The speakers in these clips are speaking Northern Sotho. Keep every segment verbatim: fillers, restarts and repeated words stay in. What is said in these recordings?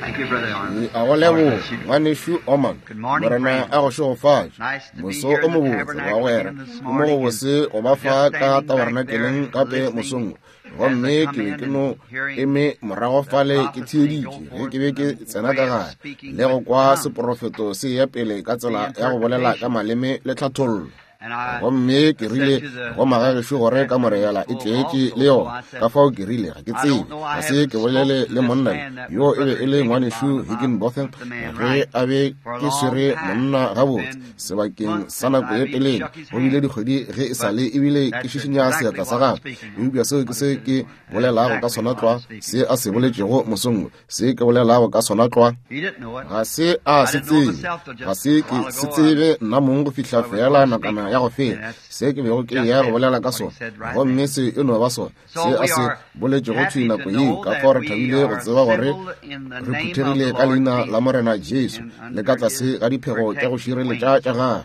A go leboga ngwanešu Oman, Morena a go šegofatše. Moso o mobotse bagwera, ke mo go bose go ba fa ka tabernakeleng gape mosong. Gomme ke be ke no eme morago fale ke theeditše ge ke be ke tsena ka gare le go kwa seprofeto se ya pele ka tsela ya go bolela ka maleme le tlhathollo. Gomme ke rile go magagešo gore ka moreyala e tletše le yona, ka fao ke rile ga ke tsebe, ga se ke bolele le monna yo e be e le ngwanešu Higginbotham ge a be ke swere monna gabotse sebakeng sa nako ye telele, go bile dikgwedi ge e sa le ebile ke šišinya seatla sa gagwe. Eupša seo ke se ke bolelago ka sona tlwa, se a se boletšego mosong, se ke bolelago ka sona tlwa. Ga se a se tsebe, ga se ke se tsebe nna mong go fihla fela nakwana ya go feta se ke bego ke ya go bolela ka sona, gomme se e no ba sona se a se boletšego thwi nako yeo. Ka fao re thabile go tseba gore re phuthegile ka leina la Morena Jesu le ka tlase ga diphego tša go šireletša tša gagwe.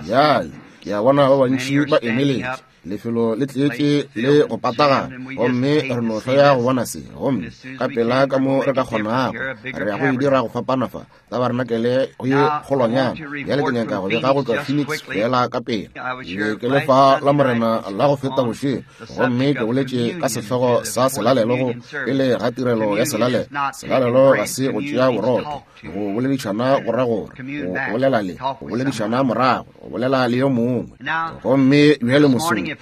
Bjale ke a bona ba bantši ba emeletše, lefelo le tletše le go patagana, gomme re no hloya go bona se. Gomme ka pela ka mo re ka kgonago re ya go e dira go fapana fa tabarenakele go ye kgolwanyana. Bjale ke nyaka go bega go tšwa Phoenix fela ka pela. Ke ke lefa la Morena la go feta bošego, gomme ke boletše ka sehlogo sa selalelo go pele ga tirelo ya selalelo. Selalelo ga se go tšea borotho, go boledišana go ra gore go bolela le go boledišana morago, go bolela le yo mongwe. Gomme bjale mosong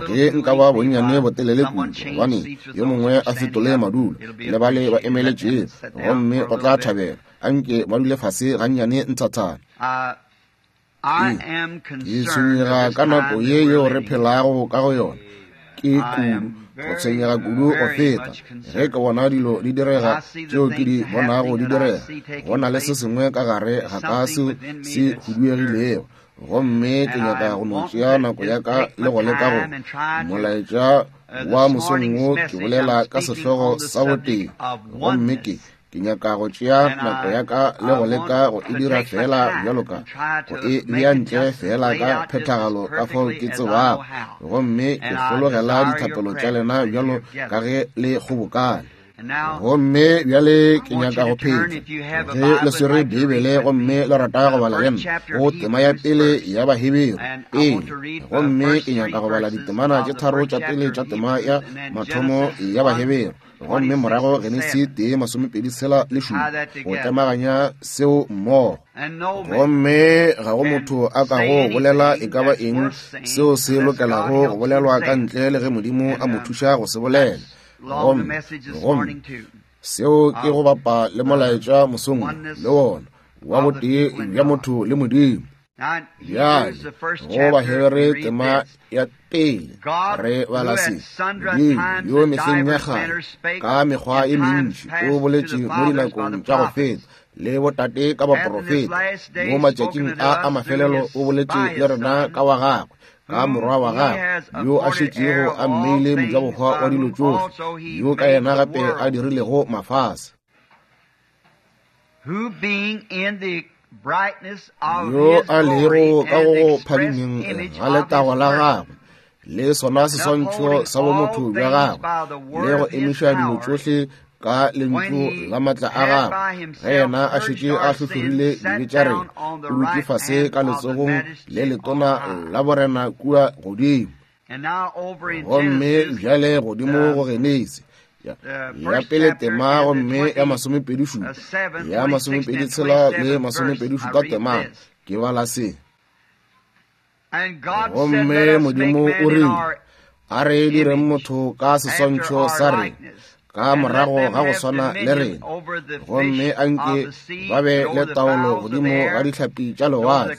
ge nka ba bonnyane botelele kudu, gobane yo mongwe a fetole madulo le bale ba emeletšego, gomme go tla thabela anke ba dule fase gannyane nthathana. Ee, ke tshwenyega ka nako ye yeo re phelago ka go yona, ke kudu go tshwenyega kudu go feta ge ke bona dilo di direga tšeo ke di bonago di direga. Go na le se sengwe ka gare ga ka seo se huduegilego, gomme ke nyaka go no tšea nako ya ka le go leka go molaetša wa mosong wo ke bolela ka sehlogo sa botee, gomme ke ke nyaka go tšea nako ya ka le go leka go e dira fela bjalo ka go e bea ntle fela ka phethagalo ka fao ke tsebago, gomme ke hlologela dithapelo tša lena bjalo ka ge le kgobokane. Gomme bjale ke nyaka go phetla ge le swere Beibele gomme le rata go bala le nna go tema ya pele ya Baheberu pele, gomme ke nyaka go bala ditemana tše tharo tša pele tša tema ya mathomo ya Baheberu, gomme morago Genesi tee masomepedi tshela le šupa go tlemaganya seo mmogo. Gomme ga go motho a ka go bolela e ka ba eng seo se lokelago go bolelwa ka ntle le ge Modimo a mo thuša go se bolela. Gomme gomme seo ke go bapa le molaetša mosong le wona wa botee bja motho le Modimo. Bjale go Bahebere tema ya pele re bala se: Modimo yo mehleng ya kgale ka mekgwa e mentši o boletše mo dinakong tša go feta le botate ka baprofeta, mo matšatšing a a mafelelo o boletše le rena ka wa gagwe, ka morwa wa gagwe yo a šetšego a mmeile mojabohwa wa dilo tšohle, yo ka yena gape a dirilego mafase, yo a lego ka go phadimeng ga letago la gagwe le sona seswantšho sa bomotho bja gagwe, le go emiša dilo tšohle ka lentšu la matla a gagwe. Ge yena a šetše a hlohlorile dibe tša rena, o dutše fase ka letsogong le letona la borena kua godimo. Gomme bjale godimo go Genesi ya pele tema gomme ya masomepedi šupa ya masomepedi tshela le masomepedi šupa tema ke bala se: Gomme Modimo o rile, a re direng motho ka seswantšho sa rena, ka morago ga go swana le rena, gomme anke ba be le taolo godimo ga dihlapi tša lewatle,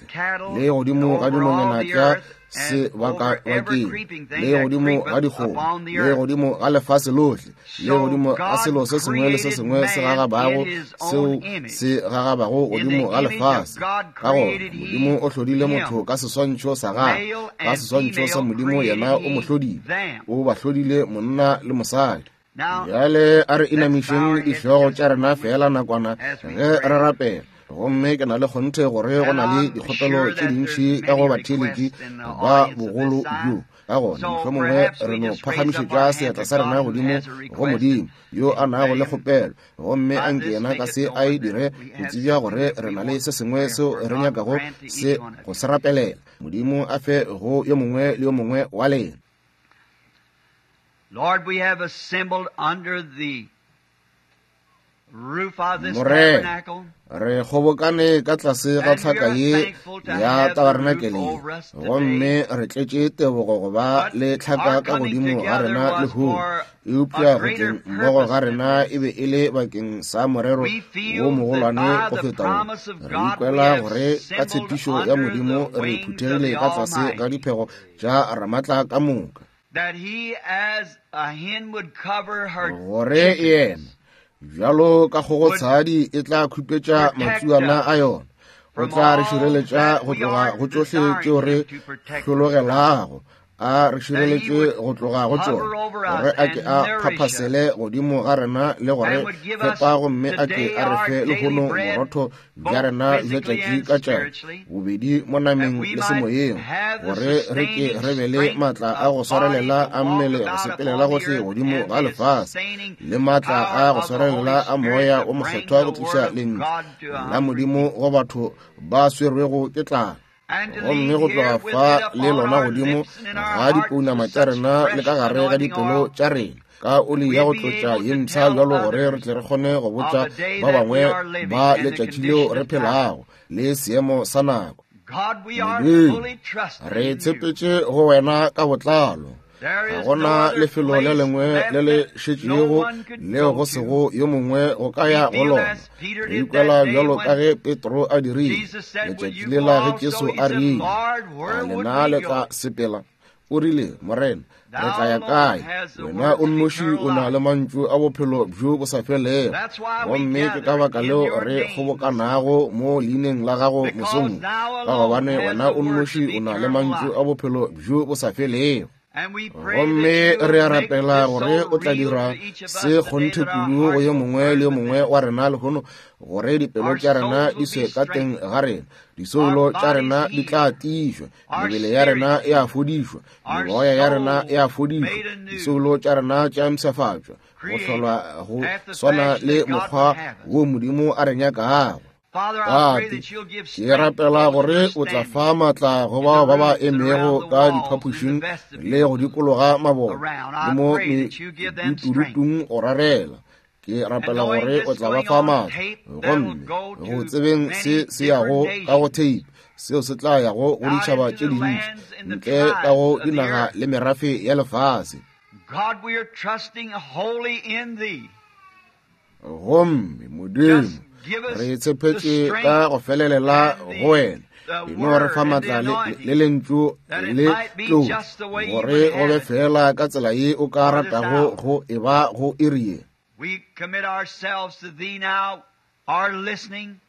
le godimo ga dinonyana tša sebakabakeng, le godimo ga dikgomo, le godimo ga lefase lohle, le godimo ga selo se sengwe le se sengwe se gagabago seo se gagabago godimo ga lefase. Ka gona Modimo o hlodile motho ka seswantšho sa gagwe, ka seswantšho sa Modimo yena o mo hlodile, o ba hlodile monna le mosadi. Bjale a re inamišeng dihlogo tša rena fela nakwana ge re rapela. Gomme ke na le kgonthe gore go na le dikgopelo tše dintši ka go batheeletši ba bogolo bjo. Ka gona mohlomongwe re no phagamišetša seatla sa rena godimo go Modimo yo a nago le kgopelo, gomme a nke yena ka se a e dire go tsebja gore re na le se sengwe seo re nyakago se go se rapelela. Modimo a fe go yo mongwe le yo mongwe wa lena. Lord, we have assembled under the roof of this Morena, tabernacle. Re kgobokane ka tlase ga tlhaka ye ya tabernakeleng, gomme re tletše tebogo go ba le tlhaka ka godimo ga rena lehono. Eupša go tleng mmogo ga rena e be e le bakeng sa morero wo mogolwane go feta wo. Re ikwela gore ka tshepišo ya Modimo re phuthegile ka tlase ga diphego tša Ramatla ka moka, That he as a hen would cover her gore yena bjalo ka kgogotshadi e tla khupetša matsuana a yona, o tla re šireletša go tloga go tšohle tšeo re hlologelago, a re šireletše go tloga go tšona, gore a ke a phaphasele godimo ga rena le gore fepa, gomme a ke a re fe lehono borotho bja rena bja tšatši ka tšatši, bobedi mo nameng le semoyeng, gore re ke re be le maatla a go swarelela a mmele go sepelela gohle godimo ga lefase, le maatla a go swarelela a moya o mokgethwa go tliša lentšu la Modimo go batho ba swerwego ke tlala. Gomme go tloga fa le lona godimo ga dipounama tša rena le ka gare ga dipelo tša rena ka oli ya go tlotša ye mpsha bjalo, gore re tle re kgone go botša ba bangwe ba letšatši leo re phelago le seemo sa nako. God, we are Modimo, fully trusting re in you. tshepetše go wena ka botlalo. There Ga is gona no other lefelo le place lengwe left le le that no šetšego one could leo go go to. sego yo mongwe go ka ya We go feel lona. as Peter Re did ikwela that day bjalo ka when ge Petro a dirile Jesus said, "Will letšatši you lela go ge also?" Jesu He a said, rile, "Lord, where a would lena we le go?" tla sepela? O rile, Morena, re tla ya Thou kae? alone has the Wena words o of nnoši eternal o na life. le mantšu a bophelo bjo bo sa felego. That's why we Gomme ke ka gather baka in leo your re name this kgobokanago mo leineng la gago Because mosong, thou ka alone gobane has wena the o words nnoši of o na le eternal mantšu life. a bophelo bjo bo sa felego. And we pray Gomme that you re a will make rapela this gore so o tla real dira to each of us se today kgonthe that our kudu go hearts yo will mongwe burn le yo within mongwe us. wa rena lehono, gore dipelo Our tša rena souls di will swe be ka teng strengthened, ga rena, our disoulo tša bodies rena di tla healed, tiišwa, our mebele ya rena spirits e a healed, fodišwa, our meoya ya rena e a souls fodišwa, made anew, disoulo tša rena tša mpshafatšwa, go created hlolwa go after the swana fashion le that God would mokgwa have us. wo Modimo a re nyakago. Father, I pray Tate, that you'll give ke strength to rapela those gore that are o tla standing fa maatla go in the bao ba ba rooms and around emego the ka walls and in the diphapošing le vestibules go dikologa mabone around. le I mo pray that you give them strength. medutudutung go rarela. Ke And rapela knowing gore o this tla ba going fa on maatla, tape, that'll gomme go go to tsebeng se many se yago different ka go nations, tape, seo se tla yago go out ditšhaba into tše the dintši, lands and the ntle ka go tribes of the dinaga earth. le merafe ya lefase. God, we are trusting wholly in Thee. Gomme Modimo, Just give us re the tshepetše strength ka go felelela and go wena. the, the E no re word fa and the maatla le, le anointing lentšu that it le might be tlotšo, just the way you gore would go be have it fela ka tsela ye o ka for this ratago hour. go e ba go iri ye. We commit ourselves to Thee now, our listening,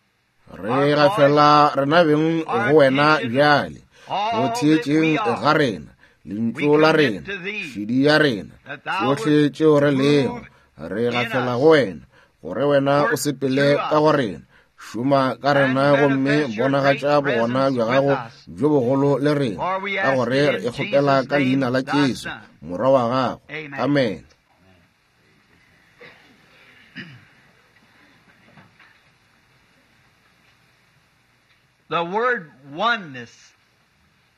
Re our voice, gafela rena beng our go wena attention, bjale, go all that we theetšeng ga are. rena, We lentšu la commit rena, to Thee šedi ya rena, that Thou tšohle would tšeo re lego, move re in gafela us, go wena, gore wena o work sepele through ka go us, rena, šoma ka and rena gomme manifest your great bonagatša bogona presence bja with gago us. bjo bogolo le rena, For we ka ask gore it re in e kgopela Jesus' ka leina name, la Thy Jesu, Son. Morwa wa gago. Amen. Amen. The word oneness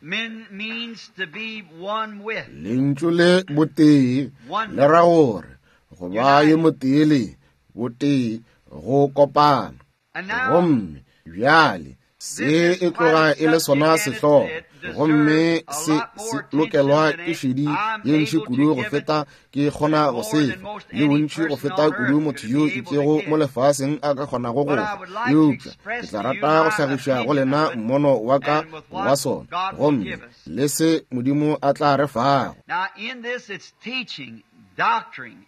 mean, means to be one with. Lentšu le botee le Oneness. ra gore go ba yo United. motee le botee go kopana. And now, Gomme bjale this se is e quite tloga a e le subject sona and it, sehlogo, it gomme deserves a se lot se more attention lokelwa than ke šedi I'm ye ntši able to kudu go give it feta ke kgona and go more se than fa, most le any bontši go person feta on kudu earth motho could yo be able to itšego mo give. lefaseng a ka kgonago go But I fa. would like to Eupša ke express tla to you rata go my hlagiša go opinion lena of it mmono wa ka and with wa what sona, God will gomme give us. le se Modimo a tla re fago. Now, in this, it's teaching, doctrine.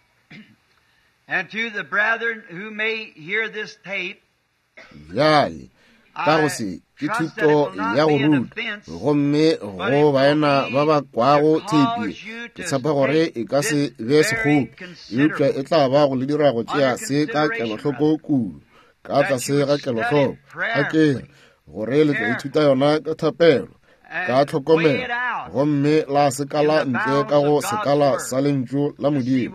And to the brethren who may hear this tape, Bjale ka go I se ke trust that it thuto will not ya go be an ruta, offense, gomme but go it will baena ba be ba to kwago theipi cause you ke to tshepa gore take e ka se this be very sekgopi, eupša e considerably tla ba go le dira go tšea under se ka consideration, kelohloko brother, kudu, ka that tlase you would ga study kelohloko. it A ke re prayerfully, gore le tla ithuta carefully, yona ka thapelo, ka tlhokomelo gomme la sekala ntle ka go sekala sa lentšu la Modimo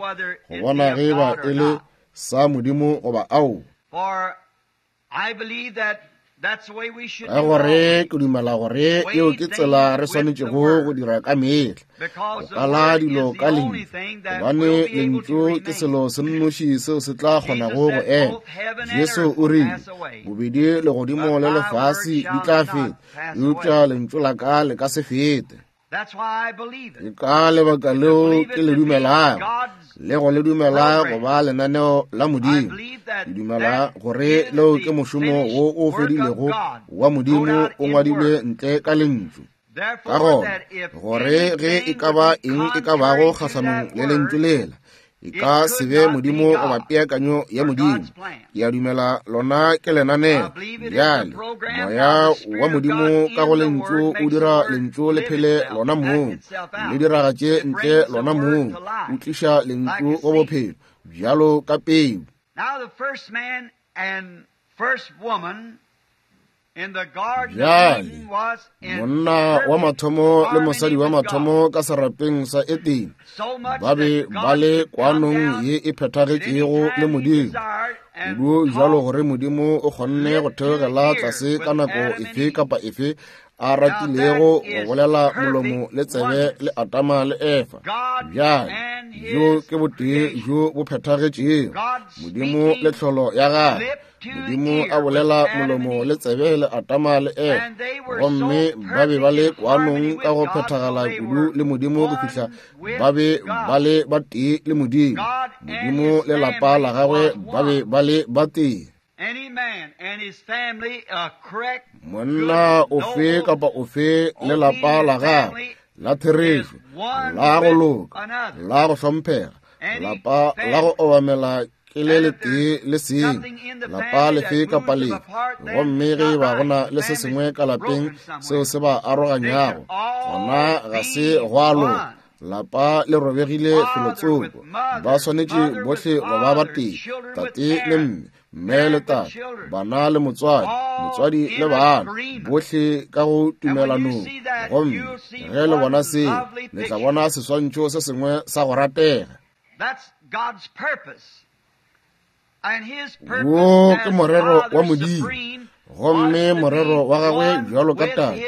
go bona ge ba e le sa Modimo goba ao. Ka gore ke dumela gore eo ke tsela re swanetšego go dira ka mehla, go kala dilo ka lentšu, gobane lentšu ke selo se nnoši seo se tla kgonago go ema. Jesu o rile, bobedi legodimo le lefase di tla feta, eupša lentšu la ka le ka se fete. Ke ka lebaka leo ke le dumelago le go le dumela go ba lenaneo la Modimo. Ke dumela gore leo ke mošomo wo o fedilego wa Modimo o ngwadilwe ntle ka lentšu. Ka gona gore ge e ka ba eng e ka bago kgahlanong le lentšu lela, e ka se be Modimo goba peakanyo ya Modimo. Ke a dumela lona ke lenaneo. Bjale moya wa Modimo ka go lentšu o dira lentšu le phele lona mong, le diragatše ntle lona mong, o tliša lentšu go bophelo bjalo ka peu. Bjale monna wa mathomo le mosadi wa mathomo ka serapeng sa Edene ba be ba le kwanong ye e phethagetšego le Modimo, kudu jalo gore Modimo o kgonne go theogela tlase ka nako efe kapa efe a ratilego go bolela molomo le tsebe le Adama le Efa. Bjale bjo ke botee bjo bo phethagetšego, Modimo le tlholo ya gagwe. Modimo a bolela molomo le tsebe le Adama le Efa, gomme ba be ba le kwanong ka go phethagala kudu le Modimo go fihla ba be ba le ba tee le Modimo. Modimo le lapa la gagwe ba be ba le ba tee. Monna ofe kapa ofe le lapa la gagwe la therešo, la go loka, la go hlomphega, lapa la go obamela ke le letee le seng, lapa lefe kapa lefe. Gomme ge ba gona le se sengwe ka lapeng seo se ba aroganyago, gona ga se gwa loka. Lapa le robegile felotsoko, ba swanetše bohle go ba ba tee, tate le mme, mme le tate, bana le motswadi, motswadi le bana, bohle ka go tumelanong. Gomme ge le bona seo, le tla bona seswantšho se sengwe sa go ratega. Wo ke morero wa Modimo, gomme morero wa gagwe bjalo ka tate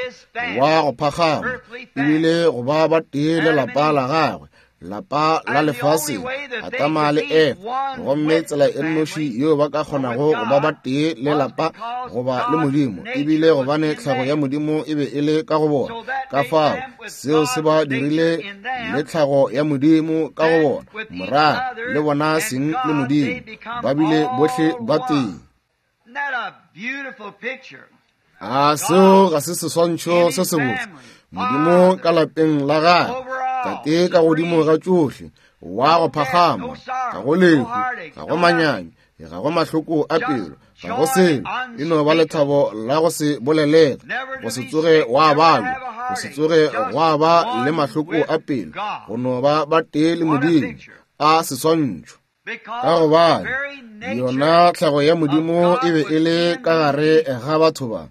wa go phagama ebile go ba ba tee le lapa la gagwe, lapa la lefase, Adama le Efa. Gomme tsela e nnoši yeo ba ka kgonago go ba ba tee le lapa goba le Modimo ebile gobane tlhago ya Modimo e be e le ka go bona. Ka fao seo se ba dirile le tlhago ya Modimo ka go bona, morago le bona seng le Modimo, ba bile bohle ba tee. A seo ga se seswantšho se sebotse? Modimo ka lapeng la gagwe, tate ka godimo ga tšohle, wa go phagama, ga go lehu, ga go manyami, ga go mahloko a pelo, ga go selo, e no ba lethabo la go se bolelege, go se tsoge wa balwa, go se tsoge gwa ba le mahloko a pelo, go no ba ba tee le Modimo. A seswantšho! Ka gobane yona tlhago ya Modimo e be e le ka gare ga batho ba,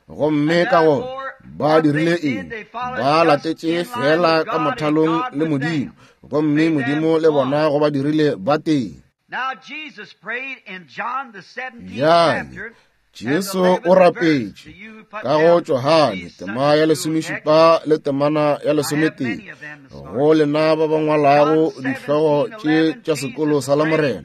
gomme ka gona ba dirile eng? Ba latetše fela ka mothalong le Modimo, gomme Modimo le bona go ba dirile ba tee. Bjale Jesu o rapetše ka go Johane tema ya lesomešupa le temana ya lesometee, go lena ba ba ngwalago dihlogo tše tša sekolo sa Lamorena,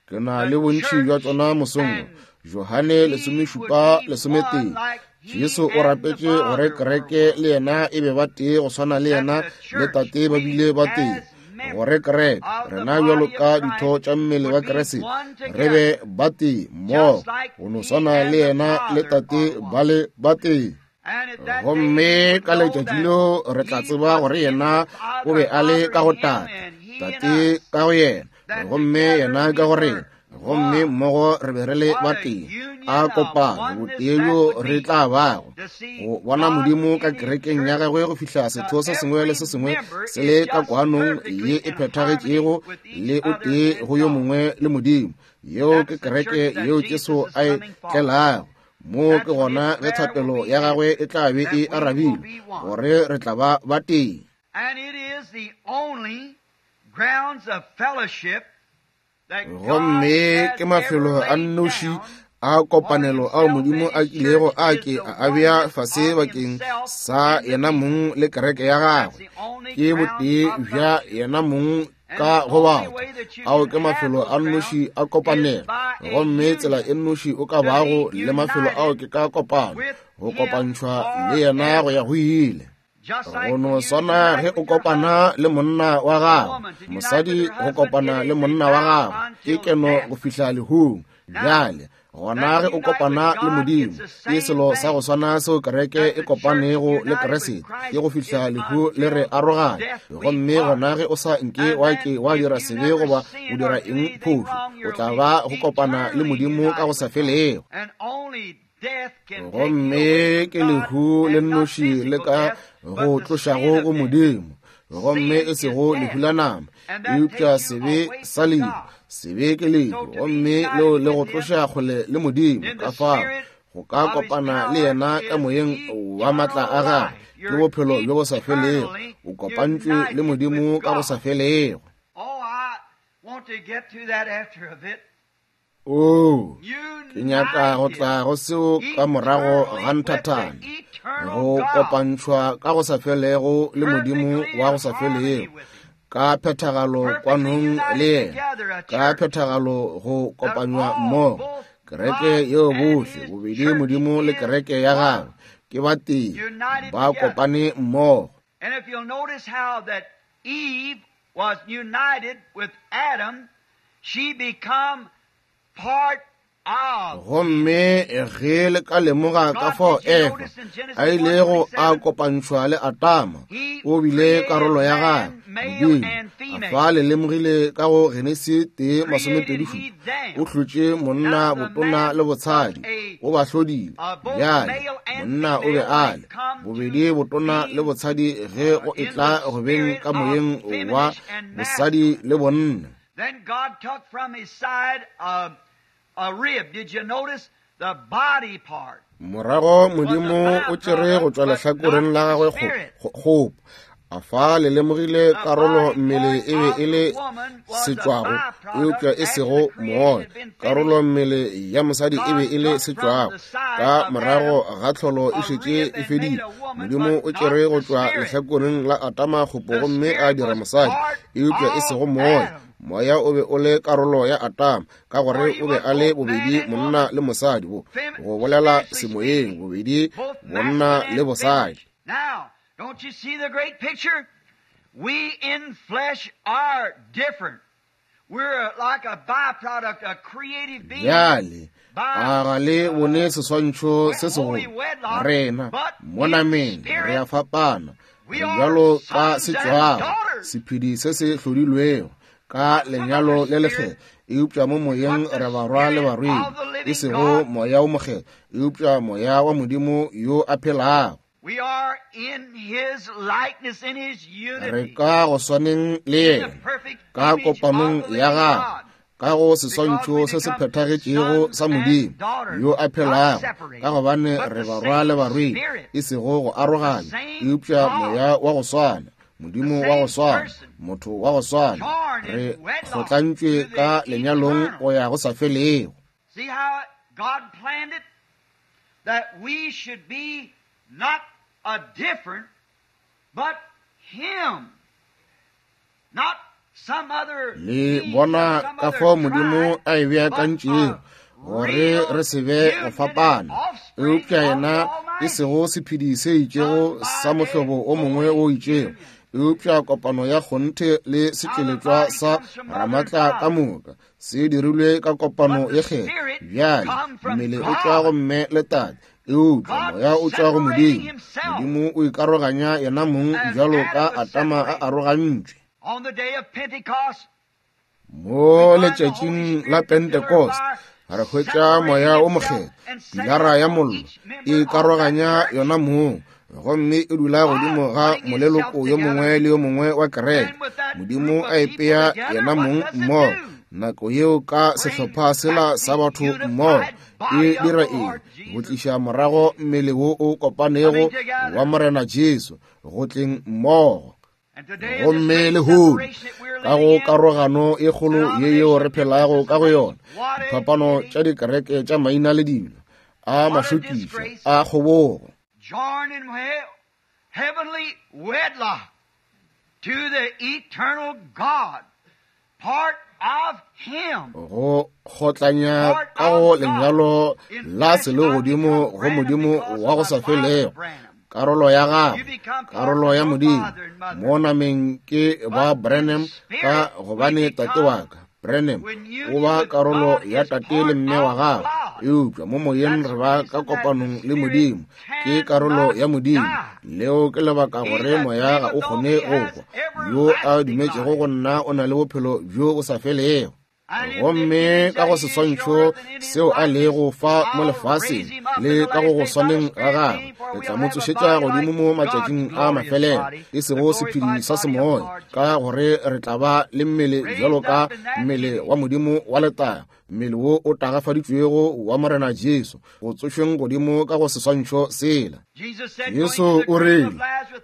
ke na le bontši bja tšona mosong. Johane lesomešupa lesometee, Jesu o rapetše gore kereke le yena e be ba tee go swana le yena le tate ba bile ba tee, gore kereke rena bjalo ka ditho tša mmele wa Kriste re be ba tee mmogo go no swana le yena le tate ba le ba tee. Gomme ka letšatši leo re tla tseba gore yena o be a le ka go tate, tate ka go yena, gomme yena ka go rena, gomme mmogo re be re le ba tee. A kopano botee bjo re tla bago go bona Modimo ka kerekeng ya gagwe go fihla setho se sengwe le se sengwe se le ka kwanong ye e phethagetšego le o tee go yo mongwe le Modimo. Yeo ke kereke yeo Jesu a e tlelago. Mo ke gona ge thapelo ya gagwe e tla be e arabilwe, gore re tla ba ba tee. Gomme ke mafelo a nnoši a kopanelo ao Modimo a kilego a ke a a bea fase bakeng sa yena mong le kereke ya gagwe. Ke botee bja yena mong ka go batho. Ao ke mafelo a nnoši a kopanelo, gomme tsela e nnoši o ka bago le mafelo ao ke ka kopano, go kopantšhwa le yena go ya go ile. Go no swana ge o kopana le monna wa gago, mosadi go kopana le monna wa gago ke keno go fihla lehung. Bjale gona ge o kopana le Modimo, ke selo sa go swana seo kereke e kopanego le Kriste, ke go fihla lehu le re aroganya. Gomme gona ge o sa nke wa ke wa dira sebe goba o dira eng phošo, o tla ba go kopana le Modimo ka go sa felego. Gomme ke lehu le nnoši le ka go tlošago go Modimo, gomme e sego lehu la nama, eupša sebe sa lehu. Sebe ke lehu, gomme leo le go tloša kgole le Modimo. Ka fao go ka kopana le yena ka moyeng wa matla a gagwe ke bophelo bjo bo sa felego. O kopantšwe le Modimo ka go sa felego. Oo, ke nyaka go tla go seo ka morago ga nthathana, go kopantšhwa ka go sa felego le Modimo wa go sa felego, ka phethagalo kwanong le yena, ka phethagalo go kopanywa mmogo. Kereke yeo bohle bobedi Modimo le kereke ya gagwe ke ba tee, ba kopane mmogo. And if you'll notice how that Eve was united with Adam, she become part of. Gomme ge le ka lemoga ka fao Efa a ilego a kopantšhwa le Adama, o bile karolo ya gagwe. Modimo a fa le lemogile ka go Genesi tee masomepedi šupa, o hlotše monna botona le botshadi, o ba hlodile. Bjale monna o be a le bobedi botona le botshadi ge go etla go beng ka moyeng wa bosadi le bonna. Then God took from his side a, a rib. Did you notice the body part? Morago Modimo o tšere go tšwa lehlakoreng la gagwe kgopo. A fa le lemogile karolo mmele e be e le setšwago, eupša e sego moya. Karolo mmele ya mosadi e be e le setšwago. Ka morago ga tlholo e šetše e fedile, Modimo o tšere go tšwa lehlakoreng la Adama kgopo gomme a dira mosadi, eupša e sego moya. Moya o be o le karolo ya Adama, ka gore o be a le bobedi monna le mosadi, bo go bolela semoyeng, bobedi bonna le bosadi. Now, don't you see the great picture? We in flesh are different. We're like a byproduct, a creative being. Bjale a ga le bone seswantšho se segolo? Rena mo nameng re a fapana, re bjalo ka setšwago, sephedi se se hlodilwego ka lenyalo le lekgetho, eupša mo moyeng re barwa le barwedi, e sego moya o mokgetho, eupša moya wa Modimo yo a phelago. We are in his likeness, in his unity. Re ka go swaneng le yena, ka kopanong ya gagwe, ka go seswantšho se se phethagetšego sa Modimo yo a phelago, ka gobane re barwa le barwedi, e sego go aroganya, eupša moya wa go swana, Modimo wa go swana, motho wa go swana, re kgotlantšwe ka lenyalong go ya go sa felego. See how God planned it that we should be not a different, but him, not some other. Le bona ka fao Modimo a e beakantšego gore re se be go fapana, eupša yena e sego sephedi se itšego sa mohlobo o mongwe o itšego, eupša kopano ya kgonthe le setšweletšwa sa Ramatla ka moka se dirilwe ka kopano ye kgetho. Bjale mmele o tšwa go mme le tate, eupša moya o tšwa go Modimo. Modimo o ikaroganya yena mong bjalo ka Adama a arogantšwe. On the day of Pentecost, Mo letšatšing la Pentecost re hwetša moya o mokgetho, pilara ya mollo e karoganya yona mong, gomme e dula godimo ga moleloko yo mongwe le yo mongwe wa kereke. Modimo a ipea yena mong mmogo. Nako yeo ka sehlopha sela sa batho mmogo e dira eng? Go tliša morago mmele wo o kopanego wa Morena Jesu, go tleng mmogo. Gomme lehono ka go karogano e kgolo ye yeo re phelago ka go yona, diphapano tša dikereke tša maina le dilo, a mašokišo a kgobogo, joined in heavenly wedlock to the eternal God, part of Him. Go kgotlanya ka go lenyalo la selegodimo go Modimo wa go sa felego, karolo ya gagwe, karolo ya Modimo. Mo nameng ke ba Branham ka gobane tate wa ka Branham o ba karolo ya tate le mme wa gagwe, eupša mo moyeng re ba ka kopanong le Modimo, ke karolo ya Modimo. Leo ke lebaka gore moya ga o kgone go hwa. Yo a dumetšego go nna o na le bophelo bjo bo sa felego. Gomme ka go seswantšho seo a lego fa mo lefaseng le ka go go swaneng ga gagwe, re tla mo tsošetša godimo mo matšatšing a mafelelo, e sego sephedi sa semoya, ka gore re tla ba le mmele bjalo ka mmele wa Modimo wa letago, mmele wo o tagafaditšwego wa Morena Jesu, go tsošweng godimo ka go seswantšho sela. Jesu o rile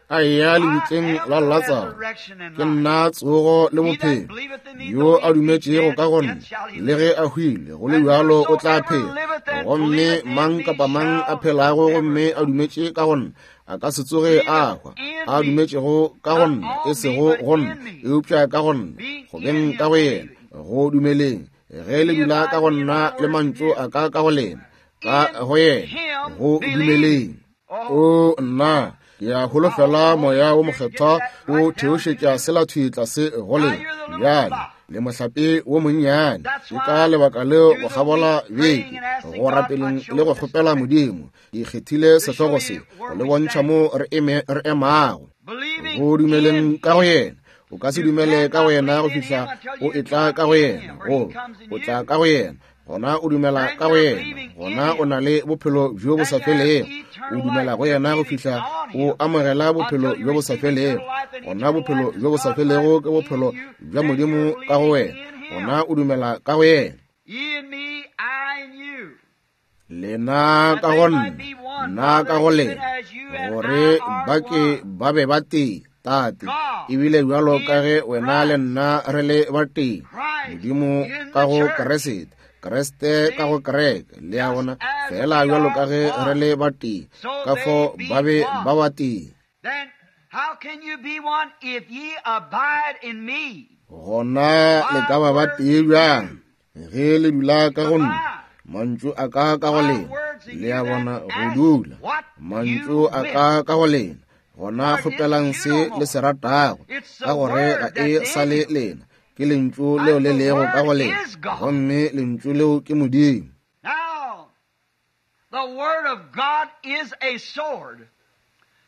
a eya lebitleng la Latsaro, ke nna tsogo le bophelo, yo a dumetšego ka go nna, le ge a hwile, go le bjalo o tla phela. Gomme mang kapa mang a phelago gomme a dumetše ka go nna, a ka se tsoge a hwa. A dumetšego ka go nna, e sego go nna, eupša ka go nna, go beng ka go yena, go dumeleng. Ge le dula ka go nna le mantšu a ka ka go lena, ka go yena, go dumeleng. O nna, ke a holofela moya wo mokgethwa o theošetša sela thwi tlase go lena bjale, le mohlape wo monnyane. Ke ka lebaka leo go kgabola beke go rapeleng le go kgopela Modimo, ke kgethile sehlogo se go le bontšha mo re eme re emago. Go dumeleng ka go yena. O ka se dumele ka go yena go fihla o etla ka go yena, go o tla ka go yena, gona o dumela ka go yena, gona o na le bophelo bjo bo sa felego. O dumela go yena go fihla o amogela bophelo bjo bo sa felego, gona bophelo bjo bo sa felego ke bophelo bja Modimo ka go wena, gona o dumela ka go yena. Lena ka go nna, nna ka go lena, gore ba ke ba be ba tee, Tate, ebile bjalo ka ge wena le nna re le ba tee, Modimo ka go Kriste, Kriste ka go kereke, le a bona, fela bjalo ka ge re le ba tee, ka fo ba be ba ba tee. Gona le ka ba ba tee bjang ge le dula ka go nna, mantšu a ka ka go lena, le a bona, go dula mantšu a ka ka go lena, gona kgopelang se le se ratago, ka gore ga e sa le lena, ke lentšu leo le lego ka go lena, gomme lentšu leo ke Modimo. Now, the word of God is a sword.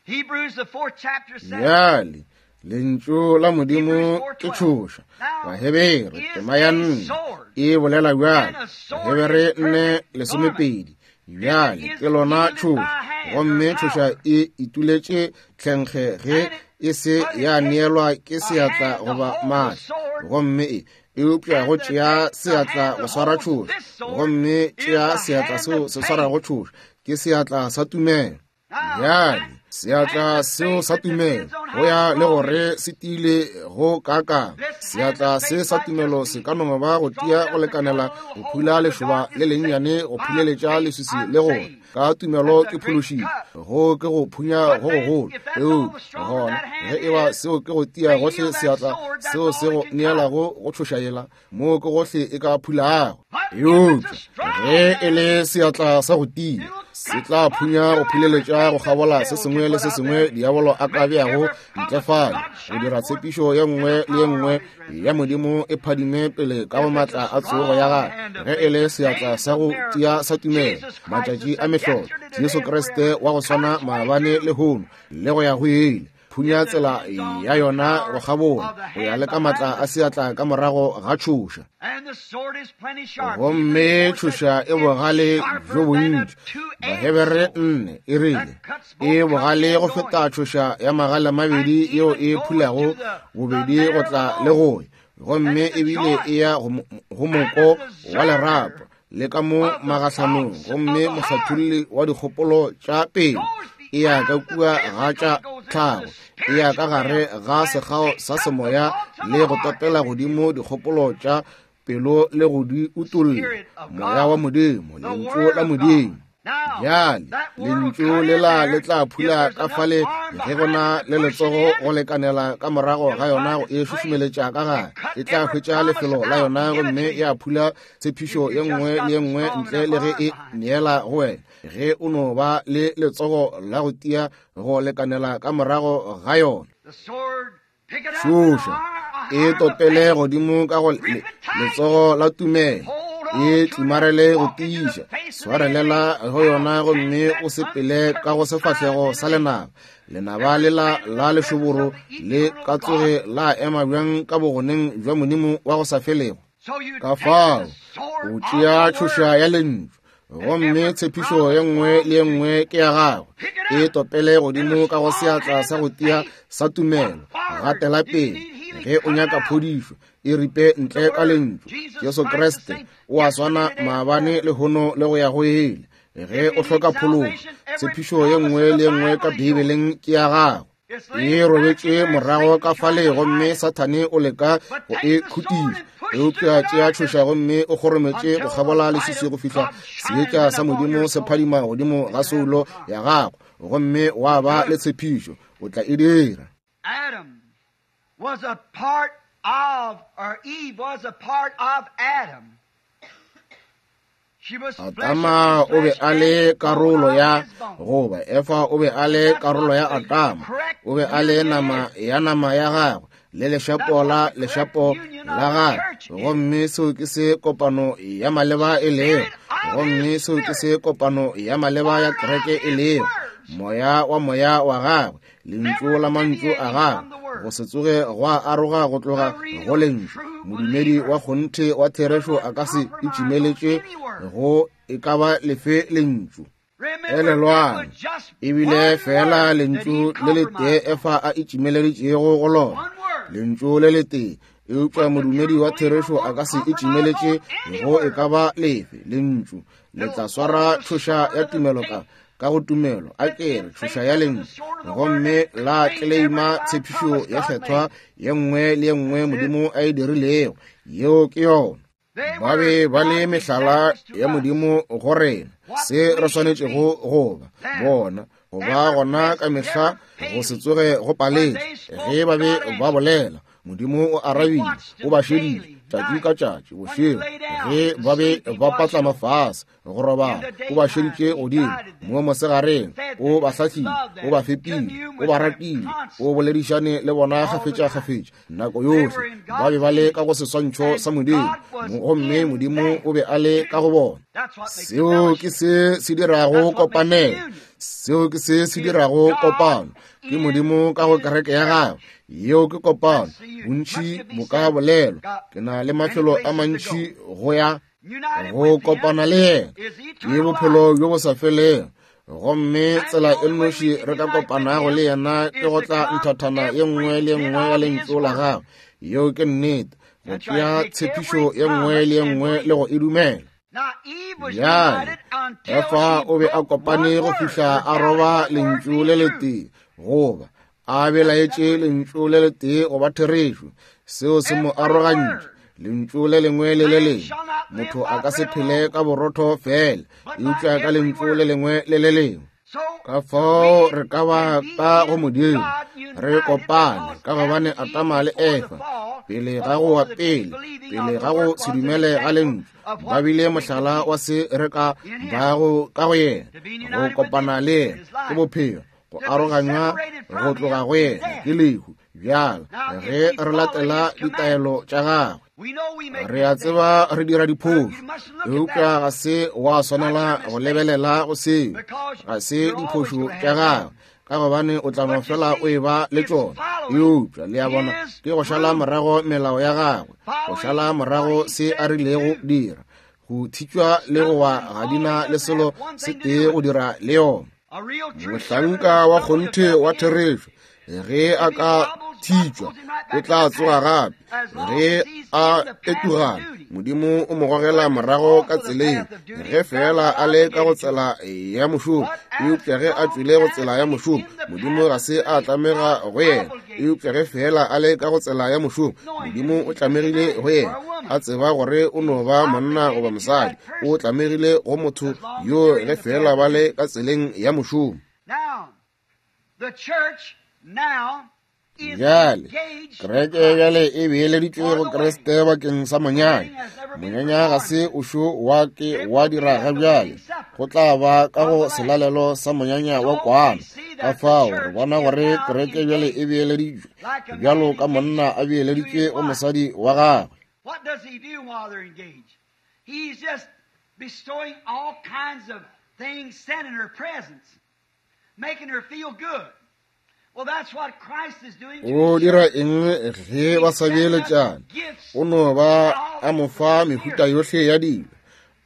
Hebrews the fourth chapter says, Bjale lentšu la Modimo ke tšhoša. Bahebere tema ya nne e bolela bjale, Bahebere nne lesomepedi. Bjale ke lona tšhoša, gomme tšhoša e ituletše tlhenkge ge e se ya neelwa ke seatla goba maatla, gomme e eupša go tšea seatla go swara tšhoša, gomme tšea seatla seo se swarago tšhoša ke seatla sa tumelo. Bjale seatla seo sa tumelo go ya le gore se tiile go kakang. Seatla se sa tumelo se ka no ba go tia go lekanela go phula lešoba le lennyane, go phuleletša leswisi le gona. Ka tumelo ke phološitšwe, go ke go phunya go gogolo. Eupša gona ge e ba seo ke go tia gohle seatla seo se go neelago go tšhoša yela, moo ke gohle e ka phulago. Eupša ge e le seatla sa go tia, se tla phunya go phuleletša go kgabola se sengwe le se sengwe diabolo a ka beago ntle fale, go dira tshepišo ye nngwe le ye nngwe ya Modimo e phadime pele ka go maatla a tsogo ya gagwe. Ge e le seatla sa go tia sa tumelo, matšatši a mehlolo, Jesu Kriste wa go swana maabane lehono le go ya go ile, phunya tsela ya yona go kgabola go ya le ka maatla a seatla ka morago ga tšhoša. Gomme tšhoša e bogale bjo bontši. Bahebere nne e rile e bogale go feta tšhoša ya magale mabedi yeo e phulago bobedi go tla le go ya, gomme ebile e ya go moko wa lerapo le ka mo magahlanong, gomme mohlatholli wa dikgopolo tša pele e ya ka kua ga tša tlhago, e ya ka gare ga sekgao sa semoya le go topela godimo dikgopolo tša pelo le go di utolla. Moya wa Modimo, lentšu la Modimo. Bjale lentšu lela le tla phula ka fale ge go na le letsogo go lekanela ka morago ga yona go e šušumeletša ka gare, e tla hwetša lefelo la yona gomme ya phula tshepišo ye nngwe le ye nngwe ntle le ge e neela go wena, ge o no ba le letsogo la go tia go lekanela ka morago ga yona. Tšhoša e topele godimo ka go letsogo la tumelo, e tlimarele go tiiša, swarelela go yona gomme o sepele ka go sefahlego sa lenaba. Lenaba lela la lešoboro le ka tsoge la ema bjang ka bogoneng bja Modimo wa go sa felego. Ka fao o tšea tšhoša ya lentšu, gomme tshepišo ye nngwe le ye nngwe ke ya gagwe, e topele godimo ka go seatla sa go tia sa tumelo. Gatela pele ge o nyaka phodišo, e ripe ntle ka lentšu. Jesu Kriste o a swana maabane lehono le go ya go ile. Ge o hloka phološo, tshepišo ye nngwe le ye nngwe ka Bibeleng ke ya gago, e robetše morago ka fale, gomme Sathane o leka go e khutiša. Eupša tšea tšhoša gomme o kgorometše go kgabola leswiswi go fihla seetša sa Modimo se phadima godimo ga soulo ya gago, gomme wa ba le tshepišo, o tla e dira. Adam was a part of, or Eve was a part of Adam. Adama o be a le karolo ya, goba Efa o be a le karolo ya Adama, o be a le nama ya nama ya gagwe le lešapo la lešapo la gagwe, gomme seo ke se kopano ya maleba e lego, gomme seo ke se kopano ya maleba ya kereke e lego, moya wa moya wa gagwe, lentšu la mantšu a gagwe, go se tsoge gwa aroga go tloga go lentšu. Modumedi wa kgonthe wa therešo a ka se itšimeletše go e ka ba lefe lentšu. Elelwang, ebile fela lentšu le letee Efa a itšimeleditšego go lona, lentšu le letee. Eupša modumedi wa therešo a ka se itšimeletše go e ka ba lefe lentšu. Le tla swara tšhoša ya tumelo ka ka go tumelo, a kere tšhoša ya lentšu, gomme la tleleima tshepišo ya kgethwa ye nngwe le ye nngwe Modimo a e dirilego. Yeo ke yona. Ba be ba le mehlala ya Modimo go rena, se re swanetšego go ba bona, go ba gona ka mehla, go se tsoge go paletše. Ge ba be ba bolela, Modimo o arabile, o ba šedile tšatši ka tšatši bošego. Ge ba be ba patlama fase go robala, o ba šeditše godimo mo mosegareng, o ba hlahlile, o ba fepile, o ba ratile, o boledišane le bona kgafetša-kgafetša nako yohle. Ba be ba le ka go seswantšho sa Modimo, gomme Modimo o be a le ka go bona. Seo ke se se dirago kopanelo, seo ke se se dirago kopano, ke Modimo ka go kereke ya gagwe. Yeo ke kopano. Bontši bo ka bolelwa, ke na le mafelo a mantši go ya go kopana le yena, ke bophelo bjo bo sa felego. Gomme tsela e nnoši re ka kopanago le yena ke go tla nthathana ye nngwe le ye nngwe ya lentšu la gagwe. Yeo ke nnete, go tšea tshepišo ye nngwe le ye nngwe le go e dumela. Bjale Efa o be a kopane go fihla a roba lentšu le letee, goba a belaetše lentšu le letee goba therešo. Seo se mo arogantše. Lentšu le lengwe le le lengwe. Motho a ka se phele ka borotho fela, eupša ka lentšu le lengwe le le lengwe. Ka fao re ka ba ka go Modimo re kopane, ka gobane Adama le Efa pele ga go wa pele, pele ga go se dumele ga lentšu, ba bile mohlala wa se re ka bago ka go yena. Go kopana le yena ke bophelo, go aroganywa go tloga go yena ke lehu. Bjale ge re latela ditaelo tša gagwe, re a tseba re dira diphošo, eupša ga se wa swanela go lebelela go seo, ga se diphošo tša gagwe, ka gobane o tla no fela o e ba le tšona. Eupša le a bona, ke go šala morago melao ya gagwe, go šala morago se a rilego dira. Go thitšwa le go wa ga dina le selo se tee go dira le yona. Mohlanka wa kgonthe wa therešo, ge a ka thitšwa, o tla tsoga gape. Ge a etugana, Modimo o mo gogela morago ka tseleng, ge fela a le ka go tsela ya mošomo. Eupša ge a tšwile go tsela ya mošomo, Modimo ga se a tlamega go yena. Eupša ge fela a le ka go tsela ya mošomo, Modimo o tlamegile go yena, a tseba gore o no ba monna goba mosadi. O tlamegile go motho yo ge fela ba le ka tseleng ya mošomo. Bjale kereke bjale e beeleditšwe go Kriste bakeng sa monyanya. Monyanya ga se o šo wa ke wa dira ga bjale, go tla ba ka go selalelo sa monyanya wa kwana. Ka fao re bona gore kereke bjale e beeleditšwe bjalo ka monna a beeleditšwe go mosadi wa gagwe. What does he do while they're engaged? He's just bestowing all kinds of things, sending her presents, making her feel good. Well, that's what Christ is doing to O his dira church. eng ge ba sa beeletšana? O no ba a mo fa mehuta yohle ya dilo,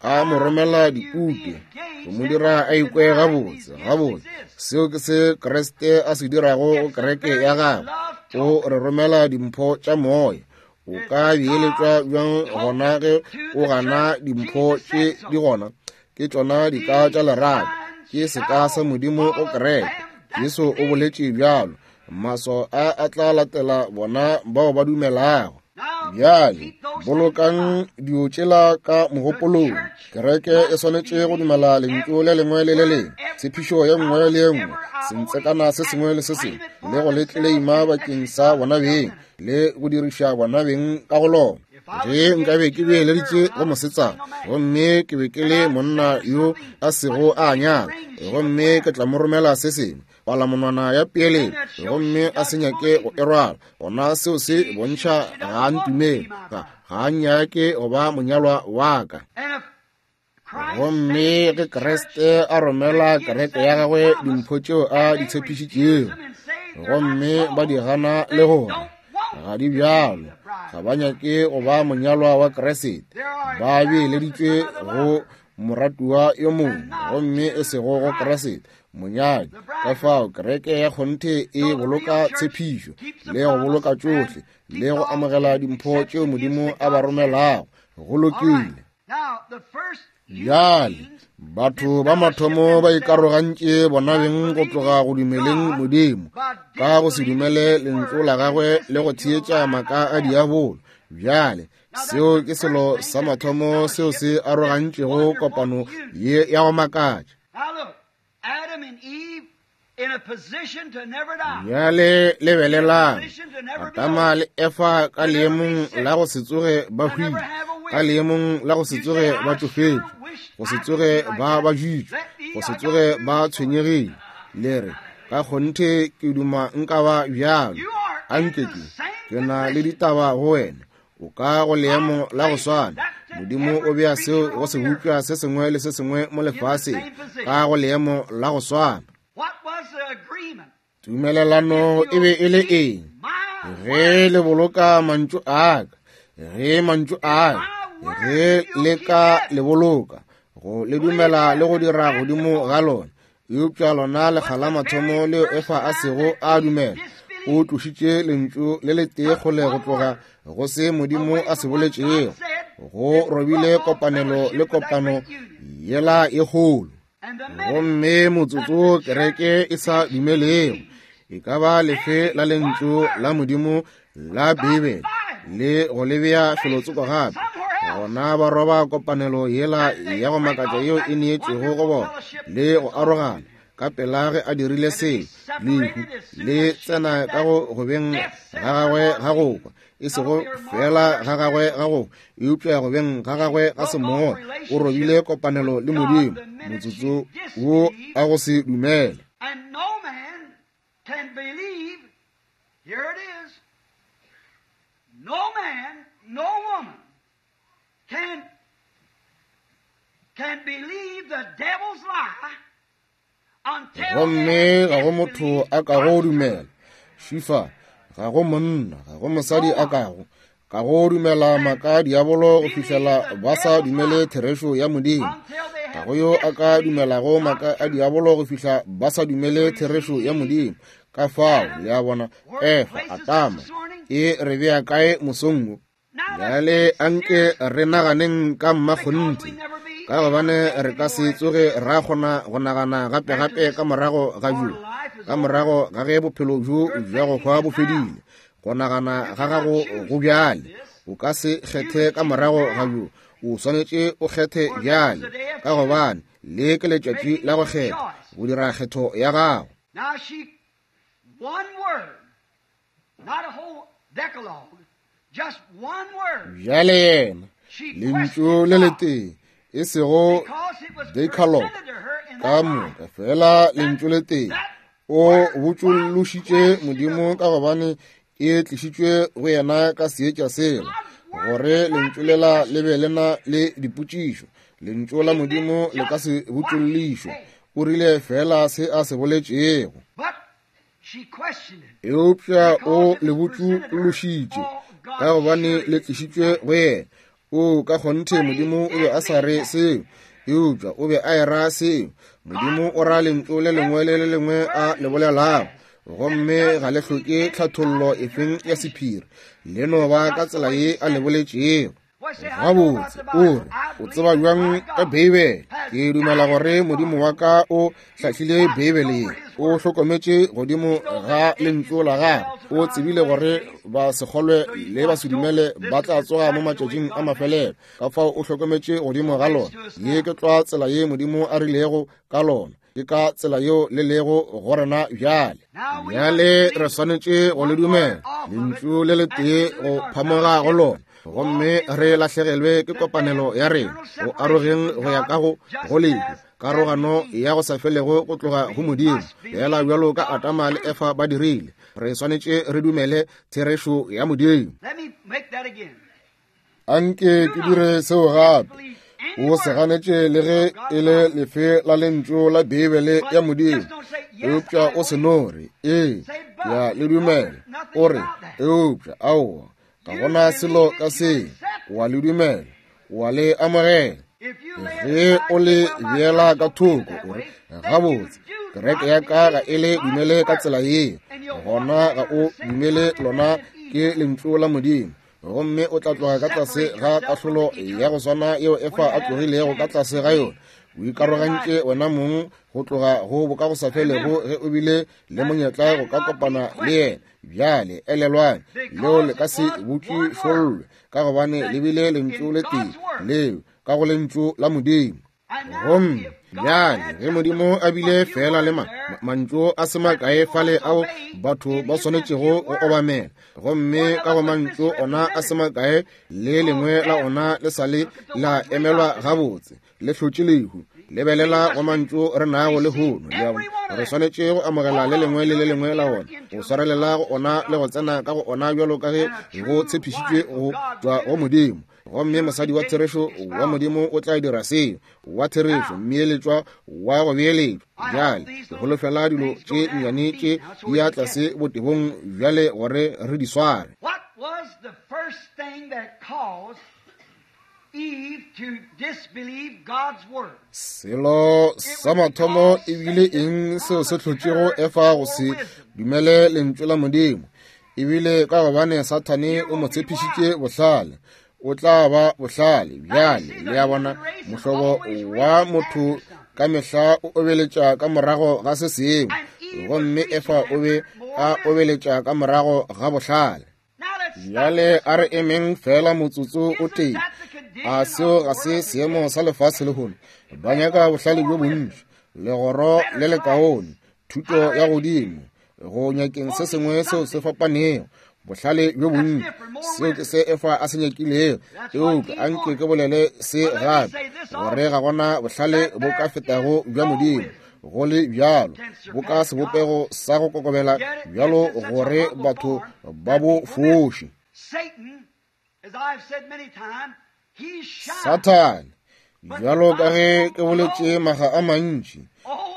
a mo romela dikupe, go mo dira a ikwe gabotse gabotse. Seo ke se Kriste a se dirago go kereke ya gagwe. O re romela dimpho tša moya. O ka beeletšwa bjang gona ge o gana dimpho tše di gona? Ke tšona dika tša lerato, ke seka sa Modimo go kereke. Jesu o boletše bjalo, maswao a a tla latela bona bao ba dumelago. Bjale bolokang dio tšela ka mogopolong. Kereke e swanetše go dumela lentšu le lengwe le le lengwe, tshepišo ye nngwe le ye nngwe, sentsekana se sengwe le se sengwe, le go le tleleima bakeng sa bona beng, le go diriša bona beng ka go lona. Ge nkabe ke beeleditše go mosetsana, gomme ke be ke le monna yo a sego a nyala, gomme ke tla mo romela se sengwe, palamonwana ya peeletšo, gomme a se nyake go e rwala, gona seo se bontšha ga a ntumele, ga ga a nyake go ba monyalwa wa ka. And if Christ Gomme ge Kriste a romela kereke ya gagwe dimpho tšeo a di tshepišitšego, gomme ba di gana le gore ga di bjalo, ga ba nyake go ba monyalwa wa Kriste, ba beeleditšwe go moratuwa yo mongwe, gomme e sego go Kriste monyadi. Ka fao kereke ya kgonthe e boloka tshepišo le go boloka tšohle le go amogela dimpho tšeo Modimo a ba romelago. Go lokile. Now, the first Bjale batho ba mathomo ba ikarogantše bona beng go tloga go dumeleng Modimo ka go se dumele lentšu la gagwe le go theetša maaka a diabolo. Bjale seo ke selo sa mathomo seo se arogantšego kopano ye ya go makatša. Now look, Adam and Eve in a position to never die. Bjale lebelelang, Adama le Efa ka leemong la go se tsoge ba hwile, ka leemong la go se tsoge ba tšofetše, go se tsoge ba bajitšwe, go se tsoge ba tshwenyegile. Le re, ka kgonthe ke duma nka ba bjalo. Anke ke, ke na le ditaba go wena. O ka go leemo la go swana. Modimo o bea seo go se bopša se sengwe le se sengwe mo lefaseng ka go leemo la go swana. What was the agreement? Tumelelano e be e le eng? My Ge le boloka mantšu a ka, ge mantšu a ka, ge le ka le boloka, go le dumela le go dira godimo ga lona. Eupša lona lekga la mathomo leo Efa a sego a dumela, o tlošitše lentšu le letee kgole go tloga go se Modimo a se boletšego. Go robile kopanelo le kopano yela e kgolo. and the minute Gomme motsotso kereke e sa dumelego, e ka ba lefe la lentšu la Modimo la Bibele le go le bea felotsoko gape, gona ba roba kopanelo yela ya go makatša yeo e neetšwego go bona le go arogana. Ka pela ge a dirile seo, lehu le tsena ka go gobeng ga gagwe ga go kwa, e sego fela ga gagwe ga go, eupša gobeng ga gagwe ga semoya. O robile kopanelo le Modimo motsotso wo a go se dumele. And no man can believe, here it is, no man, no woman can, can believe the devil's lie until Gomme they ga go motho a ka go dumela šifa, ga go monna, ga go mosadi a kago ka go dumela maaka diabolo go fihlela ba sa dumele therešo ya Modimo. Ga go yo a ka dumelago maaka a diabolo go fihla ba sa dumele therešo ya Modimo. Ka fao, le a bona, Efa, Atama, e re bea kae mosong wo? Bjale anke re naganeng ka mmakgonthe, ka gobane re ka se tsoge ra kgona go nagana gape-gape ka morago ga bjo, ka morago ga ge bophelo bjo bja go hwa bo fedile. Go nagana ga gago go bjale, o ka se kgethe ka morago ga bjo, o swanetše o kgethe bjale, ka gobane le ke letšatši la go kgetha, go dira kgetho ya gago. Now she, one word, not a whole decalogue, just one word. Bjale yena, lentšu le letee, e sego decalogue ka moka, fela lentšu le tee, o botšološitše Modimo ka gobane e tlišitšwe go yena ka seetša sela, gore lentšu lela le be le na le dipotšišo. Lentšu la Modimo le ka se botšollišwe. O rile fela se a se boletšego. Eupša o le botšološitše ka gobane le tlišitšwe go yena. O ka kgonthe Modimo o be a sa re seo, eupša o be a era seo. Modimo o ra lentšu le lengwe le le lengwe a le bolelago, gomme ga le hloke tlhathollo efeng ya sephiri, le no ba ka tsela ye a le boletšego. Gabotse, o re, o tseba bjang ka Beibele? Ke dumela gore Modimo wa ka o hlahlile Beibele ye, o hlokometše godimo ga lentšu la gagwe, o tsebile gore ba se kgolwe le ba se dumele ba tla tsoga mo matšatšing a mafelelo. Ka fao o hlokometše godimo ga lona. Ye ke tlwa tsela ye Modimo a rilego ka lona, ke ka tsela yeo le lego go rena bjale. Bjale re swanetše go le dumela lentšu le letee go phamoga go lona, gomme re lahlegelwe ke kopanelo ya rena go arogeng go ya ka go go lehu, karogano ya go sa felego go tloga go Modimo, fela bjalo ka Adama le Efa ba dirile. Re swanetše re dumele therešo ya Modimo. Anke ke dire seo gape. O se ganetše le ge e le lefe la lentšu la Beibele ya Modimo, eupša o se no re ee, ke a le dumela. O re eupša aowa, ga gona selo ka se. O a le dumela, o a le amogela. Ge o le beela ka thoko, o re gabotse, kereke ya ka ga e le dumele ka tsela ye, gona ga o dumele lona ke lentšu la Modimo, gomme o tla tloga ka tlase ga kahlolo ya go swana yeo Efa a tlogilego ka tlase ga yona. O ikarogantše wena mong go tloga go bokagosafelego ge o bile le monyetla go ka kopana le yena. Bjale elelwang, leo le ka se botšišollwe, ka gobane le bile lentšu le tee leo ka go lentšu la Modimo. Gomme bjale ge Modimo a bile fela le ma, mantšu a se makae fale ao batho ba swanetšego go obamela, gomme ka go mantšu ona a se makae le lengwe la ona le sa le la emelwa gabotse, le hlotše lehu. Lebelela go mantšu re nago lehono, le a bona, re swanetše go amogela le lengwe le le lengwe la ona, go swarelela go ona le go tsena ka go ona bjalo ka ge go tshepišitšwe go tšwa go Modimo. Gomme mosadi wa therešo wa Modimo o tla dira seo, wa therešo, mmeeletšwa wa go beeletšwa. Bjale ke holofela dilo tše nnyane tše di ya tlase botebong bjale gore re di sware. What was the first thing that caused Eve to disbelieve God's word? Selo sa mathomo e bile eng seo se hlotšego Efa go se dumele lentšu la Modimo? E bile ka gobane Sathane o mo tshepišitše bohlale. O tla ba bohlale. Bjale le a bona, mohlobo wa motho ka mehla o obeletša ka morago ga se sengwe, gomme Efa o be a obeletša ka morago ga bohlale. Bjale a re emeng fela motsotso o tee. A seo ga se seemo sa lefase lehono? Ba nyaka bohlale bjo bontši, legoro le lekaone, thuto ya godimo, go nyakeng se sengwe seo se fapanego, bohlale bjo bontši. Seo ke se Efa a se nyakilego. Eupša anke ke bolele se gape, gore ga gona bohlale bo ka fetago bja Modimo. Go le bjalo, bo ka sebopego sa go kokobela bjalo gore batho ba bo foše. Sathane, bjalo ka ge ke boletše maga a mantši,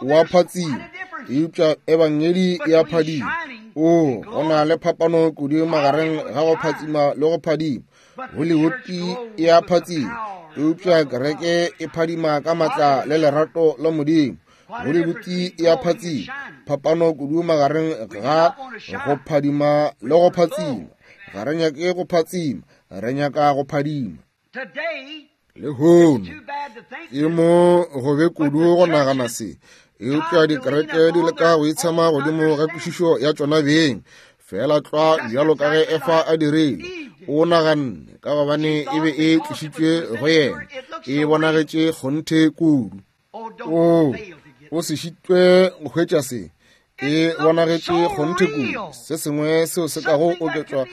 o a phatsima, eupša ebangedi e a phadima. O, go na le phapano kudu magareng ga go phatsima le go phadima. Hollywood e a phatsima, eupša kereke e phadima ka matla le lerato la Modimo. Hollywood e a phatsima. Phapano kudu magareng ga go phadima le go phatsima. Ga re nyake go phatsima, re nyaka go phadima. Lehono ke mo gobe kudu go nagana se, eupša dikereke di leka go itshema godimo ga kwešišo ya tšona beng, fela tlwa bjalo ka ge Efa a dirile. O naganne ka gobane e be e tlišitšwe go yena, e bonagetše kgonthe kudu. O o se šitwe go hwetša se, e bonagetše kgonthe kudu, se sengwe seo se kago oketšwa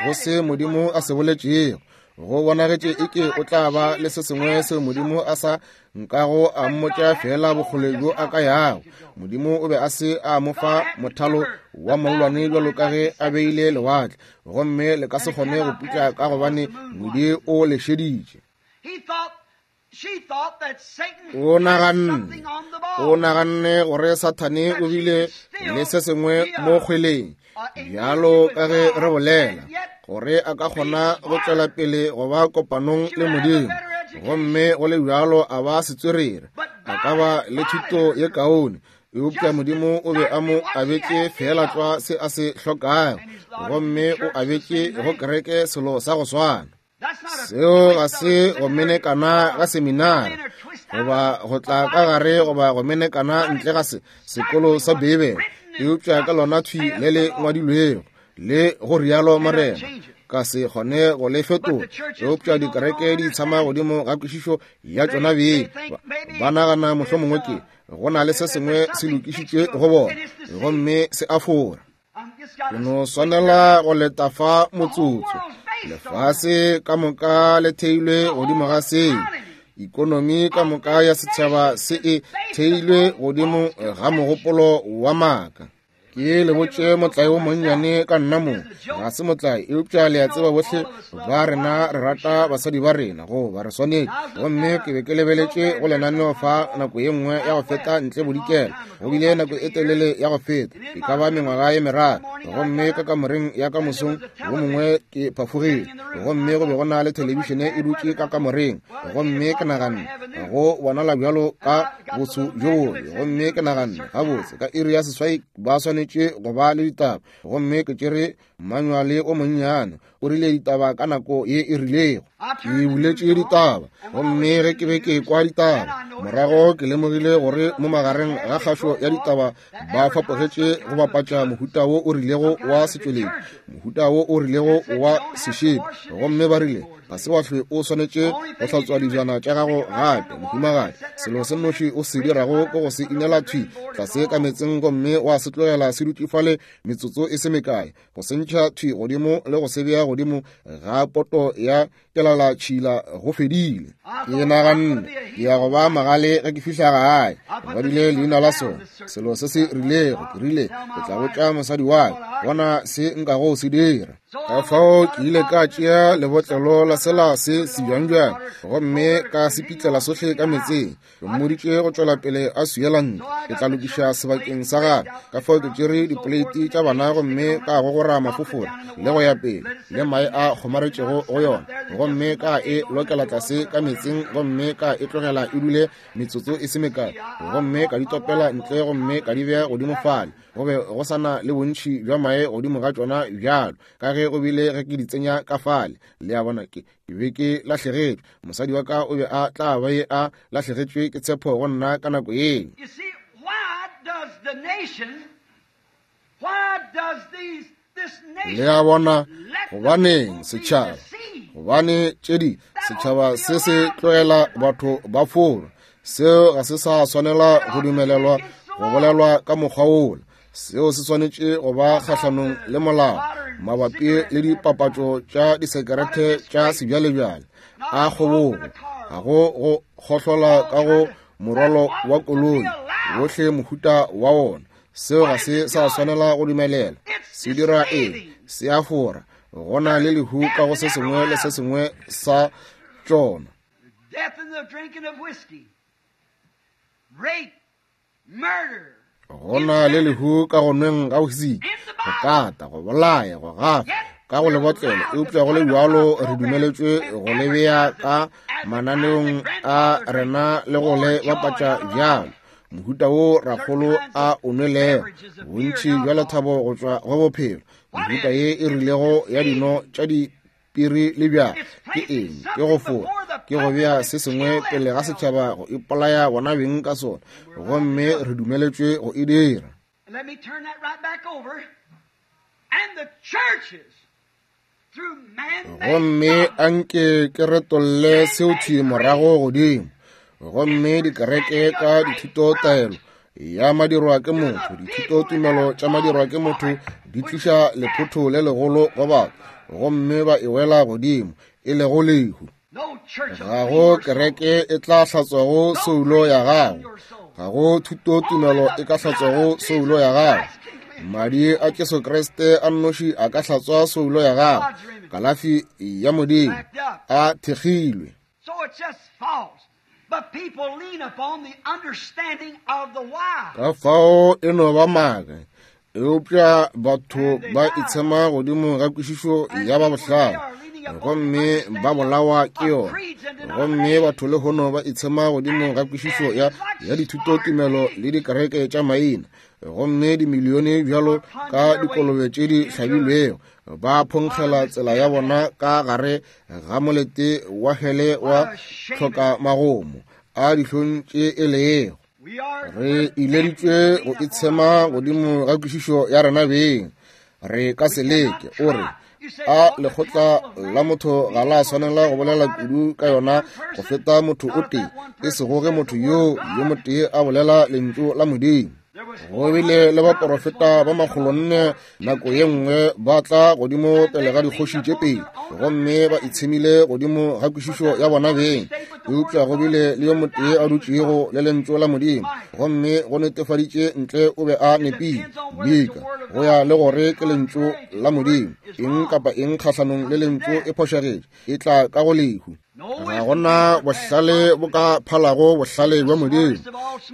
go se Modimo a se boletšego. Go bonagetše eke o tla ba le se sengwe seo Modimo a sa nkago a mmotša fela bokgole bjo a ka yago. Modimo o be a se a mo fa mothalo wa mollwane bjalo ka ge a beile lewatle, gomme le ka se kgone go putla ka gobane ngwedi o le šeditše. O naganne, o naganne gore Sathane o bile le se sengwe mo kgweleng, bjalo ka ge re bolela, gore a ka kgona go tšwela pele go ba kopanong le Modimo, gomme go le bjalo a ba setswerere, a ka ba le thuto ye kaone. Eupša Modimo o be a mo abetše fela tlwa se a se hlokago, gomme o abetše go kereke selo sa go swana. Seo ga se go menekana ga seminari, goba go tla ka gare goba go menekana ntle ga se sekolo sa Beibele, eupša ka lona thwi le le ngwadilwego le go rialo Morena, ka se kgone go le fetola. Eupša dikereke di itshama godimo ga kwešišo ya tšona beng, ba nagana mohlomongwe ke go na le se sengwe se lokišitšwe go bona, gomme se a fora. Ke no swanela go leta fa motsotso. Lefase ka moka le theilwe godimo ga seo. Ikonomi ka moka ya setšhaba se e theilwe godimo ga mogopolo wa maaka. Ke le botše motlae wo monnyane ka nna mo, ga se motlae, eupša le a tseba bohle ba rena re rata basadi ba rena, goba re swanetše. Gomme ke be ke lebeletše go lenaneo fa nako ye nngwe ya go feta ntle bodikela, go bile nako e telele ya go feta, e ka ba mengwaga ye meraro. Gomme ka kamoreng ya ka mosong wo mongwe ke phafogile, gomme go be go na le thelebišene e dutše ka kamoreng, gomme ke naganne go bonala bjalo ka botsho bjo bobe, gomme ke naganne gabotse ka iri ya seswai ba swanetše go ba le ditaba. Gomme ke tšere manuale o monnyane o rile ditaba ka nako ye e rilego. Ke buletše ditaba, gomme ge ke be ke kwa ditaba morago, ke lemogile gore mo magareng ga kgašo ya ditaba ba fapogetše go bapatša mohuta wo o rilego wa setšweletši, mohuta wo o rilego wa sešepi. Gomme ba rile ga se wa hlwe o swanetše go hlatswa dijana tša gago gape, mohumagadi. Selo se nnoši o se dirago ke go se inela thwi tlase ka meetseng, gomme wa se tlogela se dutše fale metsotso e se mekae, go se ntšha thwi godimo le go se bea godimo ga poto ya kelala tšhila, go fedile. Ke naganne ke ya go ba magale ge ke fihla gae. Ke ngwadile leina la sona, selo se se rilego. Ke rile ke tla botša mosadi wa ka, bona se nkago se dira. Ka fao ke ile ka tšea lebotlelo la sela se sebjangbjang, gomme ka se pitlela sohle ka meetseng. Ke mmoditše go tšwela pele a swiela ntle, ke tla lokiša sebakeng sa gagwe. Ka fao ke tšere dipoleiti tša bana gomme ka gogora mafofora le go ya pele le mae a kgomaretšego go yona, gomme ka e lokela tlase ka meetseng, gomme ka e tlogela e dule metsotso e se mekae, gomme ka di topela ntle gomme ka di bea godimo fale. Go be go sa na le bontši bja mae godimo ga tšona bjalo ka ge go bile ge ke di tsenya ka fale. Le a bona, ke ke be ke lahlegetšwe. Mosadi wa ka o be a tla be a lahlegetšwe ke tshepo go nna ka nako yeo. Le a bona, gobaneng setšhaba, gobane tše di setšhaba se se tlogela batho ba fora. Seo ga se sa swanela go dumelelwa go bolelwa ka mokgwa wola. Seo se swanetše go ba kgahlanong le molao mabapi le dipapatšo tša disekerete tša sebjalebjale a kgobogo, ga go go kgohlola ka go morwalo wa koloi wohle mohuta wa wona. Seo ga se sa swanela go dumelela. Se dira eng? Se a fora. Go na le lehu ka go se sengwe le se sengwe sa tšona. Go na le lehu ka go nweng ga whisky, go kata, go bolaya, go gafa ka go lebotlelo, eupša go le bjalo re dumeletšwe go le bea ka mananeong a rena le go le bapatša bjalo. Mohuta wo rakgolo a o nwelego, bontši bja lethabo go tšwa go bophelo, mehuta ye e rilego ya dino tša dipiri le bjala. Ke eng? Ke go fora, ke go bea se sengwe pele ga setšhaba go ipolaya bona beng ka sona, gomme re dumeletšwe go e dira. Let me turn that right back over. And the churches, through man-made Gomme anke ke retolle seo thwi morago godimo. Gomme dikereke ka dithutotaelo ya madirwa ke motho, dithutotumelo tša madirwa ke motho di tliša lephotho le legolo go batho, gomme ba e wela godimo, e lego lehu. No church will Ga clean go your soul. kereke e tla hlatswago soulo ya gago. Ga go thutotumelo e ka hlatswago soulo ya gago. Madi a Jesu Kriste a nnoši a ka hlatswa soulo ya gago. Kalafi ya Modimo a thekgilwe. So it's just false. But people lean upon the understanding of the wise. Ka fao e no ba maaka, eupša batho ba itshema godimo ga kwešišo ya ba bohlale, gomme ba bolawa ke yona. Gomme batho lehono ba itshema godimo ga kwešišo ya, ya dithutotumelo le dikereke tša maina, gomme dimilione bjalo ka dikolobe tše di hlabilwego ba phonkgela tsela ya bona ka gare ga molete wa hele wa tlhokamagomo a dihlong tše e lego. We are Re ileditšwe go itshema godimo ga kwešišo ya rena beng. Re ka se leke. O re, a lekgotla la motho ga la swanela go bolela kudu ka yona go feta motho o tee, e sego ge motho yoo yo motee a bolela lentšu la Modimo. Go bile le baporofeta ba makgolonne nako ye nngwe ba tla godimo pele ga dikgoši tše pedi, gomme ba itshemile godimo ga kwešišo ya bona beng. Eupša go bile le yo motee a dutšego le lentšu la Modimo, gomme go netefaditše ntle o be a nepile. Mika, go ya le gore ke lentšu la Modimo, eng kapa eng kgahlanong le lentšu e phošagetše, e tla ka go lehu. Ga gona bohlale bo ka phalago bohlale bja Modimo.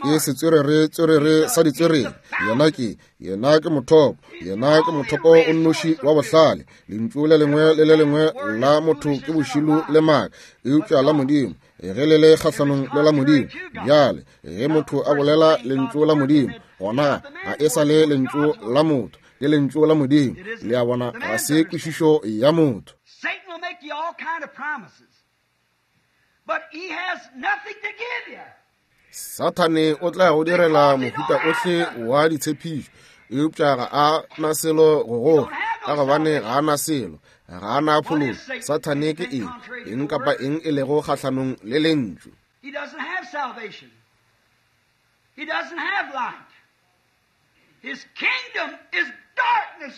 Ke setswerere tswerere sa ditswerere. Yena ke, yena ke mothopo, yena ke mothopo o nnoši wa bohlale. Lentšu le lengwe le le lengwe la motho ke bošilo le maaka, eupša la Modimo ge le le kgahlanong le la Modimo. Bjale ge motho a bolela lentšu la Modimo, gona ga e sa le lentšu la motho, ke lentšu la Modimo. Le a bona, ga se kwešišo ya motho. Satan will make you all kind of promises, but he has nothing to give you. Sathane o tla go direla mohuta ohle wa ditshepišo, eupša ga a na selo go go fa, ka gobane ga a na selo, ga a na phološo. Sathane ke eng? Eng kapa eng e lego kgahlanong le lentšu. He doesn't have salvation. He doesn't have light. His kingdom is darkness.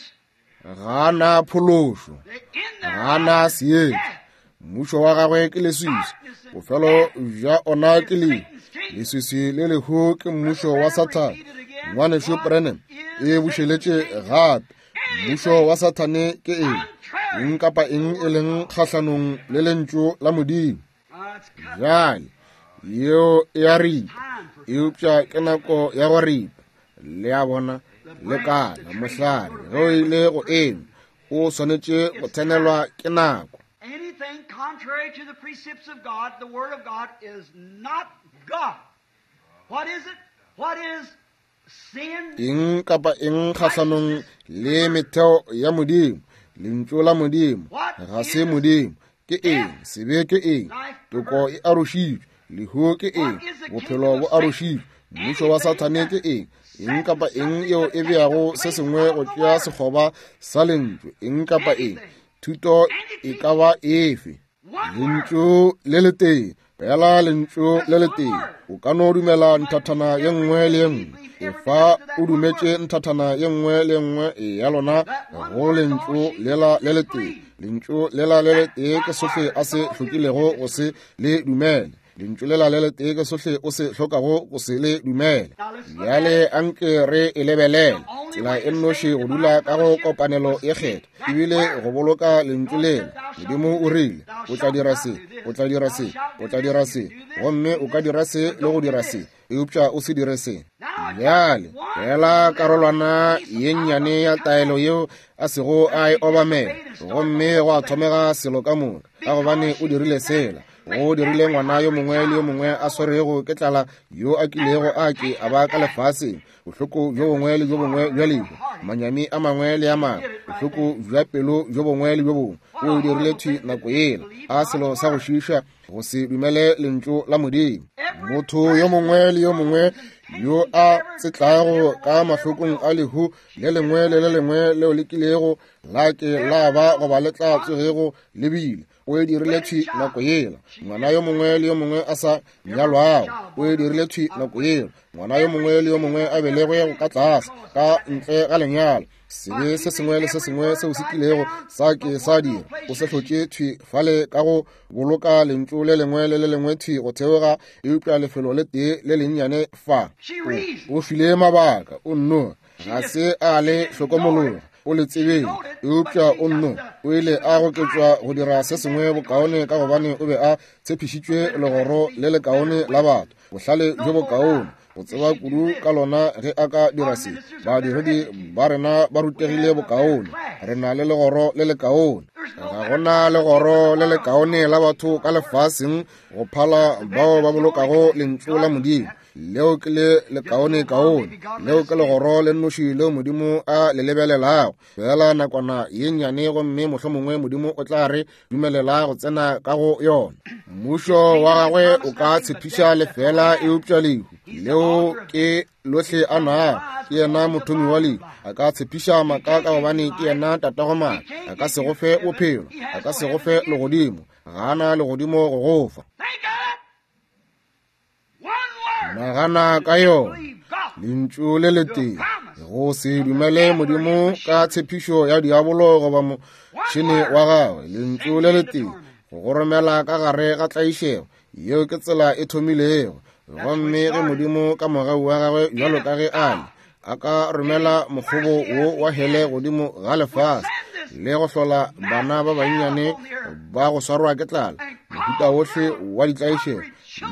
Ga a na phološo, They end their ga a na life in seetša. death. Mmušo wa gagwe ke leswiswi, bofelo bja ona ke lehu. Leswiswi le lehu ke mmušo wa Sathane. Ngwanešu Branham e bušeletše gape. Mmušo wa Sathane ke eng? Eng kapa eng e leng kgahlanong le lentšu la Modimo. Uh, it's cut Bjale yeo e a ripa, time for eupša ke nako ya go ripa. Le a bona, lekala mohlare ge o ile go ema, o swanetše go tsenelwa ke nako. Anything contrary to the precepts of God, the Word of God, is not God. What is it? What is sin? Eng kapa eng kgahlanong le metheo ya Modimo, lentšu la Modimo ga se Modimo. Ke eng? Sebe ke eng? Toko e arošitšwe. Lehu ke eng? Bophelo bo arošitšwe. Mmušo wa Sathane ke eng? Eng kapa eng yeo e beago se sengwe go tšea sekgoba sa lentšu, eng kapa eng, thuto e ka ba efe. Lentšu le letee, fela lentšu le letee. O ka no dumela nthathana ye nngwe le ye nngwe. Efa o dumetše nthathana ye nngwe le ye nngwe ya lona go lentšu lela le letee. Lentšu lela le letee ke sohle a se hlokilego go se le dumele. Lentšu lela le letee ke sohle o se hlokago go se le dumele. Bjale anke re e lebelele. Tsela e nnoši go dula ka go kopanelo ye kgetho, ebile go boloka lentšu lela. Modimo o rile, o tla dira se, o tla dira se, o tla dira se, gomme o ka dira se le go dira se, eupša o se dire se. Bjale fela karolwana ye nnyane ya taelo yeo a sego a e obamela, gomme go a thomega selo ka moka, ka gobane o dirile sela. O dirile ngwana yo mongwe le yo mongwe a swerego ke tlala yo a kilego a ke a ba ka lefaseng, bohloko bjo bongwe le bjo bongwe bja lehu, manyami a mangwe le a mangwe, bohloko bja pelo bjo bongwe le bjo bongwe. O dirile thwi nako yela. A selo sa go šiiša go se dumele lentšu la Modimo. Motho yo mongwe le yo mongwe yo a tsetlago ka mahlokong a lehu le lengwe le le lengwe leo le kilego la ke la ba goba le tla tsogego le bile, o e dirile thwi nako yela. Ngwana yo mongwe le yo mongwe a sa nyalwago, o e dirile thwi nako yela. Ngwana yo mongwe le yo mongwe a belegwego ka tlase ka ntle ga lenyalo, sebe se sengwe le se sengwe seo se kilego sa ke sa dira, o se hlotše thwi fale ka go boloka lentšu le lengwe le le lengwe thwi go theoga, eupša lefelo le tee le lennyane fa. O, o file mabaka, o nno ga se a le hlokomologa, o le tsebeng, eupša o nno o ile a goketšwa go dira se sengwe bokaone ka gobane o be a tshepišitšwe legoro le lekaone la batho, bohlale bjo bokaone, go tseba kudu ka lona ge a ka dira se. Badiredi ba rena ba rutegile bokaone, re na le legoro le lekaone. Ga gona legoro le lekaone la batho ka lefaseng go phala bao ba bolokago lentšu la Modimo. Leo ke le lekaone kaone, leo ke legoro le nnoši leo Modimo a le lebelelago. Fela nakwana ye nnyane gomme mohlomongwe Modimo o tla re dumelela go tsena ka go yona. Mmušo wa gagwe o ka tshepiša lefela, eupša lehu leo ke lohle a nago. Ke yena mothomi wa lehu. A ka tshepiša maaka ka gobane ke yena tatago maaka. A ka se go fe bophelo, a ka se go fe legodimo, ga ana legodimo go go fa. Nagana ka yona, lentšu le letee, go se dumele Modimo ka tshepišo ya diabolo goba motšhene wa gagwe, lentšu le letee go romela ka gare ga tlaišego. Yeo ke tsela e thomilego. Gomme ge Modimo ka mogau wa gagwe bjalo ka ge a le, a ka romela mokgobo wo wa hele godimo ga lefase le go hlola bana ba bannyane ba go swarwa ke tlala, mohuta wohle wa ditlaišego,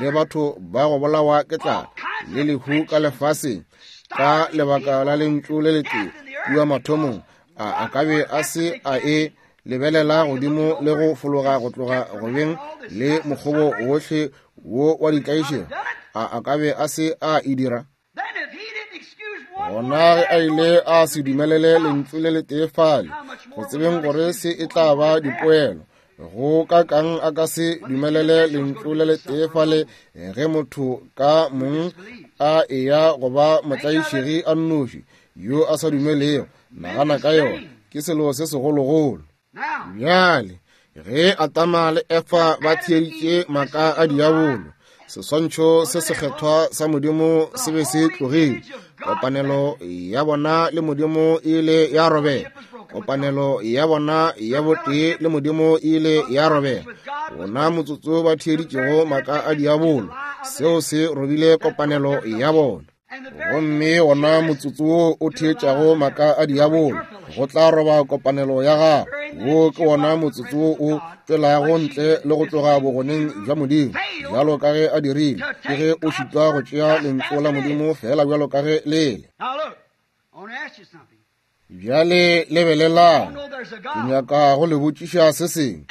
le batho ba go bolawa ke tlala le lehu ka lefaseng ka lebaka la lentšu le letee kua mathomong, a a ka be a se a e lebelela godimo le go fologa go tloga go beng le mokgobo wohle wo wa ditlaišego, a a ka be a se a e dira? Gona ge a ile a se dumelele lentšu le letee fale, go tsebeng gore se e tla ba dipoelo, go ka kang a ka se dumelele lentšu le letee fale ge motho ka mong a eya go ba motlaišegi a nnoši yo a sa dumelego? Nagana ka yona, ke selo se segologolo. Bjale ge Adama le Efa ba theeditše maaka a diabolo, seswantšho se sekgethwa sa Modimo se be se tlogile. Kopanelo ya bona le Modimo e ile ya robega. Kopanelo ya bona ya botee le Modimo e ile ya robega. Bona motsotso ba theeditšego maaka a diabolo, seo se robile kopanelo ya bona. Gomme wona motsotso wo o theetšago maaka a diabolo, go tla roba kopanelo ya gago. Wo ke wona motsotso wo o tšwelago ntle le go tloga bogoneng bja Modimo, bjalo ka ge a dirile. Ke ge o šitwa go tšea lentšu la Modimo fela bjalo ka ge le le. Bjale lebelelang, ke nyaka go le botšiša se sengwe.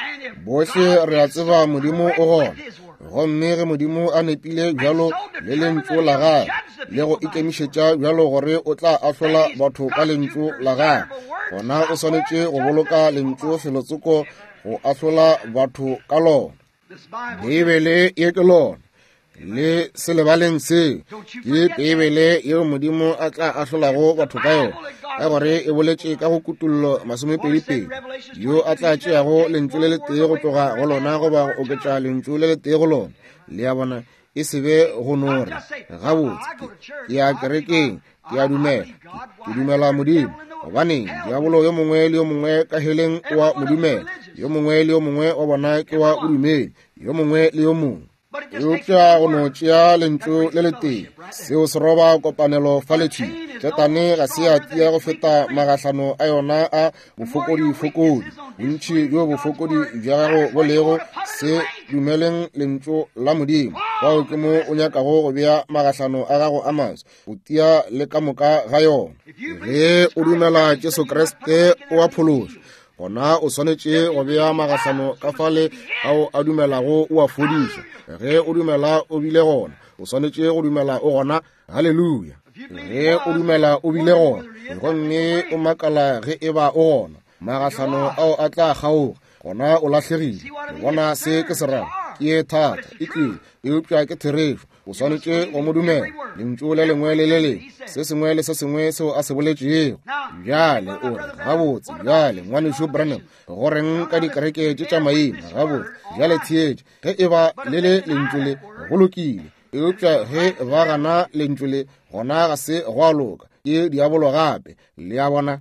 Bohle re a tseba Modimo o gona, gomme ge Modimo a nepile bjalo le lentšu la gagwe le go ikemišetša bjalo gore o tla ahlola batho ka lentšu la gagwe, gona o swanetše go boloka lentšu felotsoko go ahlola batho ka lona. Beibele ye ke lona, le se lebaleng seo. Ke Beibele yeo Modimo a tla ahlolago batho ka yona, ka gore e boletše ka go Kutollo masomepedi-pedi, yo a tla tšeago lentšu le letee go tloga go lona goba go oketša lentšu le letee go lona. Le a bona, e se be go no re, gabotse, ke ya kerekeng, ke a dumela, ke dumela Modimo. Gobaneng, diabolo yo mongwe le yo mongwe ka heleng o a mo dumela, yo mongwe le yo mongwe wa bona ke wa bodumedi, yo mongwe le yo mongwe. Eupša go no tšea lentšu le letee, seo se roba kopanelo fa letšhing. Ketane ga se ya tia go feta magahlano a yona a bofokodi-fokodi. Bontši bjo bofokodi bja gago bo lego, se dumeleng lentšu la Modimo. Fao ke mo o nyakago go bea magahlano a gago a maswa, go tia le ka moka ga yona. Ge o dumela Jesu Kriste o a phološwa, Gona o swanetše go bea magahlano ka fale ao a dumelago o a fodiša. Ge o dumela o bile gona, o swanetše go dumela o gona. Haleluya. Ge o dumela o bile gona, gomme o makala ge e ba o gona, magahlano ao a tla kgaoga, gona o lahlegile. Le bona se ke se rago? Ke ye thata, e tlile, eupša ke therešo. O swanetše go mo dumela, lentšu le lengwe le le lengwe, se sengwe le se sengwe seo a se boletšego. Bjale o re, gabotse, bjale ngwanešu Branham, go reng ka dikereke tše tša maina? Gabotse, bjale theetše, ge e ba le le lentšu le, go lokile. Eupša ge ba gana lentšu le, gona ga se go a loka, ke diabolo gape. Le a bona?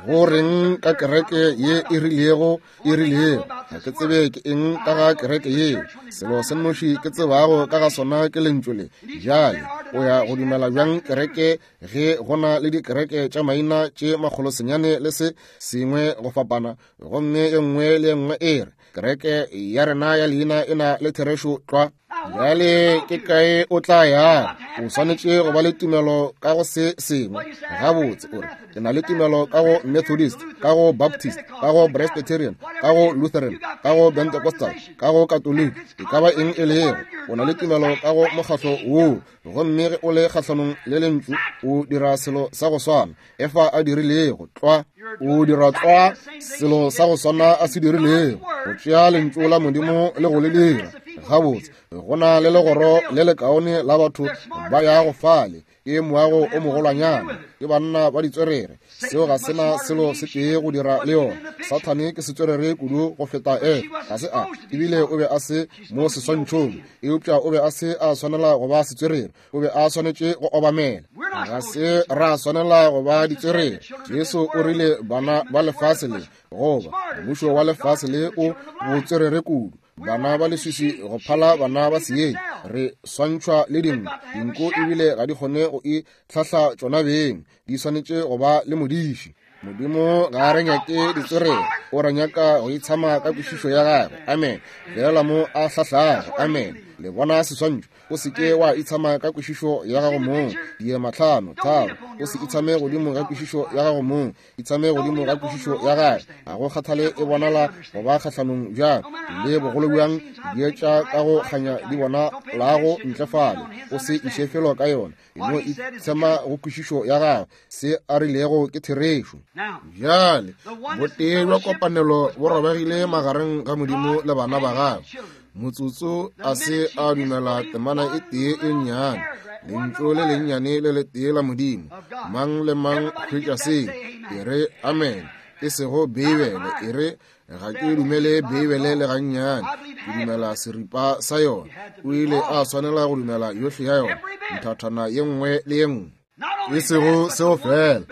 Go reng ka kereke ye e rilego e rilego? Ga ke tsebe ke eng ka ga kereke yeo. Selo se nnoši ke tsebago ka ga sona ke lentšu le. Bjale o ya go dumela bjang kereke ge go na le dikereke tša maina tše makgolo senyane le se sengwe go fapana, gomme e nngwe le e nngwe e re kereke ya rena ya leina e na le therešo tlwa? Bjale ke kae o tla ya? O swanetše go ba le tumelo ka go se sengwe. Gabotse, o re, ke na le tumelo ka go Methodist, ka go Baptist, ka go Presbyterian, ka go Lutheran, ka go Pentecostal, ka go Catholic, e ka ba eng e lego. O na le tumelo ka go mokgatlo woo, gomme ge o le kgahlanong le lentšu, o dira selo sa go swana Efa a dirilego tlwa. O dira tlwa selo sa go swana a se dirilego, go tšea lentšu la Modimo le go le dira. Gabotse, go na le legoro le lekaone la batho ba yago fale, ke moago o mogolwanyana, ke banna ba ditswerere. Seo ga sena selo se tee go dira le yona. Sathane ke setswerere kudu go feta Efa. Ga se a, ebile o be a se mo seswantšhong, eupša o be a se a swanela go ba setswerere, o be a swanetše go obamela. Ga se ra swanela go ba ditswerere. Jesu o rile bana ba lefase le, goba mmušo wa lefase le o botswerere kudu, bana ba leswiswi go phala bana ba seeng. Re swantšhwa le dinku, dinku ebile ga di kgone go itlhahla tšona beng, di swanetše go ba le modiši. Modimo ga a re nyake ditswerere, o re nyaka go itshama ka kwešišo ya gagwe. Amen. Feela mo a hlahlago. Amen. Le bona seswantšho? O se ke wa itshama ka kwešišo ya gago mong. Diema tlhano, tharo. O se itshame godimo ga kwešišo ya gago mong, itshame godimo ga kwešišo ya gagwe. Ga go kgathale e bonala go ba kgahlanong bjang le bogolo bjang, dietša ka go kganya di bona lago ntle fale. O se iše felo ka yona, e no itshema go kwešišo ya gagwe. Se a rilego ke therešo. Bjale botee bja kopanelo bo robegile magareng ga Modimo le bana ba gagwe. Motsotso a se a dumela temana e tee e nnyane, lentšu le lennyane le letee la Modimo. Mang le mang hwetša seo, e re amen. E sego Beibele, e re ga ke dumele Beibele le gannyane, ke dumela seripa sa yona. O ile a swanela go dumela yohle ya yona, nthathana ye nngwe le ye nngwe. E sego seo fela,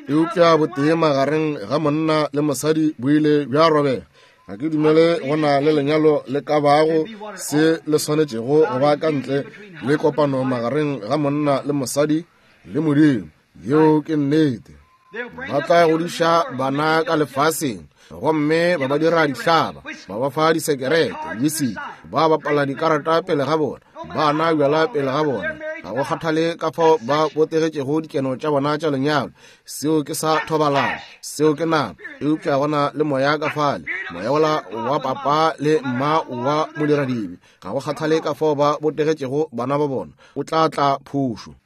eupša botee magareng ga monna le mosadi bo ile bja robega. Ga ke dumele go na le lenyalo le ka bago se le swanetšego go ba ka ntle le kopano magareng ga monna le mosadi le Modimo. Yeo ke nnete. Ba tla godiša bana ka lefaseng, gomme ba ba dira dihlaba, ba ba fa disekerete, whisky, ba bapala dikarata pele ga bona, ba nwa bjala pele ga bona. Ga go kgathale ka fao ba botegetšego dikeno tša bona tša lenyalo, seo ke sa thobalano, seo ke nama. Eupša gona le moya ka fale, moya wola wa papa le mma wa modiradibe. Ga go kgathale ka fao ba botegetšego bana ba bona, o tla tla phošo.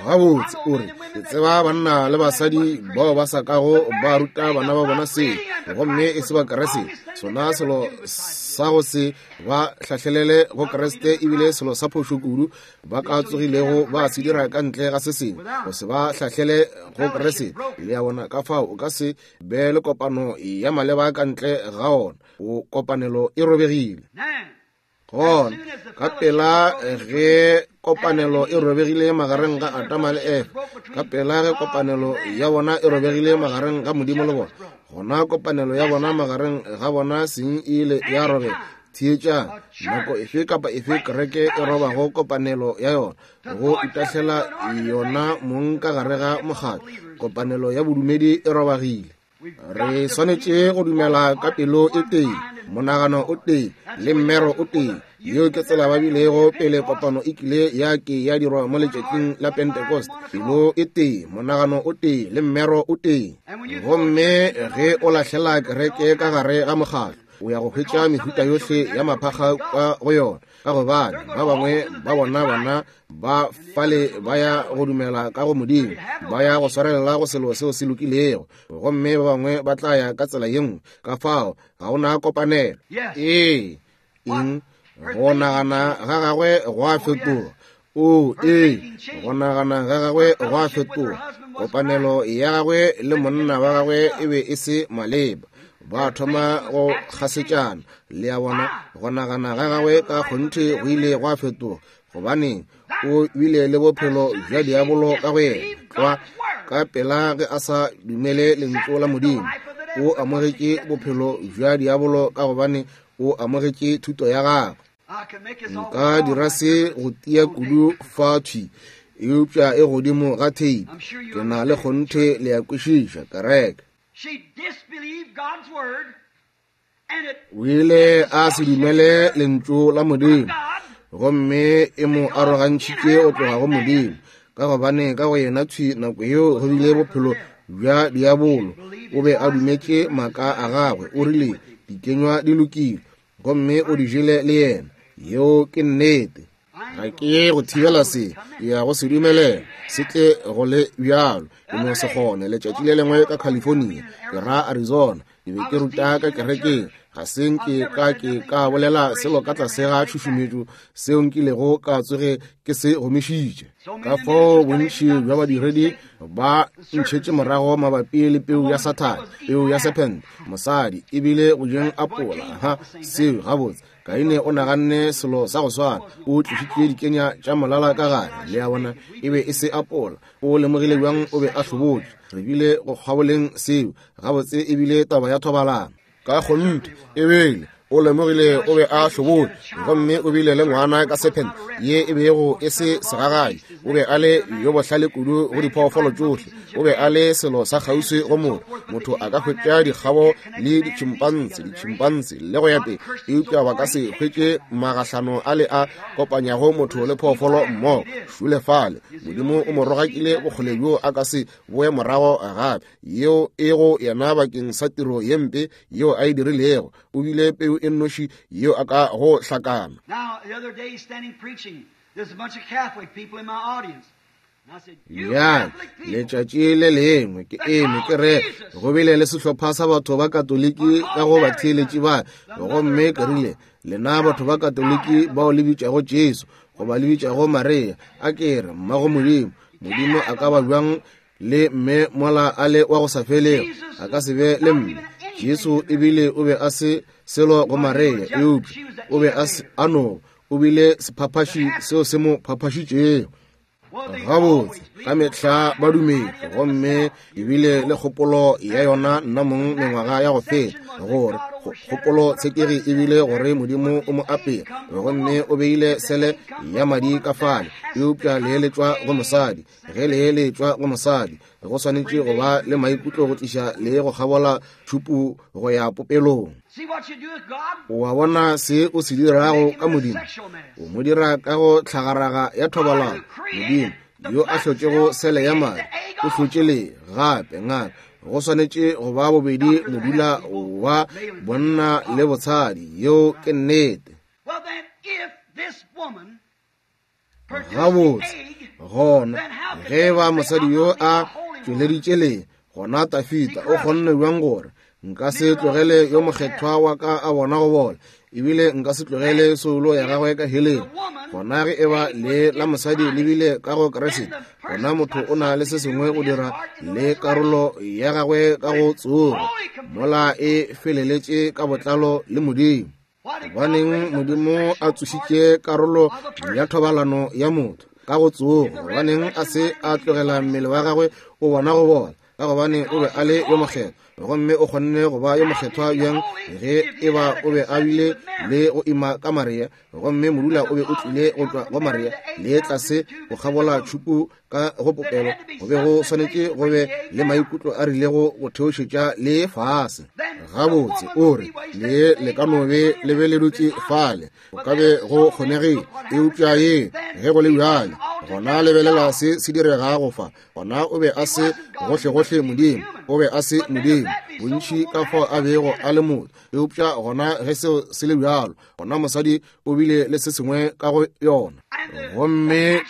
Gabotse, o re, ke tseba banna le basadi bao ba sa kago ba ruta bana ba bona seo, gomme e se ba Kriste. Sona selo sa go se ba hlahlelele go Kriste ebile selo sa phošo kudu ba ka tsogilego ba se dira ka ntle ga se sengwe, go se ba hlahlele go Kriste. Le a bona? Ka fao o ka se be le kopano ya maleba ka ntle ga ona. O kopanelo e robegile. Gona ka pela ge kopanelo e robegile magareng ga Adama le Efa, ka pela ge kopanelo ya bona e robegile magareng ga Modimo le bona, gona kopanelo ya bona magareng ga bona seng e ile ya robega. Theetšang, nako efe kapa efe kereke e robago kopanelo ya yona, go itahlela yona mong ka gare ga mokgatlo, kopanelo ya bodumedi e robagile. Re swanetše go dumela ka pelo e tee, monagano o tee, le mmero o tee. Yeo ke tsela ba bilego pele kopano e kile ya ke ya dirwa mo letšatšing la Pentecost. Pelo e tee, monagano o tee, le mmero o tee. Gomme ge o lahlela kereke ka gare ga mokgatlo, o ya go hwetša mehuta yohle ya maphakga ka go yona, ka gobane ba bangwe ba bona bana ba fale ba ya go dumela ka go Modimo, ba ya go swarelela go selo seo se lokilego, gomme ba bangwe ba tla ya ka tsela ye nngwe. Ka fao ga ona kopanelo. Ee, eng? Go nagana ga gagwe go a fetoga. O ee, go nagana ga gagwe go a fetoga. Kopanelo ya gagwe le monna wa gagwe e be e se maleba. Ba thoma go kgasetšana. Le a bona, go nagana ga gagwe ka kgonthe go ile gwa fetoga, gobane o bile le bophelo bja diabolo ka go yena. Tlwa ka pela ge a sa dumele lentšu la Modimo, o amogetše bophelo bja diabolo ka gobane o amogetše thuto ya gagwe. Nka dira se go tia kudu fa thwi, eupša e godimo ga theipi. Ke na le kgonthe le ya kwešiša kereke. O ile a se dumele lentšu la Modimo, gomme e mo arogantšhitše go tloga go Modimo, ka gobane ka go yena thwi nako yeo go bile bophelo bja diabolo. O be a dumetše maaka a gagwe. O rile dikenywa di lokile, gomme o di jele le yena. Yeo ke nnete. Ga ke ye go thibela se, ke ya go se dumelela se tle go le bjalo. Ke no se kgone. Letšatši le lengwe ka California, ke ra Arizona, ke be ke ruta ka kerekeng. Ga se nke ka ke ka bolela selo ka tlase ga tšhušumetšo seo nkilego ka tsoge ke se gomišitše. Ka fao bontši bja badiredi ba ntšhetše morago mabapi le peu ya Sathane, peu ya serpent, mosadi, ebile go jeng apola. Ha seo gabotse. Kaine o naganne selo sa go swana. O tlišitše dikenya tša molala ka gare. Le a bona, e be e se apola. O lemogile bjang o be a hlobotše. Re bile go kgaboleng seo gabotse, ebile taba ya thobalano. Ka kgonthe ebile o lemogile o be a hlobotše, gomme o bile le ngwana ka serpent ye e bego e se segagabi. O be a le yo bohlale kudu go diphoofolo tšohle. O be a le selo sa kgauswi go motho. Motho a ka hwetša dikgabo le ditšhimpanse, ditšhimpanse le go ya pele, eupša ba ka se hwetše magahlano a le a kopanyago motho le phoofolo mmogo. Šule fale, Modimo o mo rogakile bokgole bjo a ka se boe morago gape. Yeo e go yena bakeng sa tiro ye mpe yeo a e dirilego. O bile peu e nnoši yeo a ka go hlakana. Ya, letšatši le lengwe ke eme ke re go bile le sehlopha sa batho ba Katoliki ka go batheeletši ba, gomme ke rile, lena batho ba Katoliki bao le bitšago Jesu goba le bitšago Maria, a ke re mmago Modimo, Modimo a ka ba bjang le mme mola a le wa go sa felego? A ka se be le mme. Jesu ebile o be a se selo go Maria, eupša o be a a no o bile sephaphaši seo se mo phaphašitšego. Gabotse, ka mehla ba dumetse, gomme ebile le kgopolo ya yona nna mong mengwaga ya go feta, gore kgopolo tshekegi ebile gore Modimo o mo apere, gomme o beile sele ya madi ka fale, eupša le eletšwa go mosadi. Ge le eletšwa go mosadi, go swanetše go ba le maikutlo go tliša le go kgabola tšhupu go ya popelong. O a bona se o se dirago ka Modimo? O mo dira ka go tlhagaraga ya thobalano. Modimo yo a hlotšego sele ya madi o hlotše le gape ngaka. Go swanetše go ba bobedi modula wa bonna le botshadi. Yeo ke nnete. Gabotse, gona ge ba mosadi yo a tšweleditše le, gona Tafita o kgonne bjang gore nka se tlogele yo mokgethwa wa ka a bona go bola, ebile nka se tlogele soulo ya gagwe ka heleng? Gona ge e ba le la mosadi le bile ka go Kriste, gona motho o na le se sengwe go dira le karolo ya gagwe ka go tsogo, mola e feleletše ka botlalo le Modimo. Gobaneng Modimo a tsošitše karolo ya thobalano ya motho ka go tsogo? Gobaneng a se a tlogela mmele wa gagwe o bona go bola? Ka gobane o be a le yo mokgethwa. Gomme o kgonne go ba yo mokgethwa bjang ge e ba o be a bile le go ima ka Maria, gomme modula o be o tlile go tšwa go Maria le tlase go kgabola tšhupu ka go popelo, go be go swanetše go be le maikutlo a rilego go theošetša le fase. Gabotse o re le le ka no be le be le dutše fale, go ka be go kgonegile, eupša ye ge go le bjale gona lebelela se se diregago fa. Gona o be a se gohlegohle Modimo, o be a se Modimo bontši ka fao a bego a le motho, eupša gona ge seo se le bjalo, gona mosadi o bile le se sengwe ka go yona. Gomme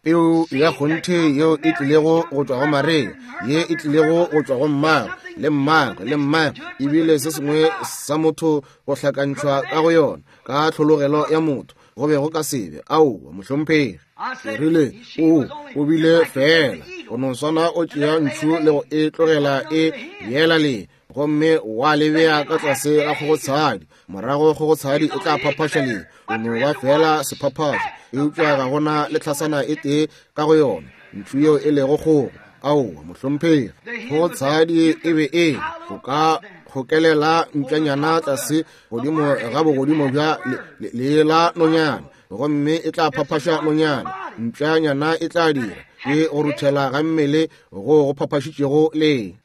peu ya kgonthe yeo e tlilego go tšwa go Maria, ye e tlilego go tšwa go mmagwe le mmagwe le mmagwe, ebile se sengwe sa motho go hlakantšhwa ka go yona ka tlhologelo ya motho, go be go ka sebe. Aowa mohlomphegi. Ke rile o o bile fela go no swana o tšea ntšhu le go e tlogela e yela le, gomme wa le bea ka tlase ga kgogotshadi, morago kgogotshadi e tla phaphaša le, o no ba fela sephaphašo, eupša ga gona le tlhasana e tee ka go yona ntšhu yeo e lego kgogo. Aowa mohlomphegi. Kgogotshadi e be e go ka kgokelela mpšanyana tlase godimo ga bogodimo bja lee la nonyana, gomme e tla phaphaša nonyana. Mpšanyana e tla dira ke go ruthela ga mmele go go phaphašitšego lee.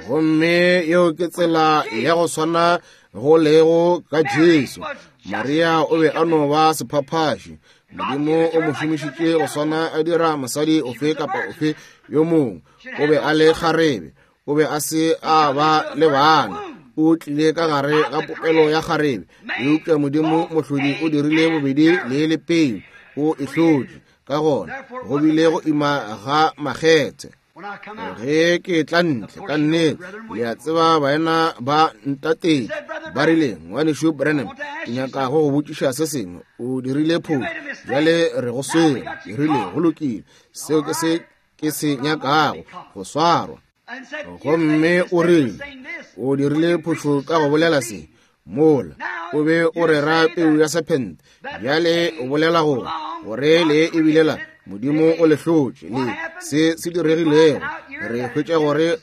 Gomme yeo ke tsela ya go swana go lego ka Jesu. Maria o be a no ba sephaphaši. Modimo o mo šomišitše go swana a dira mosadi ofe kapa ofe yo mongwe. O be a le kgarebe, o be a se a ba le bana, o tlile ka gare ga popelo ya kgarebe, eupša Modimo mohlodi o dirile bobedi le le peu, o e hlotše. Ka gona go bile go ima ga makgethe. Ge ke tla ntle ka nnete, le a tseba baena ba ntatetše ba rile, ngwanešu Branham, ke nyaka go go botšiša se sengwe. O dirile phošo, bjale re go swere. Ke rile go lokile, seo ke se ke se nyakago, go swarwa. Gomme o rile o dirile phošo ka go bolela se mola o be o rera peu ya sephente, bjale o bolela gore gore le e bile la Modimo o le hlotše le se se diregilego. Re hwetša gore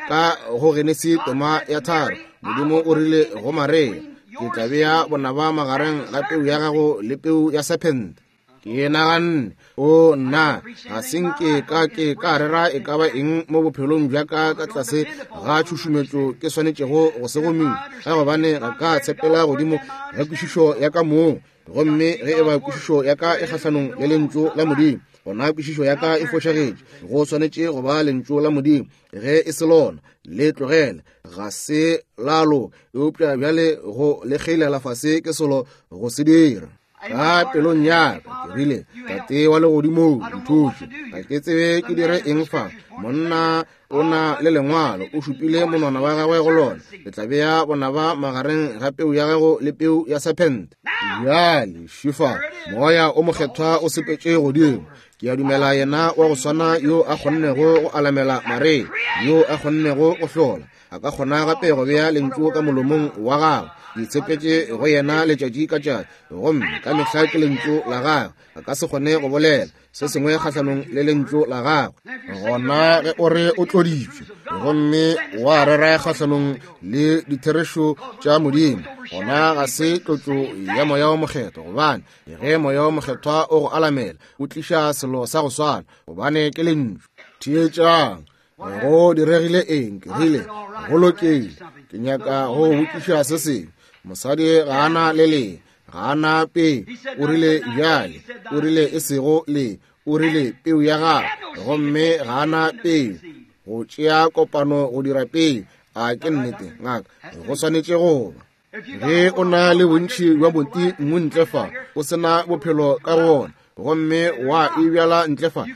ka go Genesi tema ya tharo, Modimo o rile go Maria, ke tla bea bonaba magareng ga peu ya gago le peu ya sephente. Ke naganne, o nna ga se nke ka ke ka rera e ka ba eng mo bophelong bja ka ka tlase ga tšhušumetšo ke swanetšego go se gomiša, ka gobane ga ka tshepela godimo ga kwešišo ya ka mong. Gomme ge e ba kwešišo ya ka e kgahlanong le lentšu la Modimo, gona kwešišo ya ka e fošagetše. Go swanetše go ba lentšu la Modimo. Ge e se lona, le tlogele, ga se la loka, eupša bjale go le kgeilela fase ke selo go se dira. Ka pelong ya ka ke rile, Tate wa legodimong, nthuše, ga ke tsebe ke dire eng fa. Monna o na le lengwalo, o šupile monwana wa gagwe go lona, le tla bea bonaba magareng ga peu ya gago le peu ya sephente. Bjale šifa moya o mokgethwa o sepetše godimo. Ke a dumela yena wa go swana yo a kgonnego go alamela Maria, yo a kgonnego go hlola, a ka kgona gape go bea lentšu ka molomong wa gagwe. Ke tshepetše go yena letšatši ka tšatši, gomme ka mehla ke lentšu la gagwe. A ka se kgone go bolela se sengwe kgahlanong le lentšu la gagwe. Gona ge o re o tloditšwe gomme wa rera kgahlanong le ditherešo tša Modimo, gona ga se tlotšo ya moya o mokgethwa, gobane ge moya o mokgethwa o go alamela, o tliša selo sa go swana, gobane ke lentšu. Theetšang, go diregile eng? Ke rile go lokile, ke nyaka go botšiša se sengwe. Mosadi ga ana le le, ga ana peu. O rile bjale, o rile e sego le, o rile peu ya gagwe, gomme ga ana peu. Go tšea kopano go dira peu, a ke nnete ngaka, go swanetše go ba. Ge o na le bontši bja boti mmu ntle fa, o sena bophelo ka go ona, gomme wa e bjala ntle fa,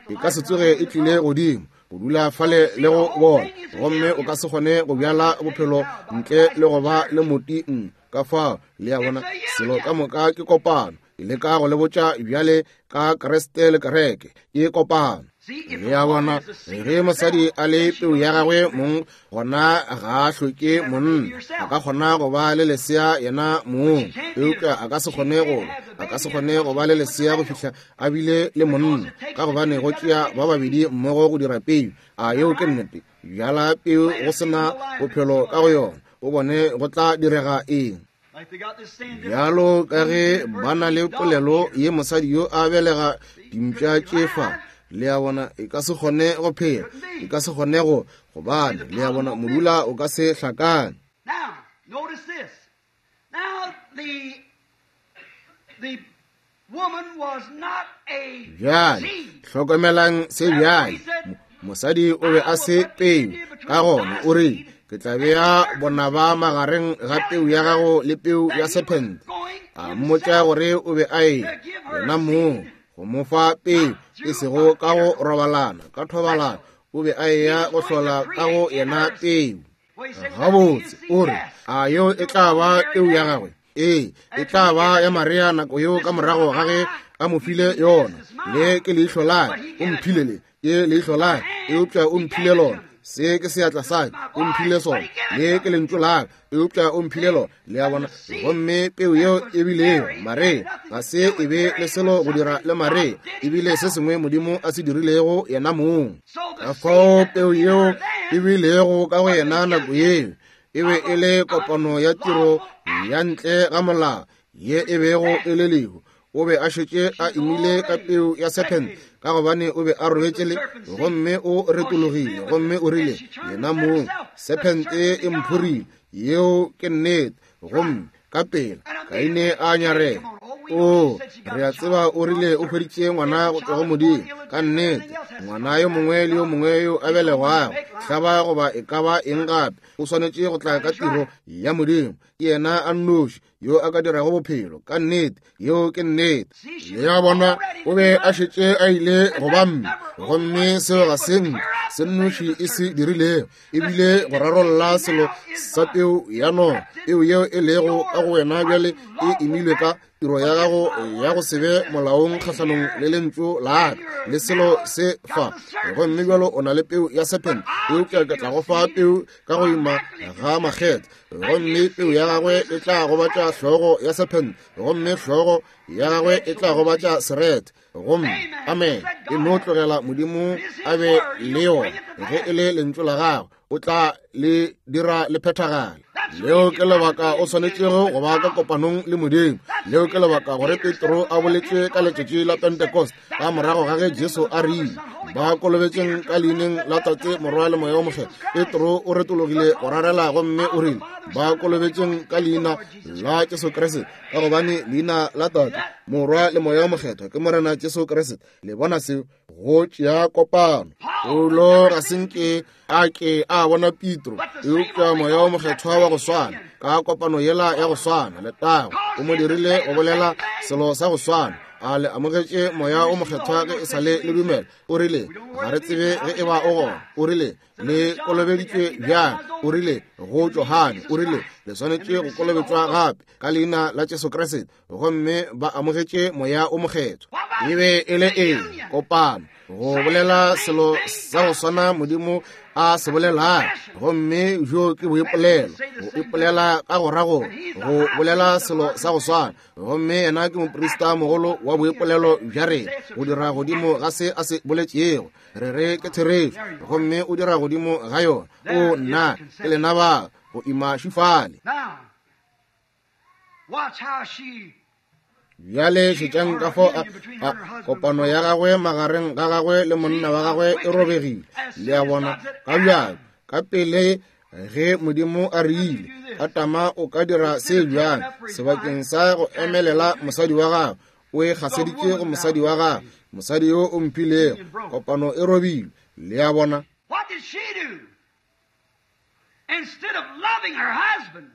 e ka se tsoge e tlile godimo go dula fale le go bona, gomme o ka se kgone go bjala bophelo ntle le go ba le moti mmu. Ka fao le a bona, selo ka moka ke kopano. Ke leka go le botša bjale ka Kriste le kereke, ke kopano. Le a bona, ge mosadi a le peu ya gagwe mong, gona ga a hloke monna. A ka kgona go ba le lesea yena mong, eupša a ka se kgone go a ka se kgone go ba le lesea go fihla a bile le monna, ka gobane go tšea ba babedi mmogo go dira peu. A yeo ke nnete. Bjala peu go sena bophelo ka go yona, o bone go tla direga eng. Bjalo ka ge ba na le polelo ye, mosadi yo a belega dimpša tše fa, le a bona, e ka se kgone go phela, e ka se kgone go, gobane le a bona modula o ka se hlakane. Now, notice this. Now, the, the woman was not a Bjale seed. hlokomelang se bjale, mosadi o be a se peu, ka gona o re, ke tla bea bonaba magareng ga peu ya gago le peu ya sephente. A mmotša gore o be a e yena mong go mo fa peu, e sego ka go robalana, ka thobalano, o be a eya go hlola ka go yena peu. Gabotse, o re, a yeo e tla ba peu ya gagwe? Ee, e tla ba ya Maria nako yeo ka morago ga ge a mo file yona. Le ke leihlo la ka, o mphile le, ke leihlo la ka, eupša o mphile lona. Se ke seatla sa ka, o mphile sona. Le ke lentšu la ka, eupša o mphile lona. Le a bona? Gomme peu yeo e bilego Maria ga se e be le selo go dira le Maria, e bile se sengwe Modimo a se dirilego yena mong. Ka fao peu yeo e bilego ka go yena nako yeo e be e le kopano ya tiro ya ntle ga molao ye e bego e le lehu. O be a šetše a imile ka peu ya sephente, ka gobane o be a robetše le, gomme o retologile, gomme o rile yena mong, sephente e mphorile. Yeo ke nnete. Gomme ka pela Kaine a nyarela. O, re a tseba o rile o hweditše ngwana go tšwa go Modimo. Ka nnete, ngwana yo mongwe le yo mongwe yo a belegwago, hlaba goba e ka ba eng gape, o swanetše go tla ka tiro ya Modimo. Ke yena a nnoši yo a ka dirago bophelo. Ka nnete, yeo ke nnete. Le a bona, o be a šetše a ile go ba mme, gomme seo ga se nka se nnoši e se dirilego, ebile go rarolla selo sa peu ya noga. Peu yeo e lego ka go wena bjale e imilwe ka tiro ya gago ya go se be molaong kgahlanong le lentšu la ka le selo se fa. Gomme bjalo o na le peu ya sephente, eupša ke tla go fa peu ka go ima ga makgethe, gomme peu ya gagwe e tla gobatša hlogo ya sephente, gomme hlogo ya gagwe e tla gobatša serethe. Gomme amen, e no tlogela Modimo a be le yona. Ge e le lentšu la gagwe, o tla le dira le phethagale. Leo ke lebaka o swanetšego go ba ka kopanong le Modimo. Leo ke lebaka gore Petro a boletše ka letšatši la Pentecost, ka morago ga ge Jesu a rile, ba kolobetšeng ka leineng la Tate, Morwa le Moya o Mokgethwa. Petro o retologile go rarela gomme o rile, ba kolobetšeng ka leina la Jesu Kriste, ka gobane leina la Tate, Morwa le Moya o Mokgethwa ke Morena Jesu Kriste. Le bona seo? Go tšea kopano. Paulo ga se nke a ke a bona Petro, eupša Moya o Mokgethwa wa go swana, ka kopano yela ya go swana, letago, o mo dirile go bolela selo sa go swana. A le amogetše Moya o Mokgethwa ge e sa le le dumela? O rile, ga re tsebe ge e ba o gona. O rile, le kolobeditšwe bjang? O rile, go Johane. O rile, le swanetše go kolobetšwa gape ka leina la Jesu Kriste, gomme ba amogetše Moya o Mokgethwa. E be e le eng? Kopano, go bolela selo sa go swana Modimo a se bolelago. Gomme bjo ke boipolelo, go ipolela ka go ra go go bolela selo sa go swana. Gomme yena ke moprista mogolo wa boipolelo bja rena, go dira godimo ga se a se boletšego. Re re ke therešo, gomme o dira godimo ga yona. O nna ke lena ba go ima šifale. Now, watch how she Bjale šetšang ka fao a, a kopano ya gagwe magareng ga gagwe le monna wa gagwe e robegile. Le a bona, ka bjalo ka pele ge Modimo a rile, Atama o ka dira se bjang, sebakeng sa go emelela mosadi wa gagwe, o e gaseditše go mosadi wa gagwe, mosadi yo o mphilego. Kopano e robilwe. Le a bona? What did she do? Instead of loving her husband,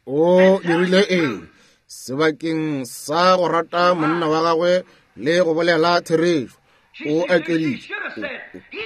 O dirile eng? Sebakeng sa go rata monna wa gagwe le go bolela therešo, o akeditše.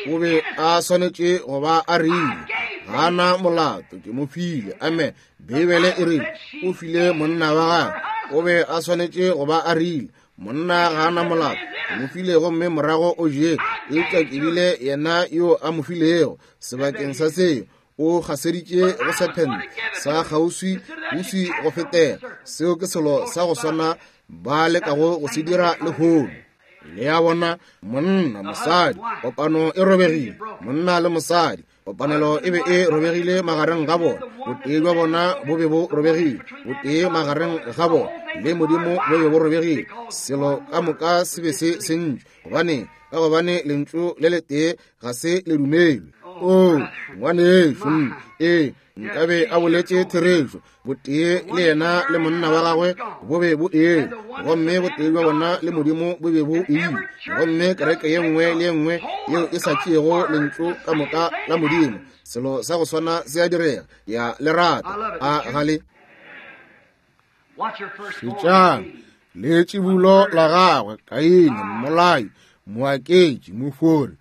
O be a swanetše go ba a rile, ga na molato, ke mo file. Amen. Beibele e rile o file monna wa gagwe. O be a swanetše go ba a rile, Monna ga a na molato, ke mo file gomme morago o jele, eupša ke bile yena yo a mo filego. Sebakeng sa seo, o gaseditše go sephente sa kgauswi uswi go fetela. Seo ke selo sa go swana ba lekago go se dira lehono. Le a bona, monna, mosadi, kopano e robegile. Monna le mosadi, kopanelo e be e robegile magareng ga bona. Botee bja bona bo be bo robegile. Botee magareng ga bona le Modimo bo be bo robegile. Selo ka moka se be se sentšwe. Gobane, ka gobane lentšu le letee ga se le dumelwe. O, ngwanešu, ee, nkabe a boletše therešo. Botee le yena le monna wa gagwe bo be bo eme, gomme botee bja bona le Modimo bo be bo ile. Gomme kereke ye nngwe le ye nngwe yeo e sa tšeego lentšu ka moka la Modimo, selo sa go swana se a direga. Ya le rata a ga le šetšang le tšibulo la gagwe Kaine, mmolai, moaketši, mofori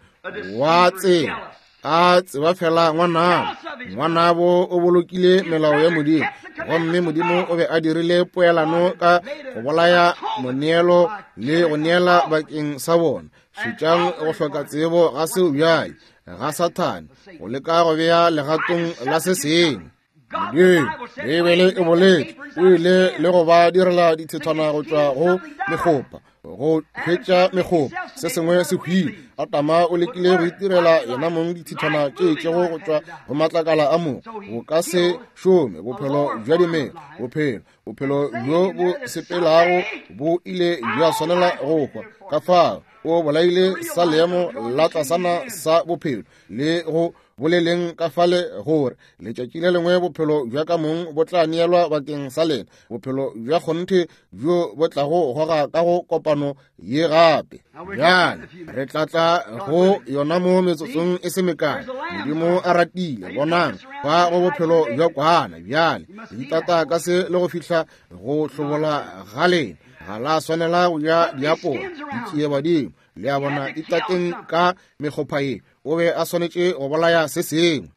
wa tsela, a tseba fela ngwanabo. Ngwanabo o bolokile melao ya Modimo, gomme Modimo o be a dirile poelano ka go bolaya moneelo le go neela bakeng sa bona. Šetšang go hloka tsebo ga seo bjale ga Sathane go leka go bea legatong la se sengwe. Modimo, Beibele e boletše, o ile le go ba direla dithethwana go tšwa go mekgopa, go hwetša mekgopa, se sengwe se hwile. Adama o lekile go itirela yena mong dithethwana tše itšego go tšwa go matlakala a mogo. Bo ka se šome. Bophelo bja dimela, bophelo, bophelo bjo bo sepelago bo ile bja swanela go hwa. Ka fao o bolaile sa leemo la tlasana sa bophelo le go boleleng ka fale gore letšatši le lengwe bophelo bja ka mong bo tla neelwa bakeng sa lena, bophelo bja kgonthe bjo bo tlago goga ka go kopano ye gape. Bjale re tla tla go yona mo metsotsong e se mekae. Modimo a ratile. Bonang fa go bophelo bja kwana. Bjale le itata ka se le go fihla go hlobola ga lena. Ga la swanela go ja diapola, ditšie badimo. Le a bona, itateng ka mekgopha ye. O be a swanetše go bolaya se sengwe.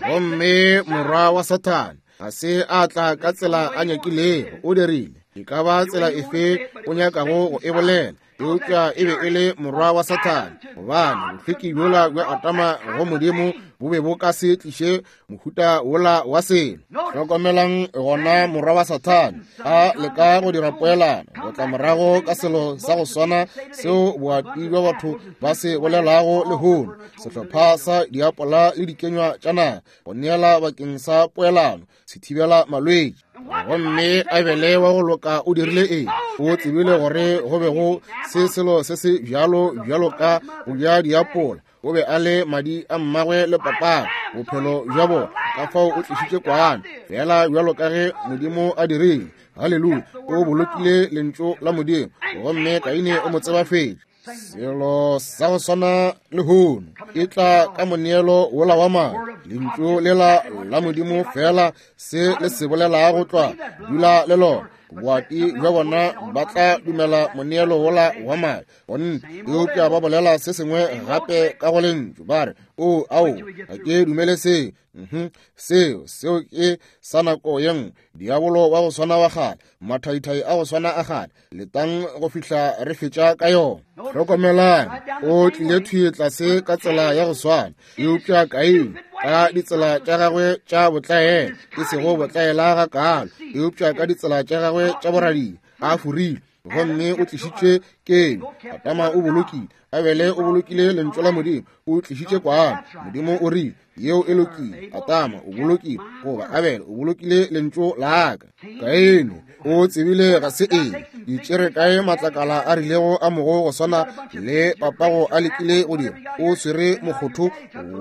Gomme morwa wa Sathane ga se a tla ka tsela a nyakilego. O dirile e ka ba tsela efe o nyakago go e bolela, eupša e be e le morwa wa Sathane, gobane bohlweki bjola bja Adama go Modimo bo be bo ka se tliše mohuta wola wa selo. Hlokomelang gona morwa wa Sathane a leka go dira poelano go tla morago ka selo sa go swana seo boati bja batho ba se bolelago lehono, sehlopha sa diapola le dikenywa tša naga go neela bakeng sa poelano, se thibela malwetši. Gomme Abele wa go loka o dirile eng? O tsebile gore go be go se selo se se bjalo bjalo ka go ja diapola. O be a le madi a mmagwe le papagwe, bophelo bja bona. Ka fao o tlišitše kwana, fela bjalo ka ge Modimo a dirile. Haleluya! O bolokile lentšu la Modimo, gomme Kaine o mo tsebafetše. Selo sa go swana lehono e tla ka moneelo wola wa madi, lentšu lela la Modimo fela se le se bolelago tlwa, dula le lona. Boati bja bona ba tla dumela moneelo wola wa madi, gonne eupša ba bolela se sengwe gape ka go lentšu, ba re, o ao, ga ke dumele seo. Mhm, seo seo ke sa nako ye nngwe. Diabolo wa go swana wa kgale, mathaithai a go swana a kgale. Letang go fihla re fetša ka yona. Hlokomelang, o tlile thwi tlase ka tsela ya go swana, eupša Kaine ka ditsela tša gagwe tša botlaela, e sego botlaela ga kaalo, eupša ka ditsela tša gagwe tša boradia, a forile. Gomme o tlišitše keno. Adama o bolokile, Abele o bolokile lentšu la Modimo, o tlišitše kwana. Modimo o rile, yeo e lokile. Adama o bolokile, goba Abele o bolokile lentšu la ka. Kaine o tsebile ga se eng, di tšere kae matlakala a rilego a mogo go swana le papago a lekile go dira. O swere mokgotho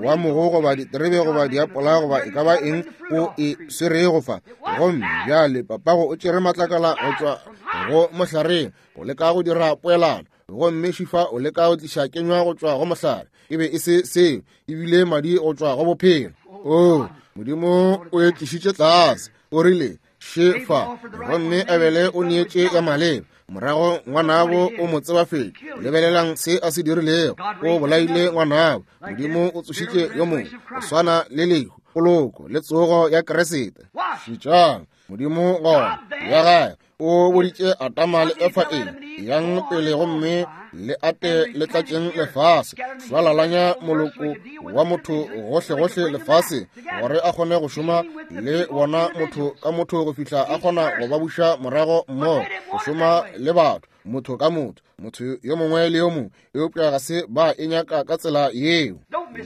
wa mogo goba diterebe goba diapola goba e ka ba eng o e swerego fa. Gomme bjale papago o tšere matlakala go tšwa go mohlareng go leka go dira poelano, gomme Šifa o leka go tliša kenywa go tšwa go mohlare. E be e se seo, ebile madi go tšwa go bophelo. O Modimo o e tlišitše tlase, o rile Shefa, gomme Abele o neetše ya maleba. Morago ngwanabo o mo tsebafetše. Lebelelang se a se dirilego. O bolaile ngwanabo. Modimo o tsošitše yo mongwe go swana le lehu, poloko le tsogo ya Kriste. Šetšang Modimo gona ya gae O boditše Adama le Efa eng? Yang pele gomme le ate le tlatšeng lefase, šwalalanya moloko wa motho gohlegohle lefase, gore a kgone go šoma le bona motho ka motho go fihla a kgona go ba buša morago mmogo, go šoma le batho motho ka motho, motho yo mongwe le yo mongwe. Eupša ga se ba e nyaka ka tsela yeo.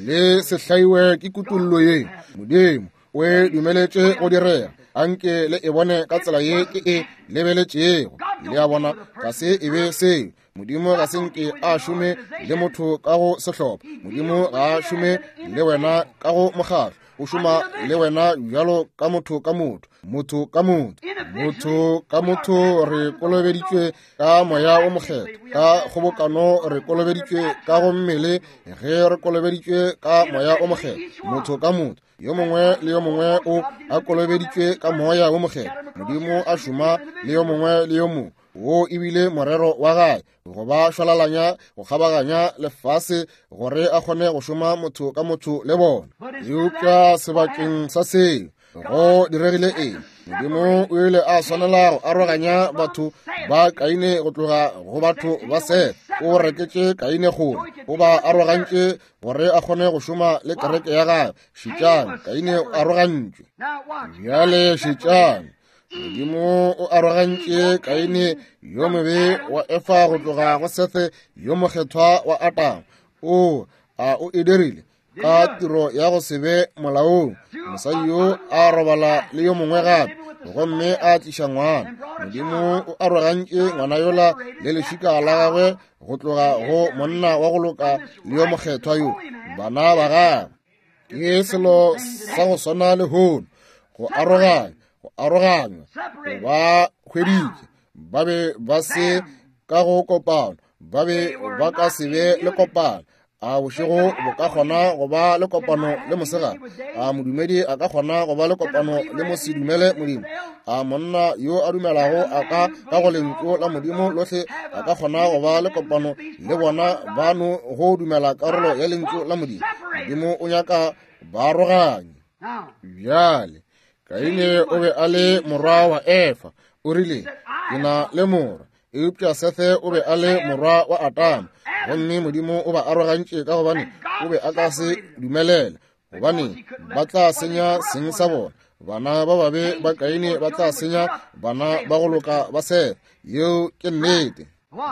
Le se hlaiwe ke kutullo ye. Modimo o e dumeletše go direga. Anke le e bone ka tsela ye ke e lebeletšego. Le a bona, ga se e be seo. Modimo ga se nke a šome le motho ka go sehlopha. Modimo ga a šome le wena ka go mokgatlo. O šoma le wena bjalo ka motho ka motho, motho ka motho, motho ka motho. Re kolobeditšwe ka moya o mokgethwa, ka kgobokano re kolobeditšwe ka go mmele, ge re kolobeditšwe ka moya o mokgethwa, motho ka motho. Yo mongwe le yo mongwe o a kolobeditšwe ka moya o mokgethwa. Modimo a šoma le yo mongwe le yo mongwe. Wo ebile morero wa gae go ba šwalalanya go kgabaganya lefase gore a kgone go šoma motho ka motho le bona. Eupša sebakeng sa seo go diregile eng? Modimo o ile a swanela go aroganya batho ba Kaine go tloga go batho ba Seth. O reketše Kaine kgole, o ba arogantše gore a kgone go šoma le kereke ya gagwe. Šetšang, Kaine o arogantšwe. Bjale šetšang, Modimo o arogantše Kaine yo mobe wa Efa go tloga go Sethe yo mokgethwa wa Adama. O a o e dirile ka tiro ya go se be molaong. Mosadi yo a robala le yo mongwe gape gomme a tliša ngwana. Modimo o arogantše ngwana yola le lešika la gagwe go tloga go monna wa go loka le yo mokgethwa yo, bana ba gagwe. Ke selo sa go swana lehono, go aroganya, go aroganywa, go ba hweditše. Ba be ba se ka go kopano, ba be ba ka se be le kopano. A bošego bo ka kgona go ba le kopano le mosegare? A modumedi a ka kgona go ba le kopano le mosedumele Modimo? A monna yo a dumelago a ka ka go lentšu la Modimo lohle a ka kgona go ba le kopano le bona ba no go dumela karolo ya lentšu la Modimo? Modimo o nyaka baaroganye. Bjale Kaine o be a le morwa wa Efa. O rile, ke na le morwa. Eupša Sethe o be a le morwa wa Adama. Gomme Modimo o ba arogantše ka gobane o be a ka se dumelele, gobane ba tla senya seng sa bona. Bana ba babe ba Kaine ba tla senya bana ba go loka ba Sethe. Yeo ke nnete.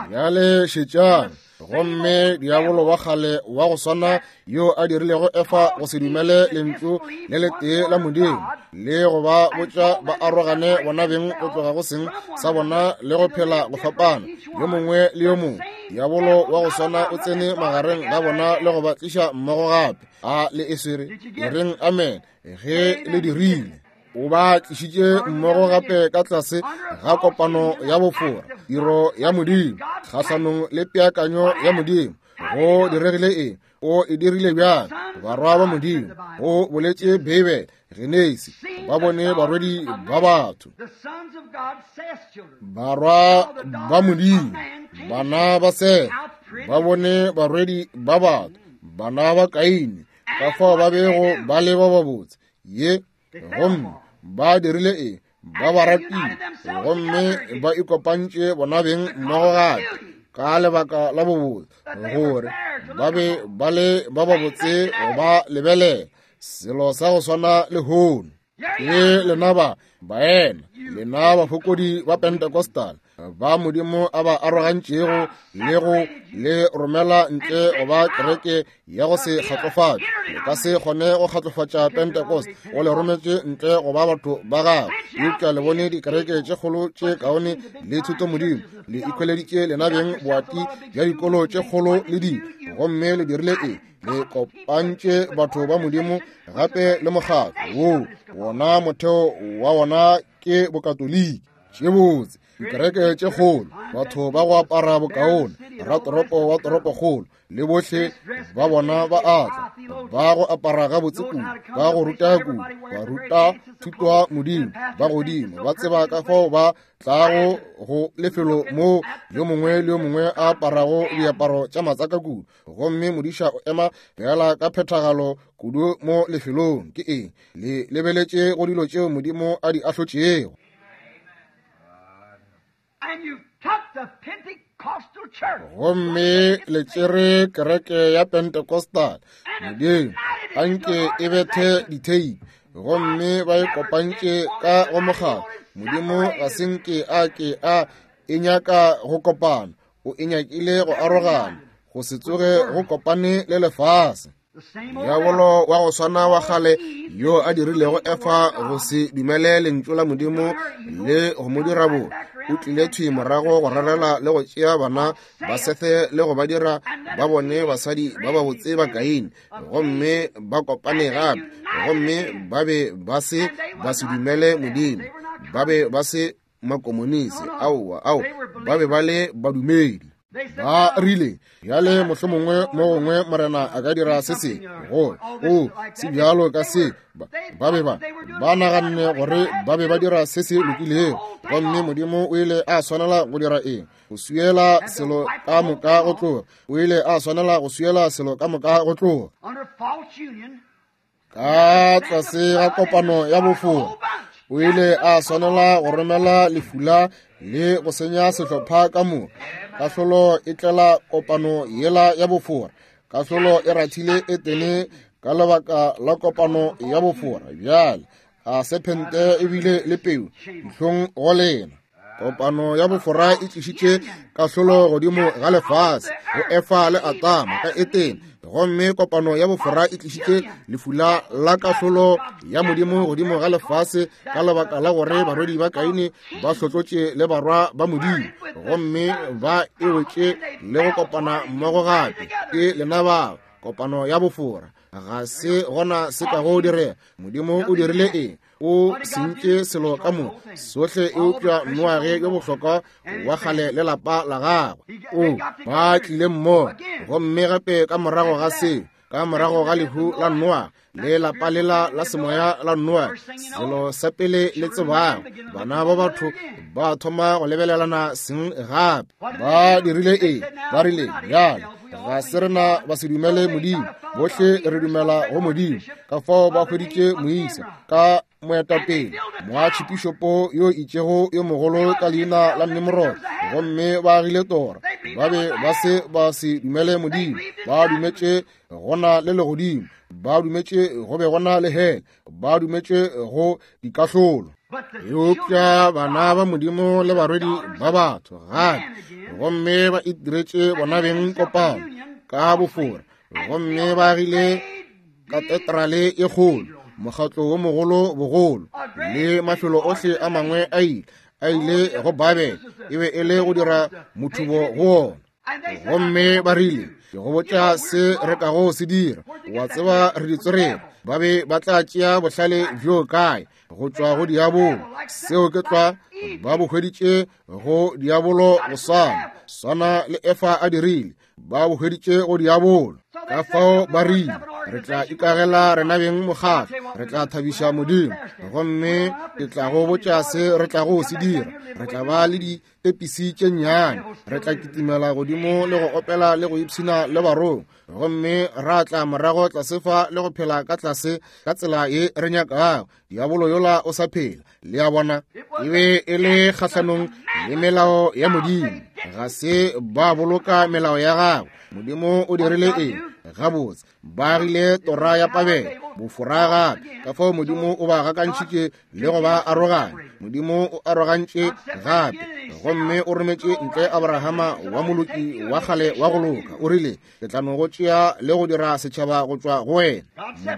Bjale šetšang, gomme diabolo wa kgale wa go swana yo a dirilego Efa go se dumele lentšu le letee la Modimo le go ba botša ba arogane bona beng go tloga go seng sa bona le go phela go fapana yo mongwe le yo mongwe. Diabolo wa go swana o tsene magareng ga bona le go ba tliša mmogo gape. A le e swere? E reng amen ge le dirile. O ba tlišitše mmogo gape ka tlase ga kopano ya bofora, tiro ya Modimo kgahlanong le peakanyo ya Modimo. Go diregile eng? O e dirile bjang? Barwa ba Modimo, go boletše Beibele, Genesi, ba bone barwedi ba batho. Barwa ba Modimo, bana ba Sethe, ba bone barwedi ba batho, bana ba Kaine, ka fao ba bego ba le ba babotse. Ye gomme ba dirile eng? Ba ba ratile gomme ba ikopantše bona beng mmogo gape ka lebaka la bobotse, gore ba be ba le ba babotse go ba lebelela. Selo sa go swana lehono ke lena ba baena, lena bafokodi ba Pentecostal ba Modimo a ba arogantšego le go le romela ntle go ba kereke ya go se kgatlofatše. Le ka se kgone go kgatlofatša Pentecost, o le rometše ntle go ba batho ba gagwe. Eupša le bone dikereke tše kgolo tše kaone le thuto Modimo, le ikhweleditše lena beng boati bja dikolo tše kgolo le dilo, gomme le dirile eng? Le kopantše batho ba Modimo gape le mokgatlo woo wona motheo wa wona ke bokatoliki. Tše botse dikereke tše kgolo, batho ba go apara bokaone, ratoropo wa toropokgolo le bohle ba bona ba atla, ba go apara gabotse kudu, ba go ruta kudu, ba ruta thuto ya Modimo, ba godimo, ba tseba ka fao ba tlago go lefelo moo yo mongwe le yo mongwe a aparago diaparo tša matsaka kudu, gomme modiša o ema fela ka phethagalo kudu mo lefelong. Ke eng? Le lebeletše go dilo tšeo Modimo a di ahlotšego. Gomme le tšere kereke ya Pentecostal, Modimo a nke e bethe ditheipi, gomme ba e kopantše ka go mokgatlo. Modimo ga se nke a ke a e nyaka go kopana, o e nyakile go arogana, go se tsoge go kopane le lefase. Diabolo wa go swana wa kgale yo a dirilego Efa go se dumele lentšu la Modimo le go mo dira bobe, o tlile thwi morago go rarela le go tšea bana ba Sethe le go ba dira ba bone basadi ba babotse ba Kaine, gomme ba kopane gape, gomme ba be ba se ba se dumele Modimo, ba be ba se makomonisi, aowa, ao, ba be ba le badumedi. Ba rile, bjale mohlomongwe mo gongwe Morena a ka dira se se go o se bjalo ka se. Ba be ba ba naganne gore ba be ba dira se se lokilego, gomme Modimo o ile a swanela go dira eng? Go swiela selo ka moka go tloga. O ile a swanela go swiela selo ka moka go tloga. Ka tlase ga kopano ya bofora, o ile a swanela go romela lefula le go senya sehlopha ka moka. Kahlolo e tlela kopano yela ya bofora. Kahlolo e rathile Etene ka lebaka la kopano ya bofora. Bjale a sephente ebile le peu dihlong go lena. Kopano ya bofora e tlišitše kahlolo godimo ga lefase go Efa le Adama ka Etene, gomme kopano ya bofora e tlišitše lefula la kahlolo ya Modimo godimo ga lefase ka lebaka la gore barwedi ba Kaine ba hlotlotše le barwa ba Modimo, gomme ba e wetše le go kopana mmogo gape. Ke lena bao, kopano ya bofora. Ga se gona se ka go direga. Modimo o dirile eng? O sentše selo ka moka sohle eupša Noage yo bohlokwa wa kgale le lapa la gagwe. O ba tlile mmogo, gomme gape ka morago ga seo, ka morago ga lehu la Noage le lapa lela la semoya la Noage, selo sa pele le tsebago, bana ba batho ba thoma go lebelelana seng gape. Ba dirile eng? Ba rile, bjale ga se rena ba se dumele Modimo, bohle re dumela go Modimo. Ka fao ba hweditše moisa ka moetapele, moatšhipišopo yo itšego yo mogolo ka leina la Nimrod, gomme ba agile tora. Ba be ba se ba se dumele Modimo, ba dumetše gona le legodimo, ba dumetše go be gona le hele, ba dumetše go dikahlolo. Eupša bana ba Modimo le barwedi ba batho gape, gomme ba itiretše bona beng kopano ka bofora, gomme ba agile katedrale e kgolo, mokgatlo wo mogolo bogolo, le mafelo ohle a mangwe a ile a ile go Babele, e be e le go dira mothubo go ona. Gomme ba rile, ke go botša se re kago se dira, wa tseba re di tsoreng. Ba be ba tla tšea bohlale bjo kae? Go tšwa go diabolo. Seo ke tlwa ba bo hweditše go diabolo go swana swana le Efa a dirile, ba bo hweditše go diabolo. Ka fao ba rile, re tla ikagela rena beng mokgatlo, re tla thabiša Modimo, gomme ke tla go botša se re tlago se dira. Re tla ba le ditepisi tše nnyane, re tla kitimela godimo le go opela le go ipshina le barong, gomme ra tla morago tlase fa le go phela ka tlase ka tsela ye re nyakago. Diabolo yola o sa phela. Le a bona, e be e le kgahlanong le melao ya Modimo. Ga se ba boloka melao ya gagwe. Modimo o dirile eng? Gabotse, ba agile tora ya Babele, bofora gape. Ka fao Modimo o ba gakantšhitše le go ba aroganya. Modimo o arogantše gape, gomme o rometše ntle Abrahama wa moloki wa kgale wa go loka. O rile, ke tla no go tšea le go dira setšhaba go tšwa go wena.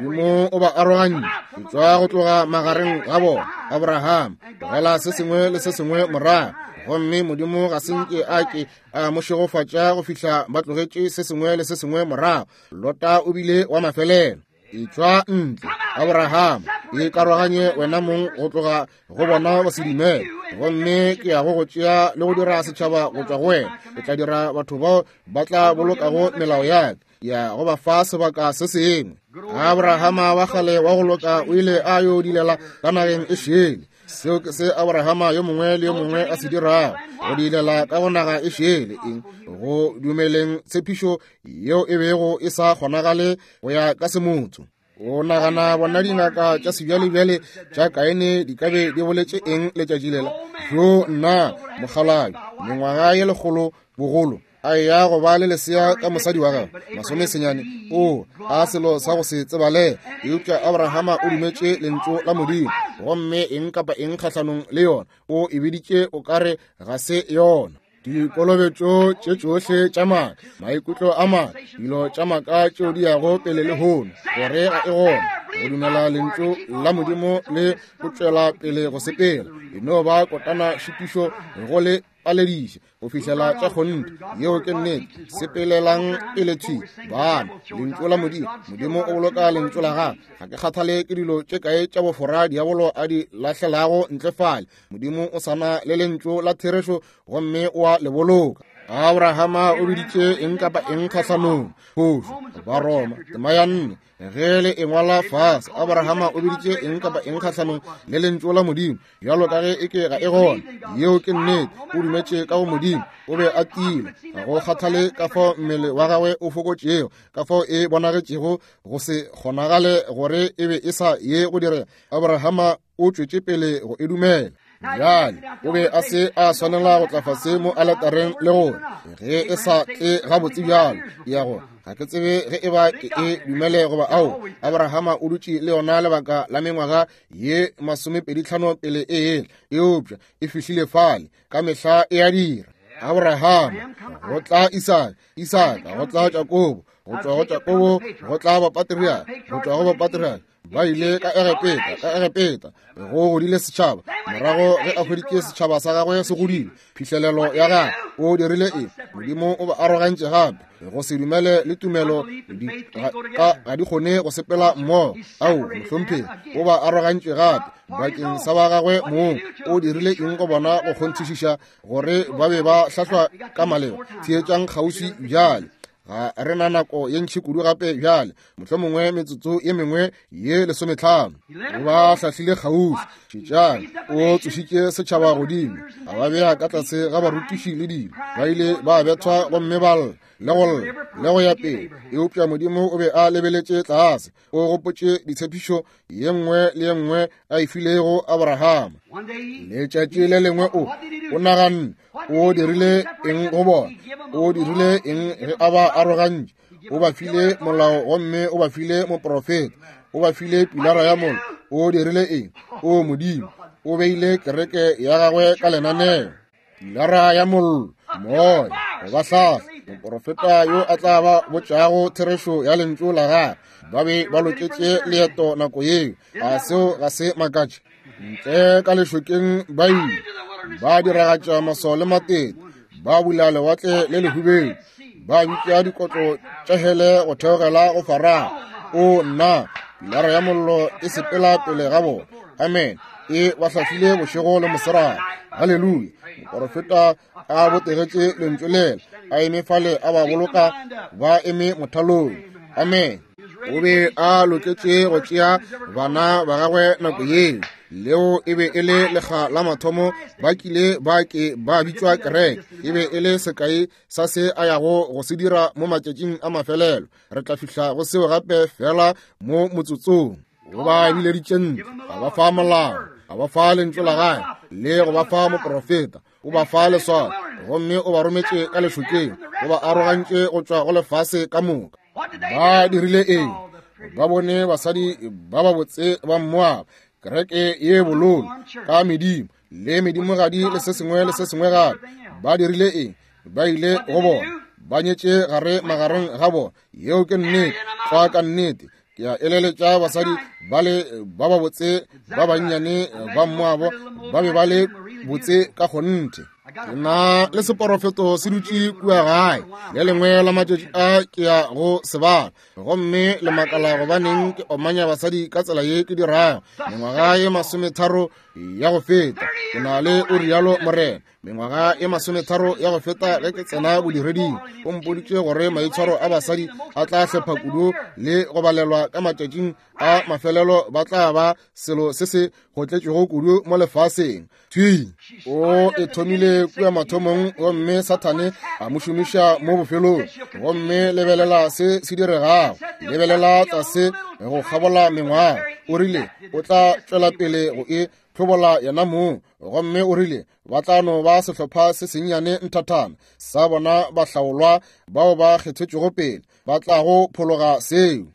Modimo o ba arogantše, e tšwa go tloga magareng ga bona. Abraham, tlogela se sengwe le se sengwe morago. Gomme Modimo ga se nke a ke a mo šegofatša go fihla ba tlogetše se sengwe le se sengwe morago. Lota o bile wa mafelelo. E tšwa ntle, Abraham, e karoganye wena mong go tloga go bona ba se dumele, gomme ke ya go go tšea le go dira setšhaba go tšwa go wena. Ke tla dira batho bao ba tla bolokago melao ya ka, ya go ba fa sebaka se sengwe. Abrahama wa kgale wa go loka o ile a yo dilela ka nageng e šele. Seo ke se Abrahama yo mongwe le yo mongwe a se dirago, go dilela ka go naga e šele, eng? Go dumeleng tshepišo yeo e bego e sa kgonagale go ya ka semotho. O nagana bona dingaka tša sebjalebjale tša Kaine di ka be di boletše eng letšatši lela? Jo nna mokgalabje, mengwaga ye lekgolo bogolo, a ya go ba le lesea ka mosadi wa gagwe masomesenyane. O a selo sa go se tsebale. Eupša Abrahama o dumetše lentšu la Modimo, gomme eng kapa eng kgahlanong le yona o e biditše o kare ga se yona. Dikolobetšo tše tšohle tša maaka, maikutlo a maaka, dilo tša maaka tšeo di yago pele lehono, gore ga e gona go dumela lentšu la Modimo le go tšwela pele go sepela. E no ba kotana šitišo go le palediše go fihlela tša kgonthe. Yeo ke nnete. Sepelelang pele thwi bana, lentšu la Modimo. Modimo o boloka lentšu la gagwe. Ga ke kgathale ke dilo tše kae tša bofora diabolo a di lahlelago ntle fale, Modimo o sana le lentšu la therešo gomme o a le boloka. Abrahama o biditše eng kapa eng kgahlanong. Phošo. Ba Roma tema ya nne, ge le engwala fase, Abrahama o biditše eng kapa eng kgahlanong le lentšu la Modimo, bjalo ka ge e ke ga e gona. Yeo ke nnete. O dumetše ka go Modimo, o be a tiile. Ga go kgathale ka fao mmele wa gagwe o fokotšego, ka fao e bonagetšego go se kgonagale gore e be e sa ye go direga, Abrahama o tšwetše pele go e dumela. Bjale o be a se a swanela go tla fase mo aletareng le gore ge e sa tle gabotse bjalo ya go ga ke tsebe ge e ba ke e dumele goba ao. Abrahama o dutše le yona lebaka la mengwaga ye masomepedi tlhano pele e ela, eupša e fihlile fale ka mehla e a dira. Abrahama go tla Isaka, Isaka go tla Jakobo, go tšwa go Jakobo go tla bapatriarka, go tšwa go bapatriarka ba ile ka Egepeta, ka Egepeta go godile setšhaba. Morago ge a hweditše setšhaba sa gagwe se godile, phihlelelo ya gagwe, o dirile eng? Modimo o ba arogantše gape. Go se dumele le tumelo ga di kgone go sepela mmogo. Ao, mohlomphegi, o ba arogantše gape bakeng sa ba gagwe mong. O dirile eng go bona go kgonthišiša gore ba be ba hlahlwa ka maleba? Theetšang kgauswi bjale. Ga re na nako ye ntši kudu gape bjale, mohlomongwe metsotso ye mengwe ye lesometlhano. O ba hlahlile kgauswi. Šetšang, o tsošitše setšhaba godimo, a ba bea ka tlase ga barutiši le dilo. Ba ile ba bethwa gomme ba lla le go lla le go ya pele, eupša Modimo o be a lebeletše tlase. O gopotše ditshepišo ye nngwe le ye nngwe a e filego Abrahama. Letšatši le lengwe o o naganne o dirile eng go bona? O dirile eng ge a ba arogantše? O ba file molao gomme o ba file moprofeta, o ba file pilara ya mollo. O dirile eng? O Modimo o beile kereke ya gagwe ka lenaneo. Pilara ya mollo, moya go ba hlahla, moprofeta yo a tla ba botšago therešo ya lentšu la gagwe. Ba be ba loketše leeto nako yeo. A seo ga se makatše? Ntle ka lešokeng ba ile ba diragatša maswao le matete, ba bula lewatle le lehubedu, ba bitša dikotlo tša hele go theogela go Farao. O nna, pilara ya mollo e sepela pele ga bona. Amen. E ba hlahlile bošego le mosegare. Haleluya. Moprofeta a botegetše lentšu lela, a eme fale a ba boloka ba eme mothalong. Amen. O be a loketše go tšea bana ba gagwe nako yeo. Leo e be e le lekga la mathomo ba kile ba ke ba bitšwa kereke. E be e le sekai sa se a yago go se dira mo matšatšing a mafelelo. Re tla fihla go seo gape fela mo motsotsong. O ba bileditše ntle, a ba fa molao, a ba fa lentšu la gagwe, le go ba fa moprofeta, o ba fa leswao, gomme o ba rometše ka lešokeng, o ba arogantše go tšwa go lefase ka moka. Ba dirile eng? Ba bone basadi ba babotse ba Moaba, kereke ye bololo ka medimo le medimogadi le se sengwe le se sengwe gape. Ba dirile eng? Ba ile go bona, ba nyetše gare magareng ga bona. Yeo ke nnete, tlwa ka nnete. Ke a eleletša basadi ba le ba babotse ba bannyane ba Moabo ba be ba le botse ka kgonthe. Ke na le seporofeto se dutše kua gae, le lengwe la matšatši a ke ya go se bala, gomme le makala gobaneng ke omanya basadi ka tsela ye ke dirago. Mengwaga ye masometharo ya go feta, ke na le o rialo Morena, mengwaga ye masometharo ya go feta ge ke tsena bodireding, o mpoditše gore maitshwaro a basadi a tla hlepha kudu le go balelwa ka matšatšing a mafelelo, ba tla ba selo se se gotletšego kudu mo lefaseng. Thwi o e thomile kua mathomong, gomme Sathane a mo šomiša mo bofelong. Gomme lebelela se se diregago, lebelela tlase go kgabola mengwaga. O rile o tla tšwela pele go e hlobola yena mong, gomme o rile ba tla no ba sehlopha se sennyane nthathana sa bona bahlaolwa bao ba kgethetšwego pele ba tlago phologa seo.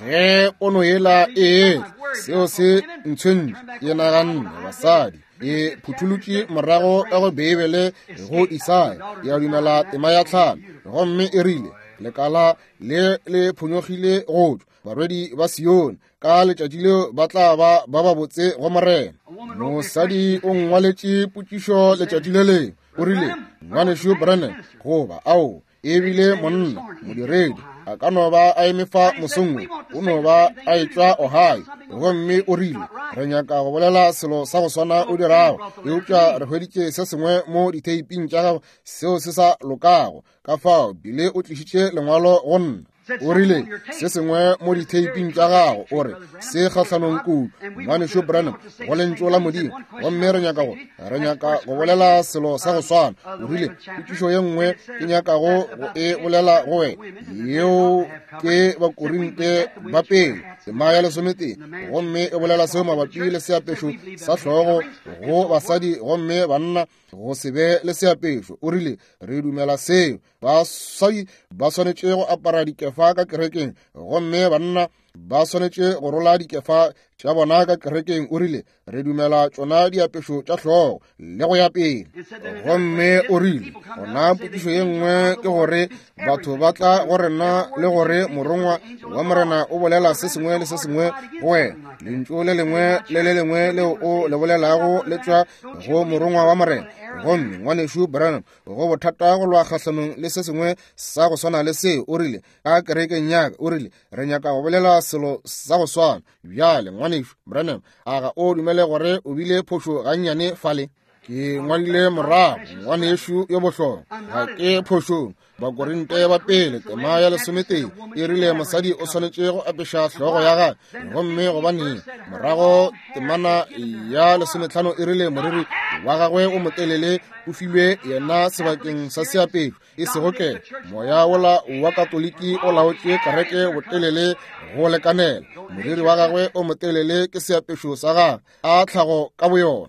Ge pono yela e seo se ntshwentše, ke naganne basadi e phutholotše morago ka go Beibele go Isaya ya dumela tema ya tlhano, gomme e rile lekala le le phonyogile go tšwa barwedi ba Sione, ka letšatši leo ba tla ba ba babotse go Morena. Mosadi o ngwaletše potšišo letšatši le lengwe, o rile ngwanešu Branham, goba ao ebile monna modiredi a ka no ba a eme fa mosong wo, o no ba a etšwa Ohio, gomme o rile re nyaka go bolela selo sa go swana o dirago, eupša re hweditše se sengwe mo ditheiping tša gago seo se sa lokago. Ka fao bile o tlišitše lengwalo go nna. O rile se sengwe mo ditheiping tša gago, o re se kgahlanong kudu ngwanešu Branham go lentšu la Modimo, gomme re nyaka go re nyaka go bolela selo sa go swana. O rile potšišo ye nngwe ke nyakago go e bolela go wena, yeo ke Bakorinte ba pele tema ya lesometee, gomme e bolela seo mabapi le seapešo sa hlogo go basadi, gomme banna go se be le seapešo. O rile re dumela seo, basadi ba swanetše go apara dikefa ka kerekeng, gomme banna ba swanetše go rola dikefa tša bona ka kerekeng. O rile re dumela tšona diapešo tša hlogo le go ya pele. Gomme o rile gona potšišo ye nngwe ke gore batho ba tla go rena le gore morongwa wa Morena o bolela se sengwe le se sengwe go wena, lentšu le lengwe le le lengwe leo o le bolelago le tšwa go morongwa wa Morena. Gomme ngwanešu Branham, go bothata go lwa kgahlanong le se sengwe sa go swana le seo. O rile ka kerekeng ya ka, o rile re nyaka go bolela selo sa go swana. Bjale ngwanešu Branham, a ga o dumele gore o bile phošo gannyane fale? Ke ngwadile morago, ngwanešu yo bohlokwa, ga ke phošong. Bakorinte ba pele tema ya lesometee e rile mosadi o swanetše go apeša hlogo ya gagwe, gomme gobaneng morago temana ya lesometlhano e rile moriri wa gagwe o motelele o filwe yena sebakeng sa seapešo, e sego ke moya wola wa Katoliki o laotše kereke botelele go lekanela. Moriri wa gagwe o motelele ke seapešo sa gagwe a tlhago ka boyona.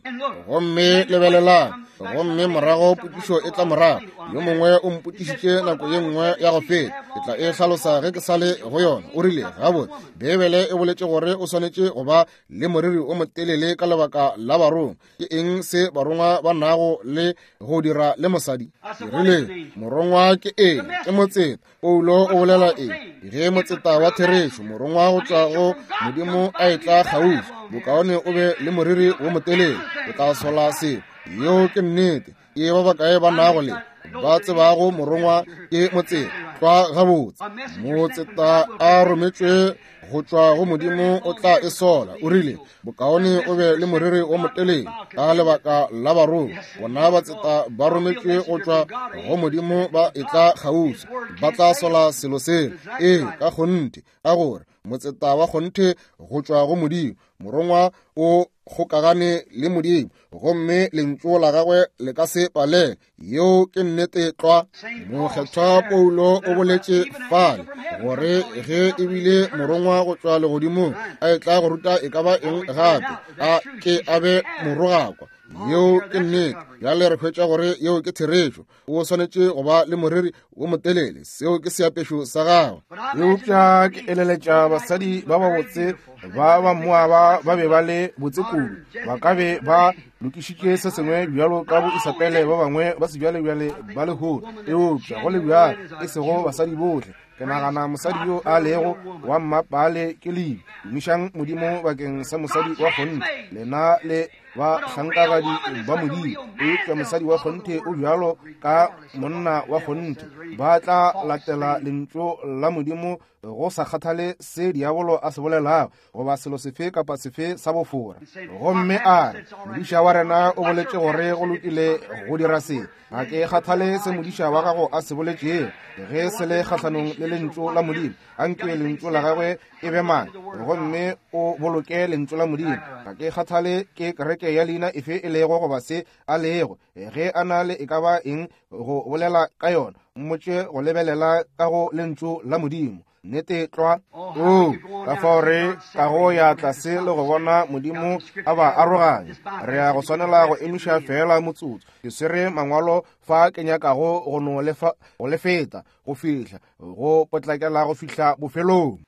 Gomme lebelelang, gomme morago potšišo e tla morago, yo mongwe o mpotšišitše nako ye nngwe ya go feta, ke tla e hlalosa ge ke sa le go yona. O rile gabotse Beibele e boletše gore o swanetše go ba le moriri o motelele ka lebaka la barongwa. Ke eng se barongwa ba nago le go dira le mosadi? Ke rile morongwa ke eng? Ke motseta. Paulo o bolela eng? Ge motseta wa therešo, morongwa go tšwa go Modimo a etla kgauswi, bokaone o be le moriri wo motelele, o tla sola seo. Yeo ke nnete. Ke ba bakae ba nago le ba tsebago morongwa ke motseta? Tlwa gabotse, motseta a rometšwe go tšwa go Modimo o tla e sola. O rile bokaone o be le moriri o motelele ka lebaka la barongwa. Bona batseta ba rometšwe go tšwa go Modimo ba etla kgauswi, ba tla sola selo seo. Ee, ka kgonthe, ka gore motseta wa kgonthe go tšwa go Modimo, morongwa o kgokagane le Modimo, gomme lentšu la gagwe le ka se palele. Yeo ke nnete tlwa. Mokgethwa Paulo o boletše fale gore ge ebile morongwa go tšwa legodimong a etla go ruta e ka ba eng gape, a ke a be morogakwa. Yeo ke nnete. Bjale re hwetša gore yeo ke therešo. O swanetše go ba le moriri wo motelele, seo ke seapešo sa gagwe. Eupša ke eleletša basadi ba babotse ba ba Moaba ba be ba le botse kudu, ba ka be ba lokišitše se sengwe bjalo ka bo Isabele ba bangwe ba sebjalebjale ba lehono. Eupša go le bjalo e sego basadi bohle. Ke nagana mosadi yo a lego wa mmapale ke lebi. Tumišang Modimo bakeng sa mosadi wa kgonthe, lena le ba hlankagadi ba Modimo. Eupša mosadi wa kgonthe o bjalo ka monna wa kgonthe, ba tla latela lentšu la Modimo go sa kgathale se diabolo a se bolelago goba selo sefe kapa sefe sa bofora. Gomme a re modiša wa rena o boletše gore go lokile go dira se. Ga ke kgathale se modiša wa gago a se boletšego, ge se le kgahlanong le lentšu la Modimo, anke lentšu la gagwe e be mang, gomme o boloke lentšu la Modimo. Ga ke kgathale ke kereke ya leina efe e lego goba se a lego, ge a na le e ka ba eng go bolela ka yona, mmotše go lebelela ka go lentšu la Modimo. Nnete tlwa. O ka fao re ka go ya tlase le go bona Modimo a ba aroganya. Re ya go swanela go emiša fela motsotso. Ke swere mangwalo fa ke nyakago go no lefa go lefeta go fihla go potlakela go fihla bofelong.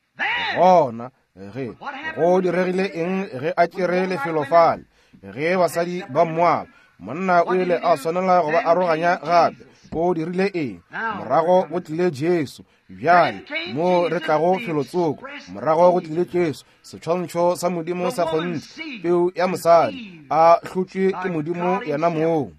Gona ge go diregile eng ge a tšere lefelo fale, ge basadi ba Moaba, monna o ile a swanela go ba aroganya gape. O dirile eng? Morago go tlile Jesu. Bjale mo re tlago felotsoko, morago go tlile Jesu, setshwantsho sa Modimo sa kgonthe, peu ya mosadi, a hlotšwe ke Modimo yena mong,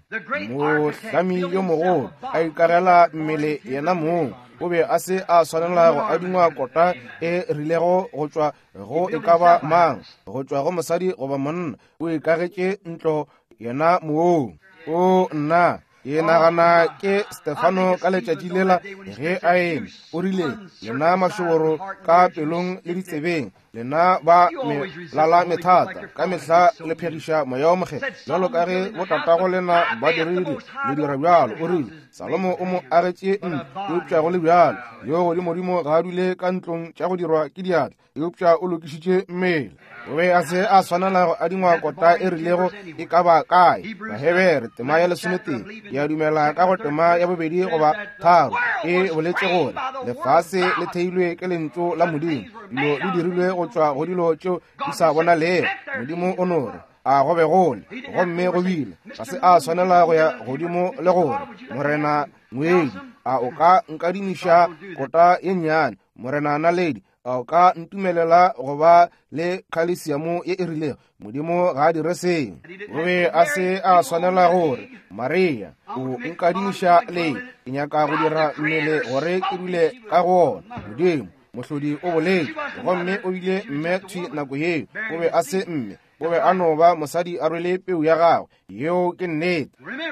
mohlami yo mogolo, a ikagela mmele yena mong. O be a se a swanela go adingwa kota e rilego go tšwa go e ka ba mang, go tšwa go mosadi goba monna. O ikagetše ntlo yena mong. O nna ke nagana ke Stefano ka letšatši lela ge a eme, o rile, lena mašoboro ka pelong le ditsebeng, lena ba melala methata, ka mehla le phegiša moya o mokgethwa, bjalo ka ge botatago lena ba dirile, le dira bjalo. O rile Salomo o mo agetše ntlo, eupša go le bjalo yo godimodimo ga a dule ka ntlong tša go dirwa ke diatla, eupša o lokišitše mmele. O be a se a swanela go adingwa kota e rilego e ka ba kae. Bahebere tema ya lesometee, ke a dumela ka go tema ya bobedi goba tharo, e boletše gore lefase le theilwe ke lentšu la Modimo, dilo di dirilwe go tšwa go dilo tšeo di sa bonalego. Modimo o no re a go be gole, gomme go bile. Ga se a swanela go ya godimo le gore Morena ngwedi, a o ka nkadimiša kota ye nnyane? Morena naledi, a o ka ntumelela go ba le khalesiamo ye e rilego? Modimo ga a dire seo. O be a se a swanela gore Maria, o nkadimiša le, ke nyaka go dira mmele gore ke dule ka go ona. Modimo mohlodi o boletše, gomme o bile mme thwi nako yeo. O be a se mme, o be a no ba mosadi a rwele peu ya gagwe. Yeo ke nnete.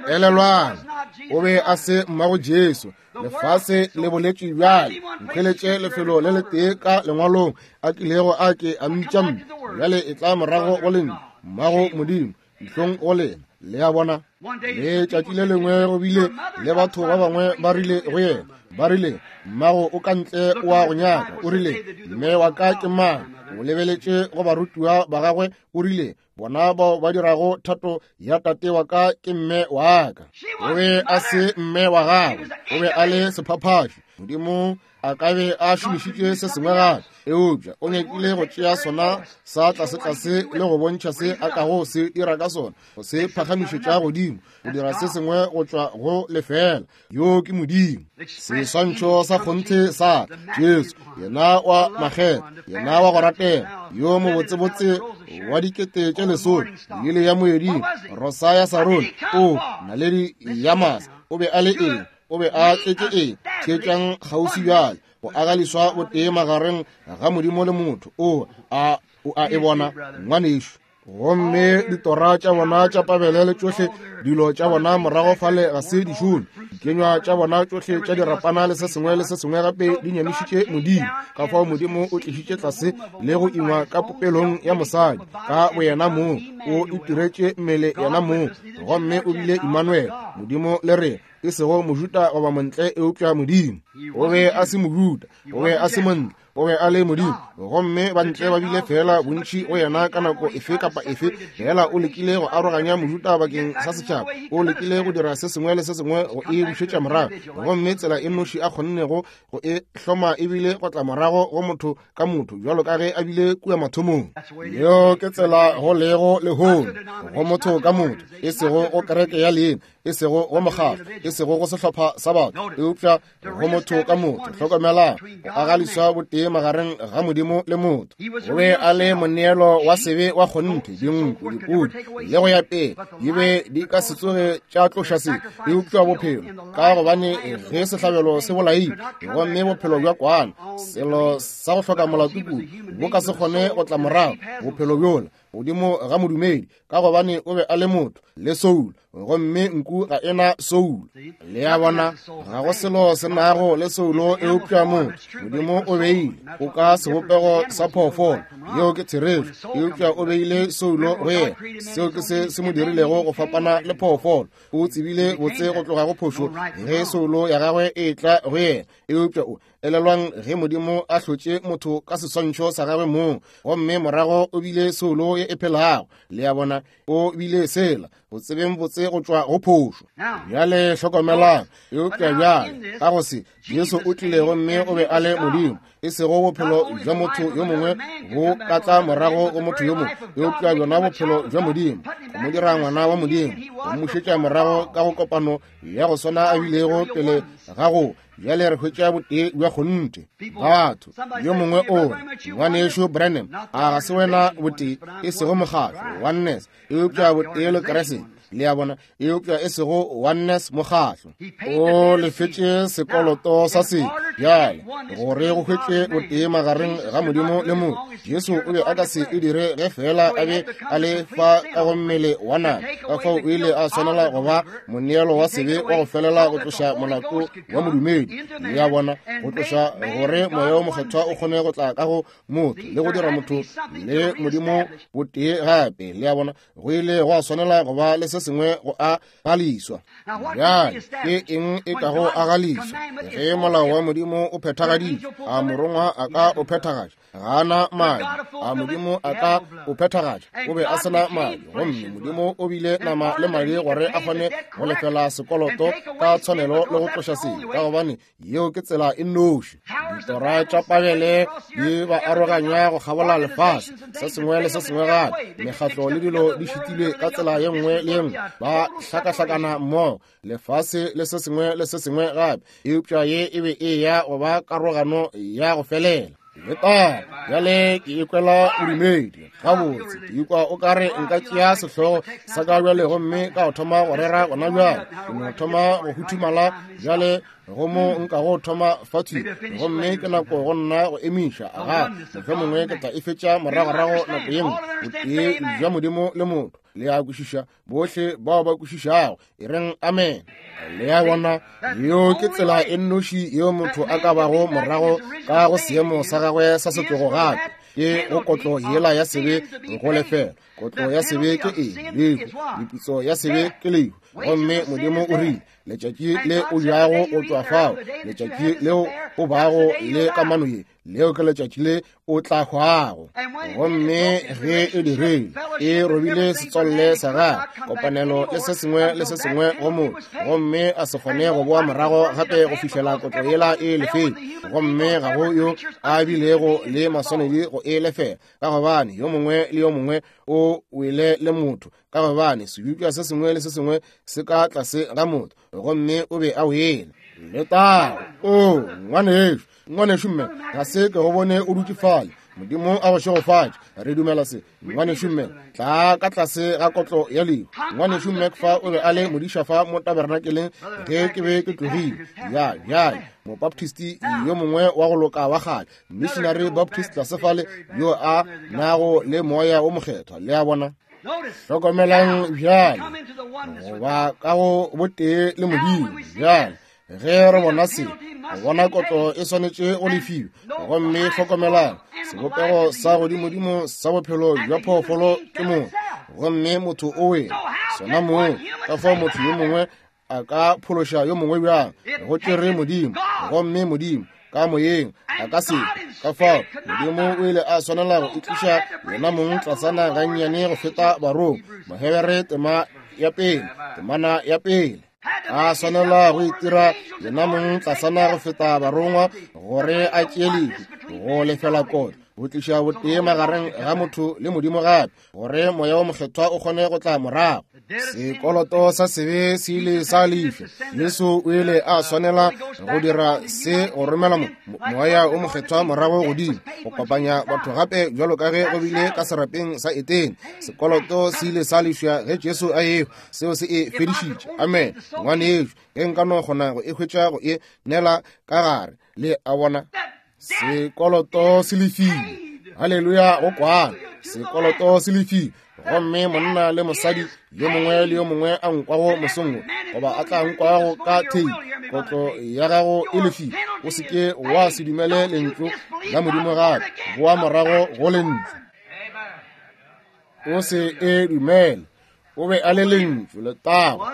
Elelwang, o be a se mmago Jesu. Lefase le boletše bjale. Nkhweletše lefelo le letee ka lengwalong a kilego a ke a mmitša mme. Bjale e tla morago go lentšu, mmago Modimo, dihlong go lena. Le a bona? Letšatši le lengwe go bile le batho ba bangwe ba rile go yena, ba rile, mmago o ka ntle o a go nyaka. O rile, mme wa ka ke mang? O lebeletše go barutiwa ba gagwe, o rile, bona bao ba dirago thato ya tate wa ka ke mme wa ka. O be a se mme wa gagwe, o be a le sephaphaši. Modimo a ka be a šomišitše se sengwe gape, eupša o nyakile go tšea sona sa tlasetlase le go bontšha se a kago se dira ka sona, go se phagamišetša godimo, go dira se sengwe go tšwa go lefela. Yo ke Modimo, seswantšho sa kgonthe sa Jesu, yena wa makgetho, yena wa go ratega, yo mobotsebotse wa dikete tše lesome, lili ya moeding, rosa ya Sarone, o naledi ya masa. O be a le eng? O be a tletše eng? Theetšang kgauswi bjale, go agaliswa botee magareng ga Modimo le motho. O a o a e bona, ngwanešu. Gomme ditora tša bona tša pabele le tšohle dilo tša bona morago fale ga se di šome. Dikenywa tša bona tšohle tša dirapana le se sengwe le se sengwe gape di nyamišitše Modimo. Ka fao Modimo o tlišitše tlase le go ingwa ka popelong ya mosadi ka boyena mong, o itiretše mmele yena mong, gomme o bile Immanuel, Modimo le rena, e sego Mojuda goba montle, eupša Modimo. O be a se Mojuda, o be a se montle, o be a le Modimo. Gomme bantle ba bile fela bontši go yena ka nako efe kapa efe. Fela o lekile go aroganya Mojuda bakeng sa setšhaba, o lekile go dira se sengwe le se sengwe go e bušetša morago, gomme tsela e nnoši a kgonnego go e hloma ebile go tla morago go motho ka motho, bjalo ka ge a bile kua mathomong. Yeo ke tsela go lego lehono, go motho ka motho, e sego go kereke ya leina, e sego go mokgatlo, e sego go sehlopha sa batho, eupša go motho ka motho. Hlokomelang, go agaliswa botee magareng ga Modimo le motho. O be a le moneelo wa sebe wa kgonthe, dinku, dipudi le go ya pele di be di ka se tsoge tša tloša sebe, eupša bophelo, ka gobane ge sehlabelo se bolaile, gomme bophelo bja kwana, selo sa go hloka molato kudu, bo ka se kgone go tla morago bophelo bjola godimo ga modumedi, ka gobane o be a le motho le soulo. gomme nku ga e na soulo. Le a bona, ga go selo se nago le soulo eupša motho. Modimo o beile o ka sebopego sa phoofolo, yeo ke therešo, eupša o beile soulo go yena. Seo ke se se mo dirilego go fapana le phoofolo. O tsebile botse go tloga go phošo ge soulo ya gagwe e tla go yena. Eupša o elelwang ge Modimo a hlotše motho ka seswantšho sa gagwe mong, gomme morago o bile soulo ye e phelago. Le a bona, o bile sela go tsebeng botse go tšwa go phošo. Bjale hlokomelang, eupša bjale ka go se, Jesu o tlile gomme o be a le Modimo, e sego bophelo bja motho yo mongwe bo ka tla morago go motho yo mongwe, eupša bjona bophelo bja Modimo, go mo dira ngwana wa Modimo, go mmušetša morago ka go kopano ya go swana a bilego pele ga go. Bjale re hwetša botee bja kgonthe. Batho yo mongwe o re, ngwanešu Branham, a ga se wena botee, e sego mokgatlo oneness, eupša botee le Kriste. Le a bona, eupša e sego oneness mokgatlo. O lefetše sekoloto sa sebe. Bjale gore go hwetše botee magareng ga Modimo le motho, Jesu o be a ka se e dire ge fela a be a le fa ka go mmele wa nama. Ka fao o ile a swanela go ba moneelo wa sebe wa go felela go tloša molato wa modumedi. Le a bona, go tloša gore moya o mokgethwa o kgone go tla ka go motho le go dira motho le Modimo botee gape. Le a bona, go ile go a swanela go ba le se sengwe go a galiswa. Bjale ke eng e ka go agaliswa? Ge molao wa Modimo o phethagaditšwe, a morongwa a ka o phethagatša? Ga na madi. A Modimo a ka o phethagatša? O be a sena madi, gomme Modimo o bile nama le madi gore a kgone go lefela sekoloto ka tshwanelo le go tloša sebe, ka gobane yeo ke tsela e nnoši. Ditora tša Babele di ba aroganya go kgabola lefase, se sengwe le se sengwe gape. Mekgatlo le dilo di šitilwe ka tsela ye nngwe le ye nngwe, ba hlakahlakana mmogo, lefase le se sengwe le se sengwe gape. Eupša ye e be e ya go ba karogano ya go felela. Leta, bjale ke ikwela bodumedi gabotse, ke ikwa o kare nka tšea sehlogo sa ka bjale gomme ka o thoma go rera gona bjale. Ke no thoma go huthumala bjale go mo nka go thoma fatshe, gomme ke nako go nna go emiša. Aga, mohlomongwe ke tla e fetša moragorago nako ye nngwe. Botee bja Modimo le motho. Le a kwešiša, bohle bao ba kwešišago, e reng amen. Le a bona, yeo ke tsela e nnoši yeo motho a ka bago morago ka go seemo sa gagwe sa setlogo gape, ke go kotlo yela ya sebe go lefela. Kotlo ya sebe ke eng? Lehu. Meputso ya sebe ke lehu. Gomme Modimo o rile, letšatši le o jago go tšwa fao, letšatši leo o bago le kamano ye, leo ke letšatši le o tla hwago. Gomme ge e dirile, e robile setswalle sa gagwe, kopanelo le se sengwe le se sengwe go motho, gomme a se kgone go boa morago gape go fihlela kotlo yela e lefele. Gomme ga go yo a bilego le maswanedi go e lefela, ka gobane yo mongwe le yo mongwe o wele le motho, ka gobane sebopša se sengwe le se sengwe se ka tlase ga motho, gomme o be a wele. Letago. O ngwanešu, ngwanešu mme, ga se ke go bone o dutše fale. Modimo a go šegofatše. Re dumela se. Ngwanešu mme, tla ka tlase ga kotlo ya lehu. Ngwanešu mme fa o be a le modiša fa mo tabernakeleng ge ke be ke tlogile. Ya, bjale, mobaptisti yo mongwe wa go loka wa kgale, missionary baptist tlase fale, yo a nago le moya o mokgethwa. Le a bona? Hlokomelang bjale, go ba ka go botee le Modimo. Bjale ge re bona se, go bona kotlo e swanetše go lefiwa. Gomme hlokomelang, sebopego sa godimodimo sa bophelo bja phoofolo ke motho, gomme motho o wele sona moo. Ka fao motho yo mongwe a ka phološa yo mongwe bjang? Go tšere Modimo, gomme Modimo ka moyeng a ka se. Ka fao Modimo o ile a swanela go itliša yena mong tlasana gannyane go feta barong. Mahebere tema ya pele, temana ya pele. A swanela go itira yena mong tlasana go feta barongwa gore a tšee lehu go lefela kotlo, go tliša botee magareng ga motho le Modimo gape, gore moya o mokgethwa o kgone go tla morago. Sekoloto sa sebe se ile sa lefa. Jesu o ile a swanela go dira se go romela moya o mokgethwa morago godimo, go kopanya batho gape bjalo ka ge go bile ka serapeng sa Etene. Sekoloto se ile sa lefša ge Jesu a ehwa. Seo se e fedišitše. Amen. Ngwanešu, ge nka no kgona go e hwetša go e neela ka gare. Le a bona, sekoloto se lefile. Haleluya, go kwana. Sekoloto se lefile. Gomme monna le mosadi yo mongwe le yo mongwe a nkwago mosong goba a tla nkwago ka thei, kotlo ya gago e lefile. O se ke wa se dumele lentšu la Modimo gape, boa morago go lentšu. O se e dumele. O be a le lentšu letago.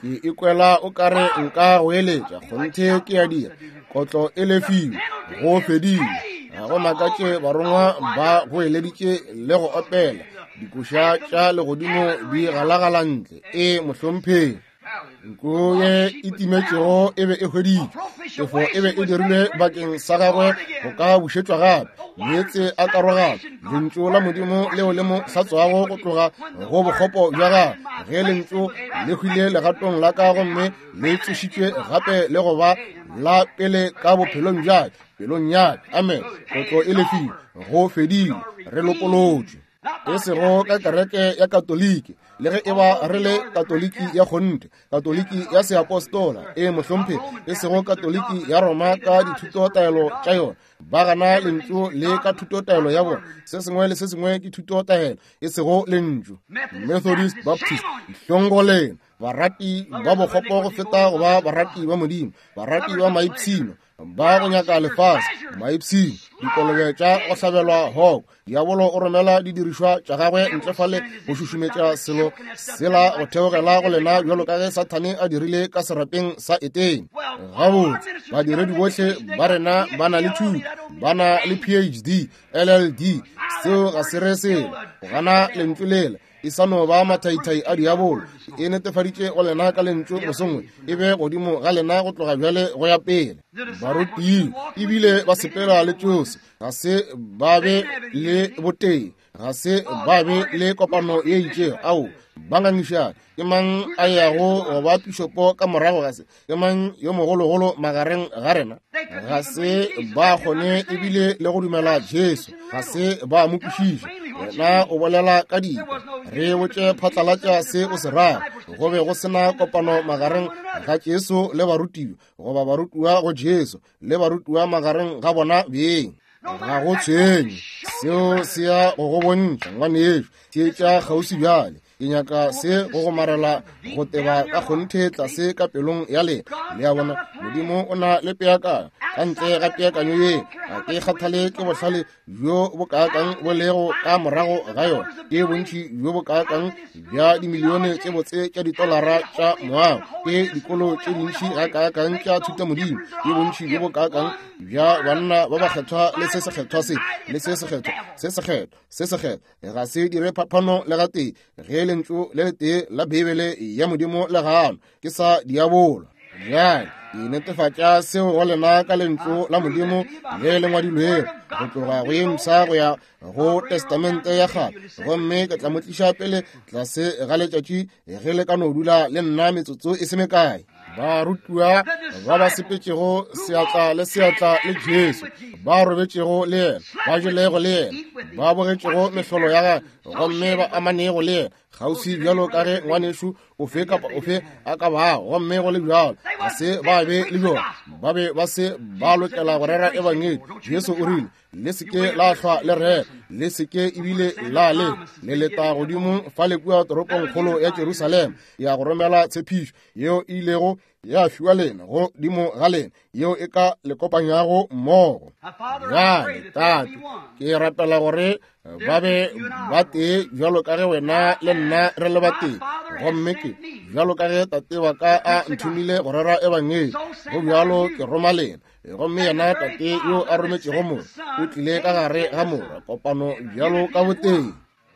Ke ikwela o kare nka go eletša, kgonthe ke a dira. Kotlo e lefile, go fedile. Ga go makatše barongwa ba go eleditše le go opela dikoša tša legodimo di galagala ntle. E mohlomphegi, nko ye e timetšego e be e hweditšwe, tefo e be e dirilwe bakeng sa gagwe go ka bušetšwa gape. Meetse a karogano, lentšu la Modimo leo le mo hlatswago go tloga go bokgopo bja gagwe. Ge lentšu le hwile legatong la ka gomme le tsošitšwe gape le go ba la pele ka bophelong bja pelong ya ka. Amen. Kotlo e lefile, go fedile, re lopolotšwe. E sego ka kereke ya Katoliki, le ge e ba re le Katoliki ya kgonthe, Katoliki ya seapostola, e mohlomphegi, e sego Katoliki ya Roma ka dithutotaelo tša yona. Ba gana lentšu le ka thutotaelo ya bona. Se sengwe le se sengwe ke thutotaelo, e sego lentšu. Methodist, Baptist, dihlong go lena, barati ba bokgopo go feta go ba barati ba Modimo, barati ba maipshino, ba go nyaka lefase, maipshino, dikolobe tša go hlabelwa hoko. Diabolo o romela didirišwa tša gagwe ntle fale go šušumetša selo sela go theogela go lena bjalo ka ge Sathane a dirile ka serapeng sa Etene. Gabotse, badiredi bohle ba rena ba na le thuto, ba na le P H D, L L D. Seo ga se re selo. Go gana lentšu lela e sa no ba mathaithai a diabolo. E netefaditše go lena ka lentšu mosongwe, e be godimo ga lena go tloga bjale go ya pele. Barutiwa ebile ba sepela le tšose, ga se ba be le botee, ga se ba be le kopano ye itšego. Ao, ba ngangišana, ke mang a yago go ba pišopo ka morago ga se? Ke mang yo mogologolo magareng ga rena? Ga se ba kgone ebile le go dumela Jesu, ga se ba mo kwešiša. Wena o bolela ka dika, re botše phatlalatša se o se rago. Go be go sena kopano magareng ga Jesu le barutiwa, goba barutiwa go Jesu le barutiwa magareng ga bona beng. Ga go tshwenye, seo se ya go go bontšha ngwanešu. Theetša kgauswi bjale. Ke nyaka se go gomarela go teba ka kgonthe tlase ka pelong ya lena. Le a bona, Modimo o na le peakanyo. Ka ntle ga peakanyo ye, ga ke kgathale ke bohlale bjo bo kaakang bo lego ka morago ga yona, ke bontši bjo bo kaakang bja dimilione tše botse tša ditolara tša moago, ke dikolo tše dintši ga kaakang tša thutamodimo, ke bontši bjo bo kaakang bja banna ba bakgethwa le se sekgethwa se le se sekgethwa se sekgethwa se sekgethwa. Ga se dire phapano le gatee ge lentšu le letee la Beibele ya Modimo le gano ke sa diabolo. Bjale ke netefatša seo go lena ka lentšu la Modimo le le ngwadilwego go tloga go ye mpsha go ya go Testamente ya kgale, gomme ke tla mo tliša pele tlase ga letšatši ge le ka no dula le nna metsotso e se mekae. Barutiwa ba ba sepetšego seatla le seatla le Jesu, ba robetšego le yena, ba jelego le yena, ba bogetšego mehlolo ya gagwe, gomme ba amanego le yena kgauswi bjalo ka ge ngwanešu ofe kapa ofe a ka bago. Gomme go le bjalo ga se ba be le bjona, ba be ba se ba lokela go rera ebangedi. Jesu o rile, le se ke la hlwa le rera, le se ke ebile la le le leta godimo fale kua toropongkgolo ya Jerusalema ya go romela tshepišo yeo e ilego ya fiwa lena godimo ga lena, yeo e ka le kopanyago mmogo. Bjale Tate, ke rapela gore ba be ba tee bjalo ka ge wena le nna re le batee, gomme ke bjalo ka ge tate wa ka a nthomile go rera ebangedi, go bjalo ke roma lena. Gomme yena tate yo a rometšego morwa o tlile ka gare ga morwa, kopano bjalo ka botee.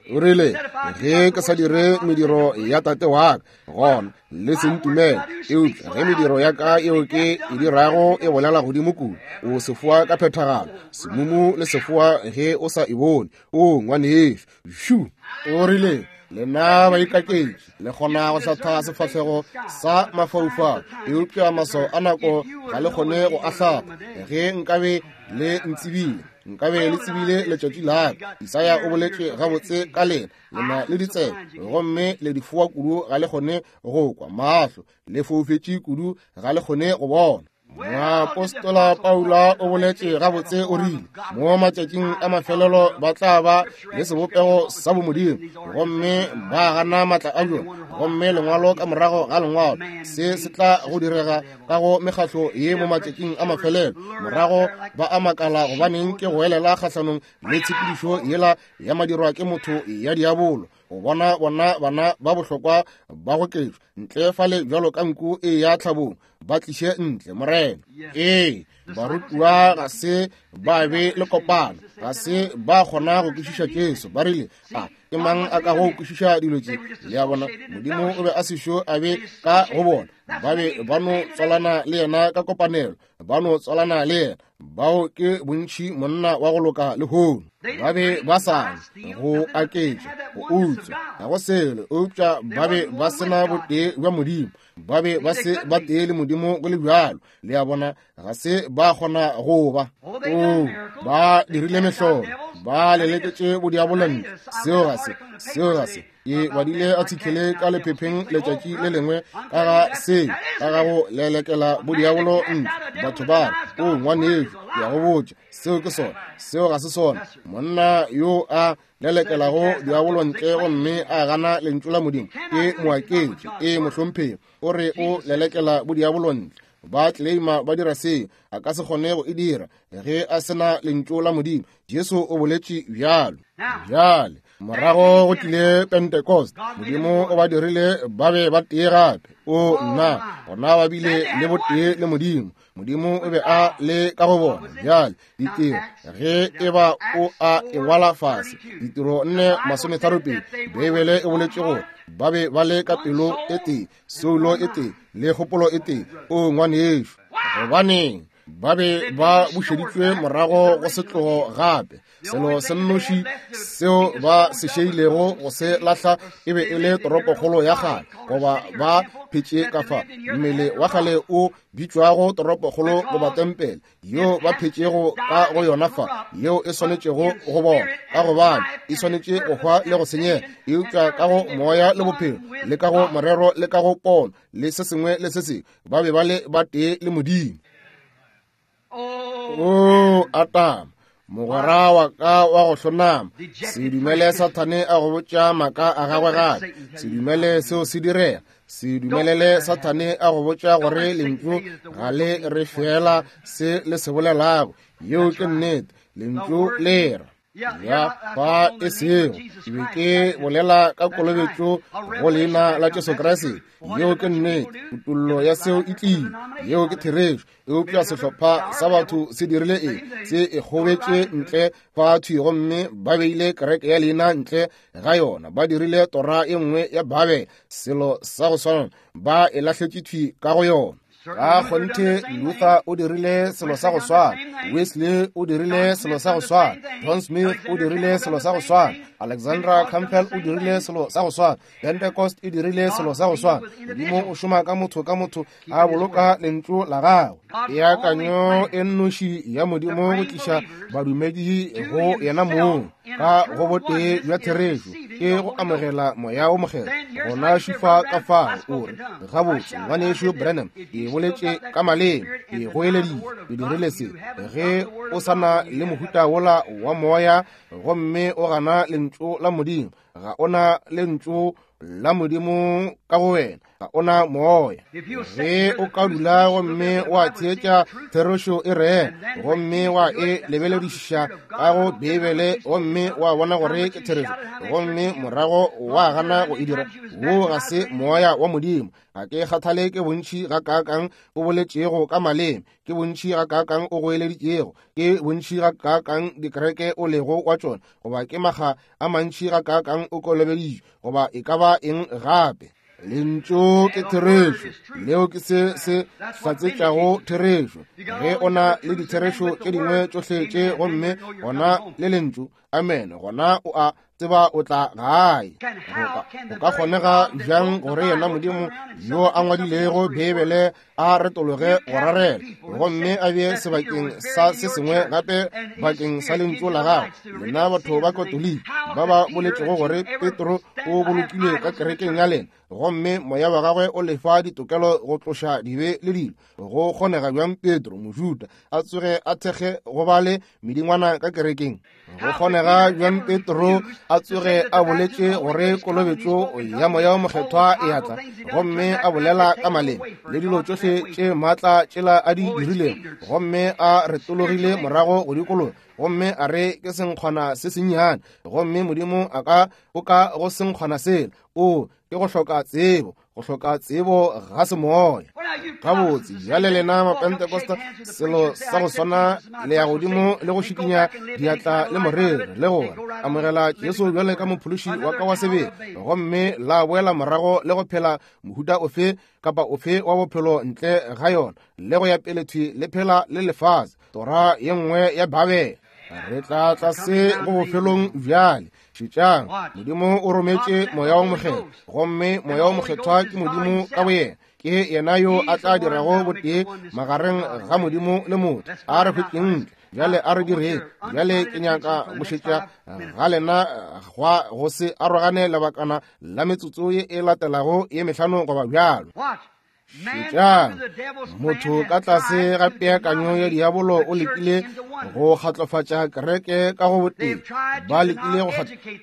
O rile, ge ke sa dire mediro ya tate wa ka, gona le se ntumele. Eupša ge mediro ya ka yeo ke e dirago e bolela godimo kudu, o sefoa ka phethagalo, semumu le sefoa ge o sa e bone. O ngwanešu, šu. O rile, lena baikaketši le kgona go hlatha sefahlego sa mafaufau, eupša maswao a nako ga le kgone go a hlatha. Ge nkabe le ntsebile, nkabe le tsebile letšatši la ka. Isaya o boletše gabotse ka lena, lena le ditsebe gomme le difoa kudu ga le kgone go kwa, mahlo le foufetše kudu ga le kgone go bona. Moapostola Paula o boletše gabotse o rile mo matšatšing a mafelelo ba tla ba le sebopego sa bomodimo gomme ba gana maatla a bjona gomme lengwalo ka morago ga lengwalo se se tla go direga ka go mekgatlo ye mo matšatšing a mafelelo morago ba a makala gobaneng ke go elela kgahlanong le tshepedišo yela ya madirwa ke motho ya diabolo go bona bona bana ba bohlokwa ba go ketšwa ntle fale bjalo ka nku e ya tlhabong ba tliše ntle morena. Ee, barutiwa ga se ba be le kopano, ga se ba kgona go kwešiša Jesu. Ba rile a ke mang a ka go kwešiša dilo tše? Le a bona, Modimo o be a sešo a be ka go bona. Ba be ba no tswalana le yena ka kopanelo, ba no tswalana le yena. Bao ke bontši monna wa go loka lehono. Ba be ba sa go aketša, go utswa, ga go selo, eupša ba be ba sena botee bja Modimo. Ba be ba se ba tee le Modimo go le bjalo. Le a bona, ga se ba kgona go ba. O, ba dirile mehlolo, ba leleketše bodiabolo ntle. Seo ga se, seo ga se. Ke badile article ka lephepheng letšatši le lengwe ka ga se, ka ga go lelekela bodiabolo ntle. Batho ba re, o ngwanešu, ke a go botša, seo ke sona, seo ga se sona. Monna yo a lelekelago diabolo ntle gomme a gana lentšu la Modimo ke moaketši, e mohlomphegi. O re o lelekela bodiabolo ntle, ba claima ba dira seo, a ka se kgone go e dira ge a sena lentšu la Modimo. Jesu o boletše bjalo. Bjale morago go tlile Pentecost, Modimo o ba dirile ba be ba tee gape. O nna, gona ba bile le botee le Modimo. Modimo o be a le ka go bona. Bjale ditiro, ge e ba o a e ngwala fase, ditiro nne masometharo pedi, Beibele e boletše gore ba be ba le ka pelo e tee, soulo e tee, le kgopolo e tee. O ngwanešu, gobaneng ba be ba bušeditšwe morago go setlogo gape? Selo se nnoši seo ba se šeilego go se lahla e be e le toropokgolo ya kgale, goba ba phetše ka fa mmele wa kgale o bitšwago toropokgolo goba tempele yeo ba phetšego ka go yona fa, yeo e swanetšego go bona, ka gobane e swanetše go hwa le go senyega, eupša ka go moya le bophelo le ka go morero le ka go pono le se sengwe le se sengwe ba be ba le ba tee le Modimo. O Atama, mogwera wa ka wa go hlonama, se dumele Sathane a go botša maaka a gagwe gape. Se dumele seo se direga. Se dumelele Sathane a go botša gore lentšu ga le re fela se le se bolelago. Yeo ke nnete, lentšu le ra ya fa e sego. Ke be ke bolela ka kolobetšo go leina la Jesu Kriste. Yeo ke nnete, kutollo ya seo e tlile. Yeo ke therešo. Eupša sehlopha sa batho se dirile eng? Se e kgobetše ntle fa thwi gomme ba beile kereke ya leina ntle ga yona. Ba dirile tora e nngwe ya Babele, selo sa go swana, ba e lahletše thwi ka go yona. Ka kgonthe Luther o dirile selo sa go swana, Wesley o dirile selo sa go swana, John Smith o dirile selo sa go swana, Alexandra Campbell o dirile selo sa go swana, Pentecost e dirile selo sa go swana. Modimo o šoma ka motho ka motho a boloka lentšu la gagwe. Peakanyo e nnoši ya Modimo go tliša badumedi go yena mong ka go botee bja therešo ke go amogela moya o mokgethwa. Gona šufa ka fao o re, gabotse ngwanešu Branham, ke boletše ka maleme, ke goeleditše, ke dirile se. Ge o sa na le mohuta wola wa moya gomme o gana lentšu la Modimo, ga ona lentšu la Modimo ka go wena, ga ona moya. Ge o ka dula gomme wa theetša therešo e rena gomme wa e lebeledišiša ka go Beibele gomme wa bona gore ke therešo, gomme morago wa gana go e dira, wo ga se moya wa Modimo. Ga ke kgathale ke bontši ga kaakang o boletšego ka maleme, ke bontši ga kaakang o goeleditšego, ke bontši ga kaakang dikereke o lego wa tšona, goba ke makga a mantši ga kaakang o kolobeditšwe, goba e ka ba eng gape. Lentšu ke therešo, leo ke se se hlatsetšago therešo. Ge o na le ditherešo tše dingwe tšohle tše gomme gona le lentšu, Amene. Gona o a tseba o tla gae. Go ka kgonega bjang gore yena Modimo yo a ngwadilego Beibele a retologe go rarela gomme a bee sebakeng sa se sengwe gape bakeng sa lentšu la gagwe? Lena batho ba Katoliki ba ba boletšego gore Petro o bolokilwe ka kerekeng ya lena, gomme moya wa gagwe o lefa ditokelo go tloša dibe le dilo, go kgonega bjang Petro Mojuda a tsoge a thekge go ba le medingwana ka kerekeng? Go kgonega bjang Petro a tsoge a boletše gore kolobetšo ya moya o mokgethwa e atla, gomme a bolela ka maleme le dilo tšohle tše maatla tšela a di dirilego, gomme a retologile morago go dikologa gomme a re ke senkgwana se sennyane, gomme Modimo a ka o ka go senkgwana sela? O ke go hloka tsebo, go hloka tsebo ga semoya. Gabotse bjale lena Mapentekosta, selo sa go swana le ya godimo le go šikinya diatla le moreri le gore amogela Jesu bjale ka mophološi wa ka wa sebele, gomme la boela morago le go phela mohuta ofe kapa ofe wa bophelo ntle ga yona, le go ya pele thwi le phela le lefase, tora ye nngwe ya Babele. Re tla tla se go bofelong bjale. Šetšang, Modimo o rometše Moya o Mokgethwa, gomme Moya o Mokgethwa ke Modimo ka boyena. Ke yena yo a tla dirago botee magareng ga Modimo le motho. A re hwetšeng ntle bjale, a re direng bjale. Ke nyaka go šetša ga lena gwa go se arogane lebakana la metsotso ye e latelago ye mehlano goba bjalo. Šetšang, motho ka tlase ga peakanyo ya diabolo o lekile go kgatlofatša kereke ka go botee. Ba lekile go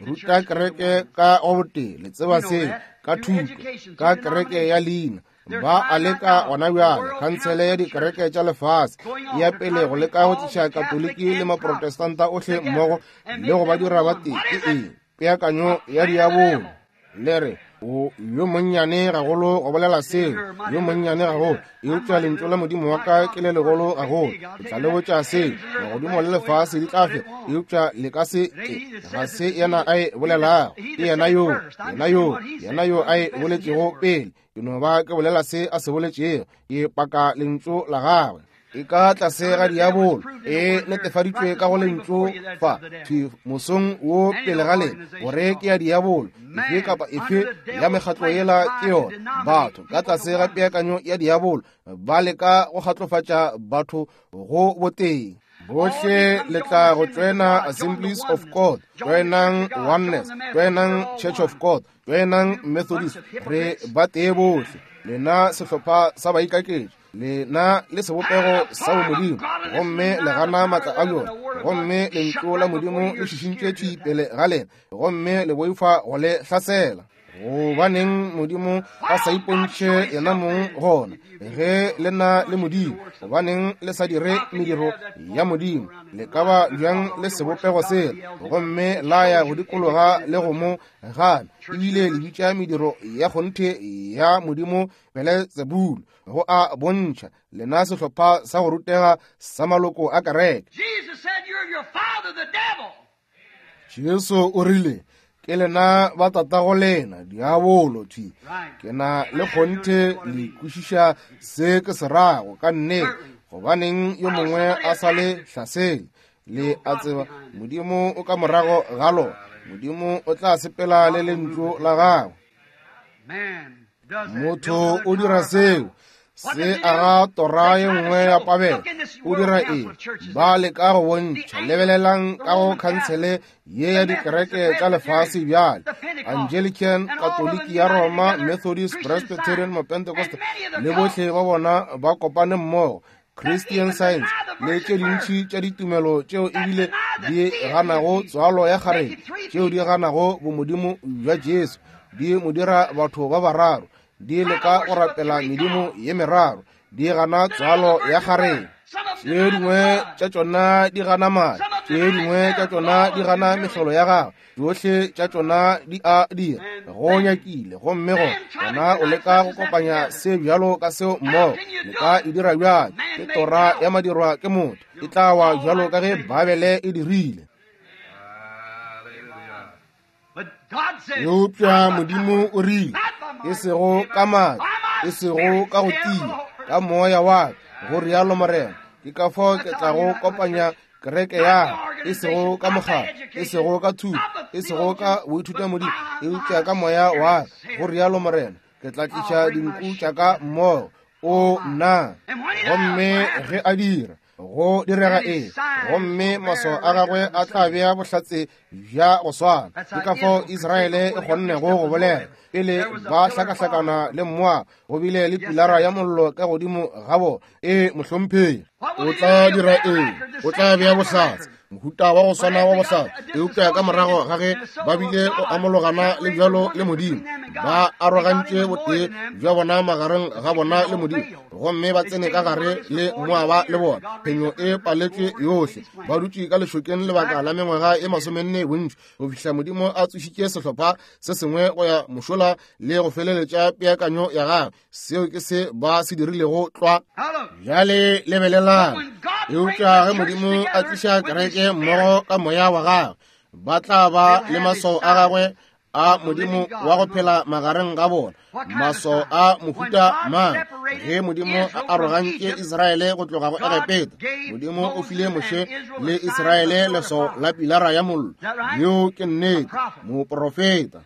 ruta kereke ka go botee, le tseba seo, ka thuto, ka kereke ya leina. Ba a leka gona bjale, khansele ya dikereke tša lefase e ya pele go leka go tliša Katoliki le Maprotestanta ohle mmogo le go ba dira ba tee. Ke eng? Peakanyo ya diabolo. Le re, o yo monnyane gagolo go bolela seo, yo monnyane gagolo, eupša lentšu la Modimo wa ka ke le legolo gagolo. Ke tla le botša seo, magodimo le lefase di tla fela, eupša le ka se ke. Ga se yena a e bolelago, ke yena yo, yena yo, yena yo a e boletšego pele. Ke no ba ke bolela se a se boletšego, ke paka lentšu la gagwe. E ka tlase ga diabolo, e netefaditšwe ka go lentšu fa thwi mosong wo pele ga lena, gore ke ya diabolo. Efe kapa efe ya mekgatlo yela ke yona. Batho ka tlase ga peakanyo ya diabolo ba leka go kgatlofatša batho go boteng. Bohle le tla go joina Assemblies of God, joinang Oneness, joinang Church of God, joinang Methodist. Re ba tee bohle. Lena sehlopha sa baikaketši, lena le sebopego sa bomodimo, gomme le gana maatla a yona, gomme lentšu la Modimo le šišintšwe thwi pele ga lena, gomme le boifa go le hlasela. Gobaneng Modimo a sa ipontšhe yena mong gona ge le na le Modimo? Gobaneng le sa dire mediro ya Modimo? Le ka ba bjang le sebopego sela, gomme la ya go dikologa le go mo gana, ebile le bitša mediro ya kgonthe ya Modimo Belzebulu, go a bontšha lena sehlopha sa go rutega sa maloko a kereke. Jesu o rile, ke lena ba tatago lena diabolo thwi. Ke na le kgonthe le kwešiša se ke se rago ka nnete. Gobaneng yo mongwe a sa le hlasele? Le a tseba Modimo o ka morago ga lona. Modimo o tla sepela le lentšu la gagwe. Motho o dira seo, se aga tora ye nngwe ya pabelo. O dira eng? Ba leka go bontšha. Lebelelang ka go khansele ye ya dikereke tša lefase bjale, Anglican, Katoliki ya Roma, Methodist, Presbyterian, Mapentecost, le bohle ba bona ba kopane mmogo, Christian Science le tše dintši tša ditumelo tšeo ebile di ganago tswalo ya kgarebe, tšeo di ganago bomodimo bja Jesu, di mo dira batho ba bararo, di leka go rapela medimo ye meraro, di gana tswalo ya kgarebe. Tše dingwe tša tšona di gana madi, tše dingwe tša tšona di gana mehlolo ya gagwe, tšohle tša tšona di a dira go nyakile. Gomme go gona o leka go kopanya se bjalo ka seo mmogo. Le ka e dira bjang? Ke tora ya madirwa ke motho, e tla wa bjalo ka ge Babele e dirile. Eupša Modimo o rile, e sego ka maatla, e sego ka go tia, ka moya wa ka, go rialo Morena. Ke ka fao ke tlago kopanya kereke ya e sego ka mokgatlo, e sego ka thuto, e sego ka boithutamodimo, eupša ka moya wa ka, go rialo Morena, ke tla tliša dinku tša ka mmogo. O nna. Gomme ge a dira, go direga eng? Gomme maswao a gagwe a tla bea bohlatse bja go swana. Ke ka fao Israele e kgonnego go bolela pele ba hlakahlakana le Moab, go bile le pilara ya mollo ka godimo ga bona. E mohlomphegi, o tla dira eng? O tla bea bohlatse, mohuta wa go swana wa bohlatse. Eupša ka morago ga ge ba bile go amologana le bjalo le Modimo, ba arogantše botee bja bona magareng ga bona le Modimo, gomme ba tsene ka gare le Moaba le bona. Phenyo e paletšwe yohle. Ba dutše ka lešokeng lebaka la mengwaga e masomenne bontši, go fihla Modimo a tsošitše sehlopha se sengwe go ya mošola le go feleletša peakanyo ya gagwe. Seo ke se ba se dirilego tlwa. Bjale lebelelang. Eupša ge Modimo a tliša kereke mmogo ka moya wa gagwe, ba tla ba le maswao a gagwe a Modimo wa go phela magareng ga bona. Maswao a mohuta mang? Ge Modimo a arogantše Israele go tloga go Egepeta, Modimo o file Moshe le Israele leswao la pilara ya mollo. Yeo ke nnete, moprofeta.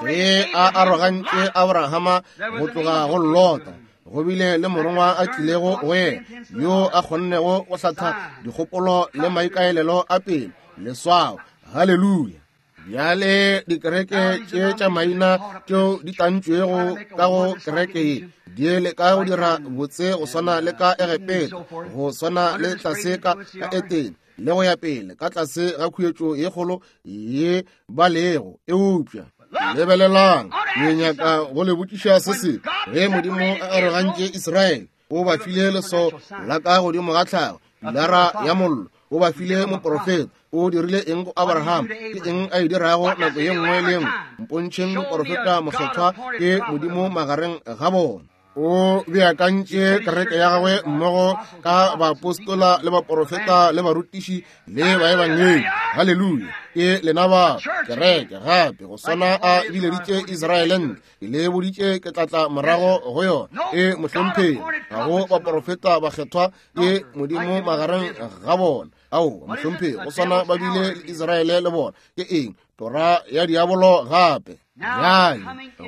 Ge a arogantše Abrahama go tloga go Lota, go bile le morongwa a tlilego go yena, yo a kgonnego go hlatha dikgopolo le maikaelelo a pele. Leswao. Haleluya. Bjale dikereke tše tša maina tšeo di tantšwego ka go kereke ye di leka go dira botse go swana le ka Egepeta, go swana le tlase ka ka Etene, le go ya pele ka tlase ga khuetšo ye kgolo ye ba lego. Eupša lebelelang, ke nyaka go le botšiša se se. Ge Modimo a arogantše Israele, o ba file leswao la ka godimo ga tlhago, pilara ya mollo. O ba file moprofeta. O dirile eng go Abraham? Ke eng a e dirago nako ye nngwe le nngwe? Mpontšheng moprofeta mokgethwa ke Modimo magareng ga bona. O beakantše kereke ya gagwe mmogo ka baapostola le baprofeta le barutiši le baebangedi. Haleluya. Ke lena ba kereke gape go swana a bileditše Israele ntle. Ke le boditše ke tla tla morago go yona. E mohlomphegi, ga go baprofeta bakgethwa ke Modimo magareng ga bona. Ao, mohlomphegi, go swana ba bile le Israele le bona. Ke eng? Tora ya diabolo gape. Bjale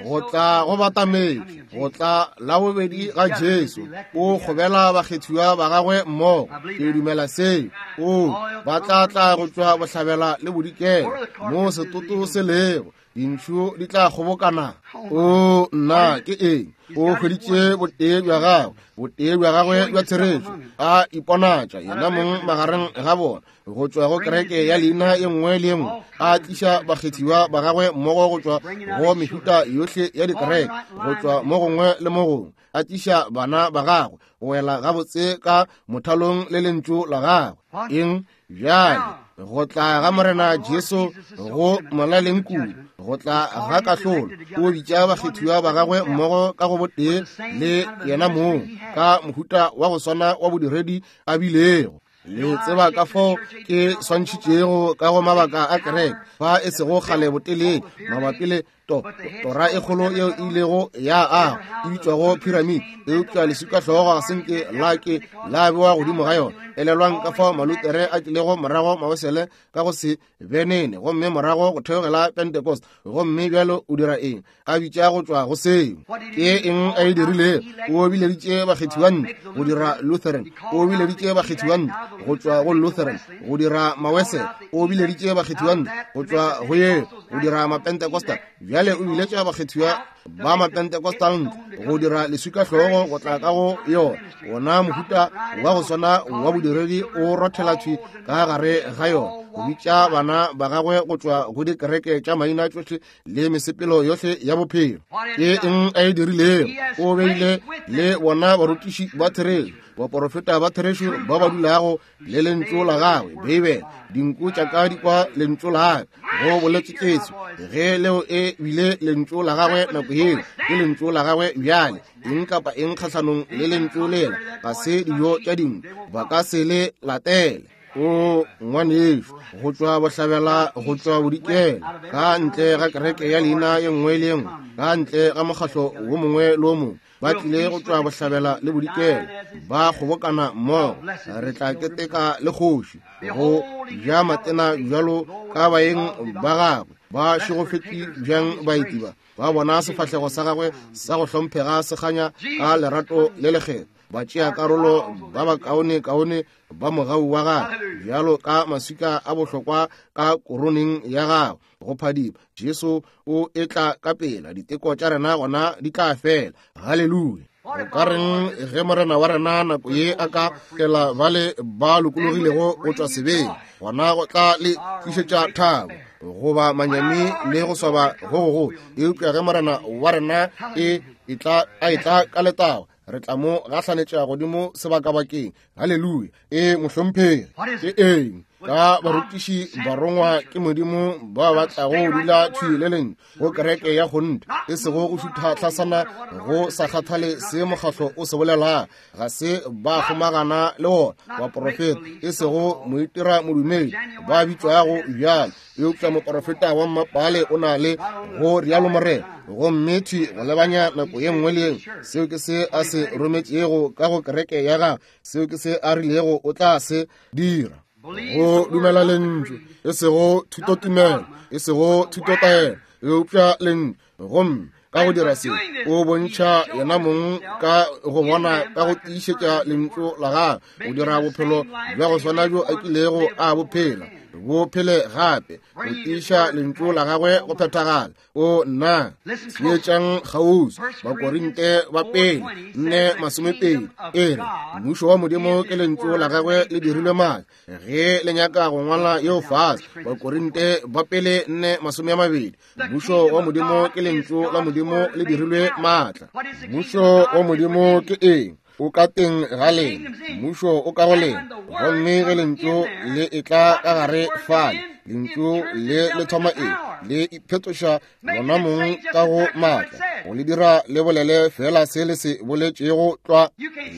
go tla go batametše, go tla la bobedi ga Jesu, o kgobela bakgethiwa ba gagwe mmogo. Ke dumela seo. O ba tla tla go tšwa bohlabela le bodikela, mo setoto se lego, dintšhu di tla kgobokana. O nna, ke eng? O hweditše botee bja gagwe, botee bja gagwe bja therešo, a iponatša yena mong magareng ga bona, go tšwa go kereke ya leina ye nngwe le ye nngwe, a tliša bakgethiwa ba gagwe mmogo go tšwa go mehuta yohle ya dikereke, go tšwa mo gongwe le mo gongwe, a tliša bana ba gagwe go wela gabotse ka mothalong le lentšu la gagwe. Eng? Bjale go tla ga Morena Jesu go molaleng kudu, go tla ga kahlolo. O bitša bakgethiwa ba gagwe mmogo ka go botee le yena mong, ka mohuta wa go swana wa bodiredi a bilego. Le tseba ka fao ke swantšhitšego ka go mabaka a kereke fa e sego kgale botelele mabapi le to tora e kgolo yeo e ilego ya aga e bitšwago pyramid, eupša leswikahlogo ga se nke la ke la bewa godimo ga yona. Elelwang ka fao Malutere a tlilego morago Mawesele ka go se benene, gomme morago go theogela Pentecost, gomme bjalo o dira eng? A bitša go tšwa go seo. Ke eng a e dirilego? O bileditše bakgethiwa ntle go dira Lutheran, o bileditše bakgethiwa ntle go tšwa go Lutheran go dira Mawesele, o bileditše bakgethiwa ntle go tšwa go yeo go dira Mapentecostal. Bjale o biletša bakgethiwa ba Mapentecostal ntle go dira leswikahlogo go tla ka go yona. Wona mohuta wa go swana wa bodiredi o rothela thwi ka gare ga yona, go bitša bana ba gagwe go tšwa go dikereke tša maina tšohle le mesepelo yohle ya bophelo. Ke eng a e dirilego? O beile le bona barutiši ba therešo, baporofeta ba therešo ba ba dulago le lentšu la gagwe, Beibele. Dinku tša ka di kwa lentšu la gagwe, go boletše Jesu. Ge leo e bile lentšu la gagwe nako yeo, ke lentšu la gagwe bjale. Eng kapa eng kgahlanong le lentšu lela ga se dijo tša dinku, ba ka se le latele. O ngwanešu, go tšwa bohlabela, go tšwa bodikela, ka ntle ga kereke ya leina ye nngwe le ye nngwe, ka ntle ga mokgahlo wo mongwe le wo mongwe, ba tlile go tšwa bohlabela le bodikela, ba kgobokana mmogo. Re tla keteka le kgoši, go ja matena bjalo ka baeng ba gagwe. Ba šegofetše bjang baeti ba, ba bona sefahlego sa gagwe sa go hlomphega se kganya ka lerato le lekgetho. Ba tšea karolo ba bakaone kaone ba mogau wa gagwe, bjalo ka maswika a bohlokwa ka koroneng ya gagwe go phadima. Jesu o etla ka pela, diteko tša rena gona di tla fela. Haleluya. O ka reng ge morena wa rena nako ye a ka tlela bale ba lokologilego go tšwa sebeng, gona go tla le tlišetša thabo goba manyami le go swaba go gogolo. Eupša ge morena wa rena e etla a etla ka letago, re tla mo gahlanetša godimo sebakabakeng. Haleluya. E mohlomphegi, ke eng ka barutiši barongwa ke Modimo ba ba tlago dula thwi le lentšu go kereke ya kgonthe, e sego go šutha hlasana go sa kgathale se mokgahlo o se bolelago. Ga se ba kgomagana le wona baporofeta, e sego moitira modumedi ba bitšwago bjalo, eupša moporofeta wa mmapale o na le go rialo morena, gomme thwi go lebanya nako ye nngwe le ye nngwe. Seo ke se a se rometšego ka go kereke ya gagwe, seo ke se a rilego o tla se dira. Go dumela lentšu, e sego thutotumelo, e sego thutotaelo, eupša lentšu. Gomme ka go dira se, o bontšha yena mong ka go bona ka go tiišetša lentšu la gagwe, o dira bophelo bja go swana bjo a kilego a bophela, bo phele gape, go tiiša lentšu la gagwe go phethagala. O nna, theetšang kgauswi. Bakorinte ba pele nne masomepedi e re, mmušo wa Modimo ke lentšu la gagwe le dirilwe maatla. Ge le nyaka go ngwala yeo fase, Bakorinte ba pele nne masome a mabedi, mmušo wa Modimo ke lentšu la Modimo le dirilwe maatla. Mmušo wa Modimo ke eng? O ka teng ga lena, mmušo o ka go lena. Gomme ge lentšu le etla ka gare fale, lentšu le le thoma eng? Le iphetoša lona mong ka go maatla, go le dira le bolele fela se le se boletšego tlwa.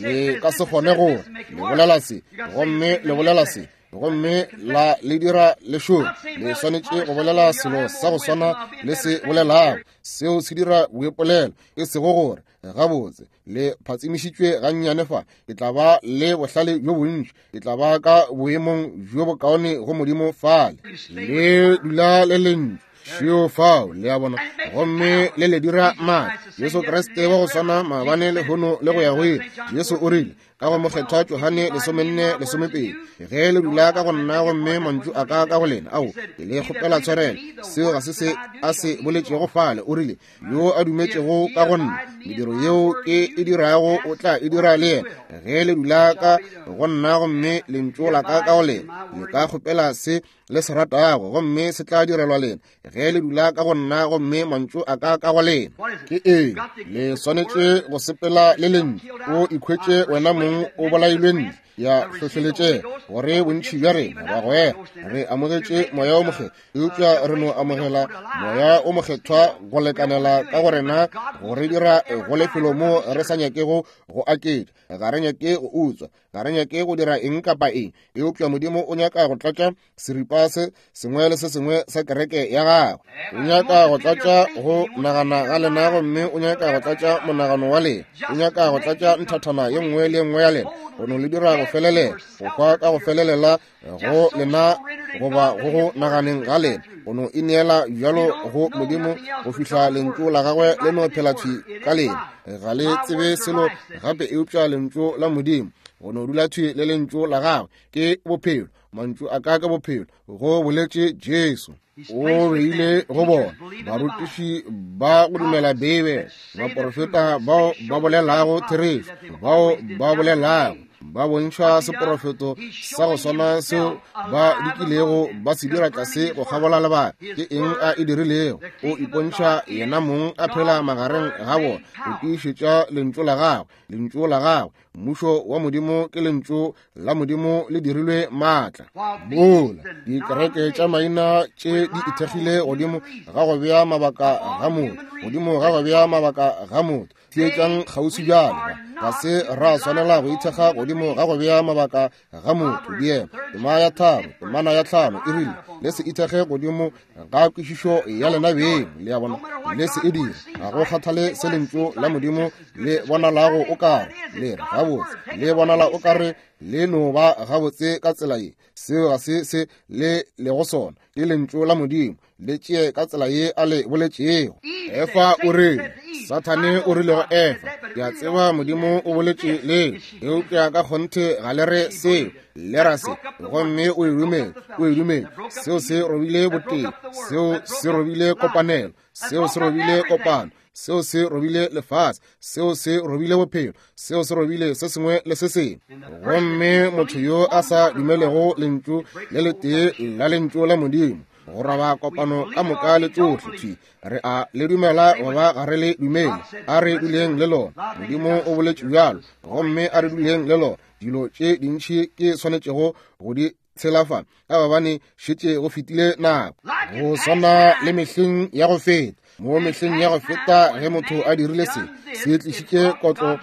Le ka se kgone gore le bolela se, gomme le bolela se, gomme la le dira le šome. Le swanetše go bolela selo sa go swana le se bolelago. Seo se dira boipolelo, e sego gore gabotse le phatsimišitšwe gannyane fa, ke tla ba le bohlale bjo bontši, ke tla ba ka boemong bjo bokaone go Modimo fale. Le dula le lentšu šeo fao, le a bona, gomme le le dira maatla. Jesu Kriste wa go swana maabane lehono le go ya go ile. Jesu o rile ka go mokgethwa Johane lesomenne lesomepedi, ge le dula ka go nna gomme mantšu a ka ka go lena, ao ke le kgopela tshwarelo, seo ga se se a se boletšego fale. O rile, yo a dumetšego ka go nna, mediro yeo ke e dirago o tla e dira le yena. Ge le dula ka go nna gomme lentšu la ka ka go lena, le ka kgopela se le se ratago, gomme se tla direlwa lena. Ge le dula ka go nna gomme mantšu a ka ka go lena, ke eng? Le swanetše go sepela le lentšu. O ikhwetše wena mong o bolailwe ntle ya hlohleletšego, gore bontši bja rena bagwera re amogetše moya o mokgethwa, eupša re no amogela moya o mokgethwa go lekanela ka go rena go re dira go lefelo mo re sa nyakego go aketša. Ga re nyake go utswa, ga re nyake go dira eng kapa eng, eupša Modimo o nyaka go tlatša seripa se sengwe le se sengwe sa kereke ya gagwe. O nyaka go tlatša go nagana ga lena, gomme o nyaka go tlatša monagano wa lena. O nyaka go tlatša nthathana ye nngwe le ye nngwe ya lena, go no le dira go felelela, go hwa ka go felelela go lena goba go go naganeng ga lena, go no ineela bjalo go Modimo go fihla lentšu la gagwe le no phela thwi ka lena. Ga le tsebe selo gape eupša lentšu la Modimo, go no dula thwi le lentšu la gagwe ke bophelo. Mantšu a ka ke bophelo, go boletše Jesu. O beile go bona barutiši ba go dumela Beibele, baporofeta bao ba bolelago therešo, bao ba bolelago ba bontšha seporofeto sa go swana seo ba dikilego ba se dira tlase go kgabola lebaka. Ke eng a e dirilego? O ipontšha yena mong a phela magareng ga bona, o tiišetša lentšu la gagwe, lentšu la gagwe. Mmušo wa Modimo ke lentšu la Modimo le dirilwe maatla. Mola dikereke tša maina tše di ithekgile godimo ga go bea mabaka ga motho, godimo ga go bea mabaka ga motho. Theetšang kgauswi bjale. Ga se ra swanela go ithekga godimo ga go bea mabaka ga motho. Diema tema ya tharo temana ya tlhano e rile le se ithekge godimo ga kwešišo ya lena beng. Le a bona, le se e dire. Ga go kgathale se lentšu la Modimo le bonalago o kare le re gabotse, le bonala o kare le no ba gabotse ka tsela ye, seo ga se se le lego sona. Ke lentšu la Modimo, le tšee ka tsela ye a le boletšego. Efa o rile, Sathane o rile go Efa, ke a tseba Modimo o boletše le, eupša ka kgonthe ga le re seo, le ra se. Gomme o e dumele, o e dumele. Seo se robile botee, seo se robile kopanelo, seo se robile kopano, seo se robile lefase, seo se robile bophelo, seo se robile se sengwe le se sengwe. Gomme motho yo a sa dumelego lentšu le letee la lentšu la Modimo, go roba kopano ka moka le tšohle thwi, re a le dumela goba ga re le dumele, a re duleng le lona. Modimo o boletše bjalo, gomme a re duleng le lona. Dilo tše dintši ke swanetšego go di tshela fa, ka gobane šetše go fetile nako. Go swana le mehleng ya go feta, mo mehleng ya go feta ge motho a dirile se, se tlišitše kotlo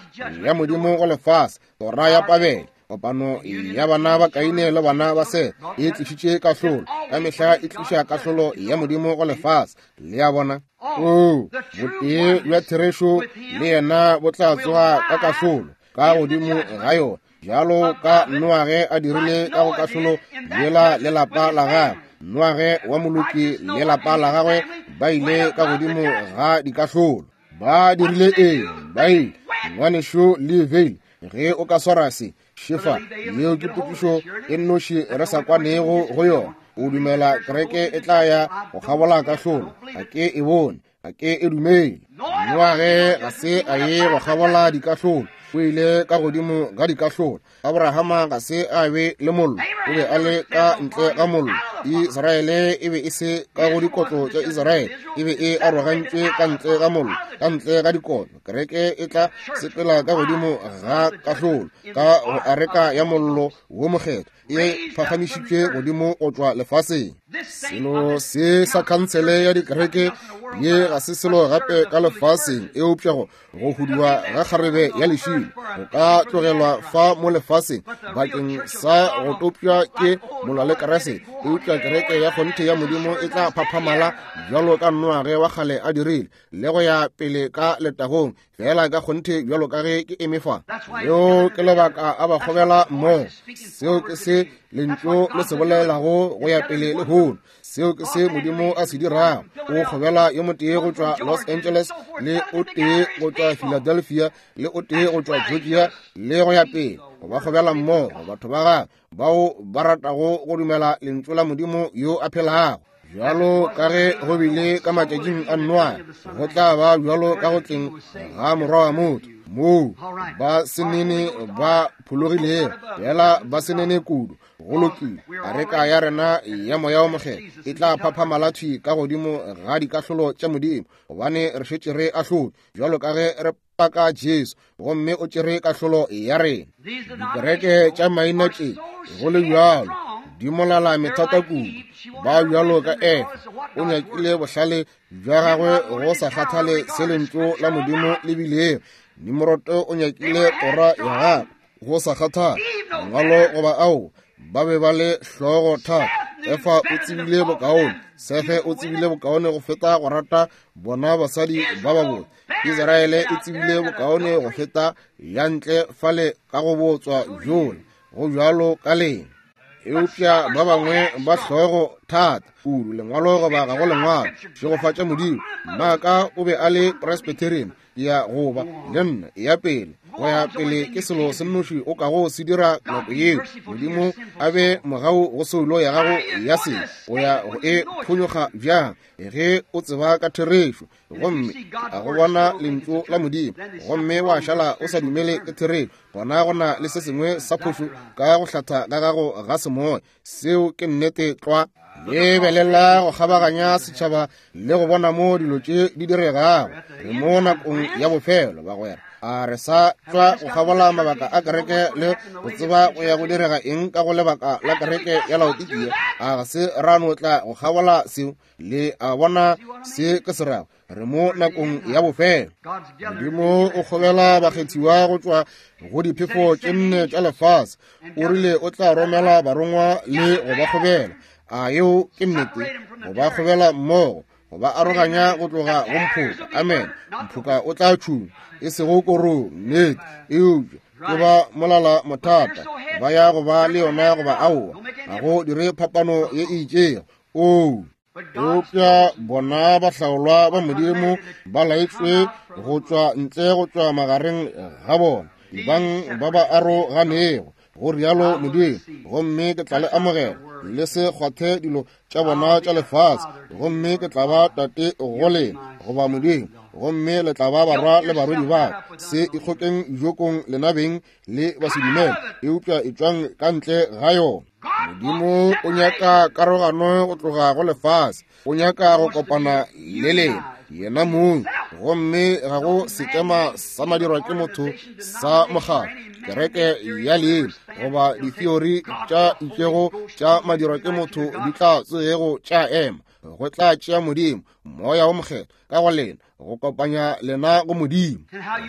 ya Modimo go lefase, tora ya Pabele. Kopano ya bana ba Kaine le bana ba Sete e tlišitše kahlolo. Ka mehla e tliša kahlolo ya Modimo go lefase. Le a bona? Oo, botee bja therešo le yena bo tla tsoga ka kahlolo ka godimo ga yona, bjalo ka Noage a dirile ka go kahlolo yela le lapa la gagwe. Noage wa moloki le lapa la gagwe ba ile ka godimo ga dikahlolo. Ba dirile eng? Ba ile ngwanešo le veile. Ge o ka swara se šefa, yeo ke potšišo e nnoši re sa kwanego go yona. O dumela kereke e tla ya go kgabola kahlolo? Ga ke e bone, ga ke e dumele. Noage ga se a ye go kgabola dikahlolo, o ile ka godimo ga dikahlolo. Abrahama ga se a be le mollo, o be a le ka ntle ga mollo. Israele e be e se ka go dikotlo tša Israele, e be e arogantšwe ka ntle ga mollo, ka ntle ga dikotlo. Kereke e tla sepela ka godimo ga kahlolo, ka go areka ya mollo wo mokgethwa, e phagamišitšwe godimo go tšwa lefaseng. Selo se sa khansele ya dikereke ye ga se selo gape ka lefaseng, eupša go go huduwa ga kgarebe ya lešilo go ka tlogelwa fa mo lefaseng bakeng sa go topša ke molwa le Kriste. Eupša kereke ya kgonthe ya Modimo e tla phaphamala bjalo ka Noage wa kgale a dirile, le go ya pele ka letagong, fela ka kgonthe bjalo ka ge ke eme fa. Leo ke lebaka a ba kgobela mmogo. Seo ke se lentšu le se bolelago go ya pele lehono. Seo ke se Modimo a se dirago. O kgobela yo motee go tšwa Los Angeles, le o tee go tšwa Philadelphia, le o tee go tšwa Georgia, le go ya pele. Go ba kgobela mmogo batho ba gagwe bao ba ratago go dumela lentšu la Modimo yo a phelago. Bjalo ka ge go bile ka matšatšing a Noa, go tla ba bjalo ka go tleng ga morwa wa motho, moo ba senene ba phologilego, fela ba senene kudu. Go lokile, areka ya rena ya moya o mokgethwa e tla phaphamala thwi ka godimo ga dikahlolo tša Modimo, gobane re šetše re ahlotšwe bjalo ka ge re paka Jesu, gomme o tšere kahlolo ya rena. Dikereke tša maina tše go le bjalo di molala methata kudu, ba bjalo ka Efa. O nyakile bohlale bja gagwe go sa kgathale se lentšu la Modimo le bilego. Nimroto o nyakile tora ya gagwe go sa kgathale mangwalo goba ao, ba be ba le hlogo thata. Efa o tsebile bokaone, Sefe o tsebile bokaone go feta go rata bona basadi ba babotse. Israele e tsebile bokaone go feta ya ntle fale ka go botswa bjola. Go bjalo ka lena. Eupša ba bangwe ba hlogo thata kudu, lengwalo goba ga go lengwalo. Šegofatša Modimo, mmaka o be a le Presbyterian, ya goba le nna ya pele go ya pele ke selo se nnoši o kago se dira nako yeo. Modimo a be mogau go soulo ya gago ya sebe, o ya go e phonyokga bjang ge o tseba ka therešo, gomme a go bona lentšu la Modimo, gomme wa šala o sa dumele ke therešo, gona go na le se sengwe sa phošo ka go hlatha ga gago ga semoya. Seo ke nnete tlwa. Lebelela go kgabaganya setšhaba le go bona mo dilo tše di diregago. Re mo nakong ya bofelo, bagwera. A re sa tšwa go kgabola mabaka a kereke le go tseba go ya go direga eng ka go lebaka la kereke ya Laodikia? A ga se ra no tla go kgabola seo? Le a bona se ke se rago? Re mo nakong ya bofelo. Modimo o kgobela bakgethiwa go tšwa go diphefo tše nne tša lefase. O rile o tla romela barongwa le go ba kgobela. A yeo ke nnete? Go ba kgobela mmogo, go ba aroganya go tloga go mphoka. Amen. Mphoka o tla tšhuma, e sego korong, nnete, eupša ke ba molala mothata. Ba ya go ba le yona goba aowa, ga go dire phapano ye e itšego. Oo, eupša bona bahlaolwa ba Modimo ba laetšwe go tšwa ntle go tšwa magareng ga bona, ebang ba ba aroganego, go rialo Modimo, gomme ke tla le amogela, le se kgwathe dilo tša bona tša lefase, gomme ke tla ba tate go lena, goba Modimo, gomme le tla ba barwa le barwedi ba ka. Se ikgokeng jokong lena beng le basedumele, eupša etšwang ka ntle ga yona. Modimo o nyaka karogano go tloga go lefase, o nyaka go kopana le lena yena mong, gomme ga go sekema sa madirwa ke motho sa mokgatlo, kereke ya leina, goba ditheori tša itšego tša madirwa ke motho di tla tsogego tša ema. Go tla tšea Modimo, Moya wo Mokgethwa ka go lena, go kopanya lena go Modimo.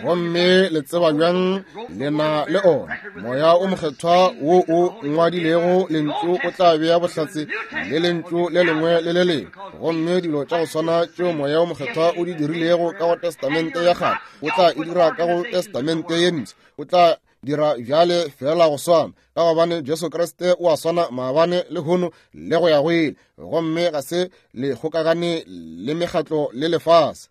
Gomme le tseba bjang lena le ona Moya o Mokgethwa wo o ngwadilego lentšu o tla bea bohlatse le lentšu le lengwe le le lengwe. Gomme dilo tša go swana tšeo Moya o Mokgethwa o di dirilego ka go Testamente ya kgale, o tla e dira ka go Testamente ye mpsha. O tla dira bjale fela go swana, ka gobane Jesu Kriste o a swana maabane le hono le go ya go ile. Gomme ga se le kgokagane le mekgatlo le lefase,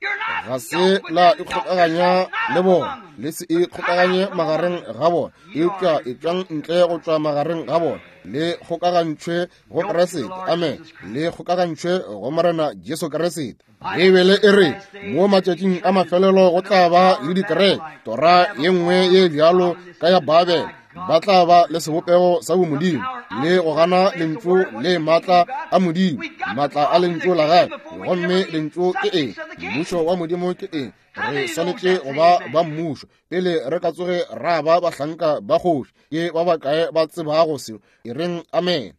ga se la ikgokaganya le bona, le se ikgokaganye magareng ga bona, eupša etšwang ntle go tšwa magareng ga bona, le kgokagantšhwe go Kriste. Amen. Le kgokagantšhwe go Morena Jesu Kriste. Beibele e re mo matšatšing a mafelelo go tla ba le dikereke, tora ye nngwe ye bjalo ka ya Babele, ba tla ba le sebopego sa bomodimo le go gana lentšu le maatla a Modimo, maatla a lentšu la gagwe. Gomme lentšu ke eng? Mmušo wa Modimo ke eng? Re swanetše go ba ba mmušo pele re ka tsoge ra ba bahlanka ba kgoši. Ke ba bakae ba tsebago seo? E reng amen.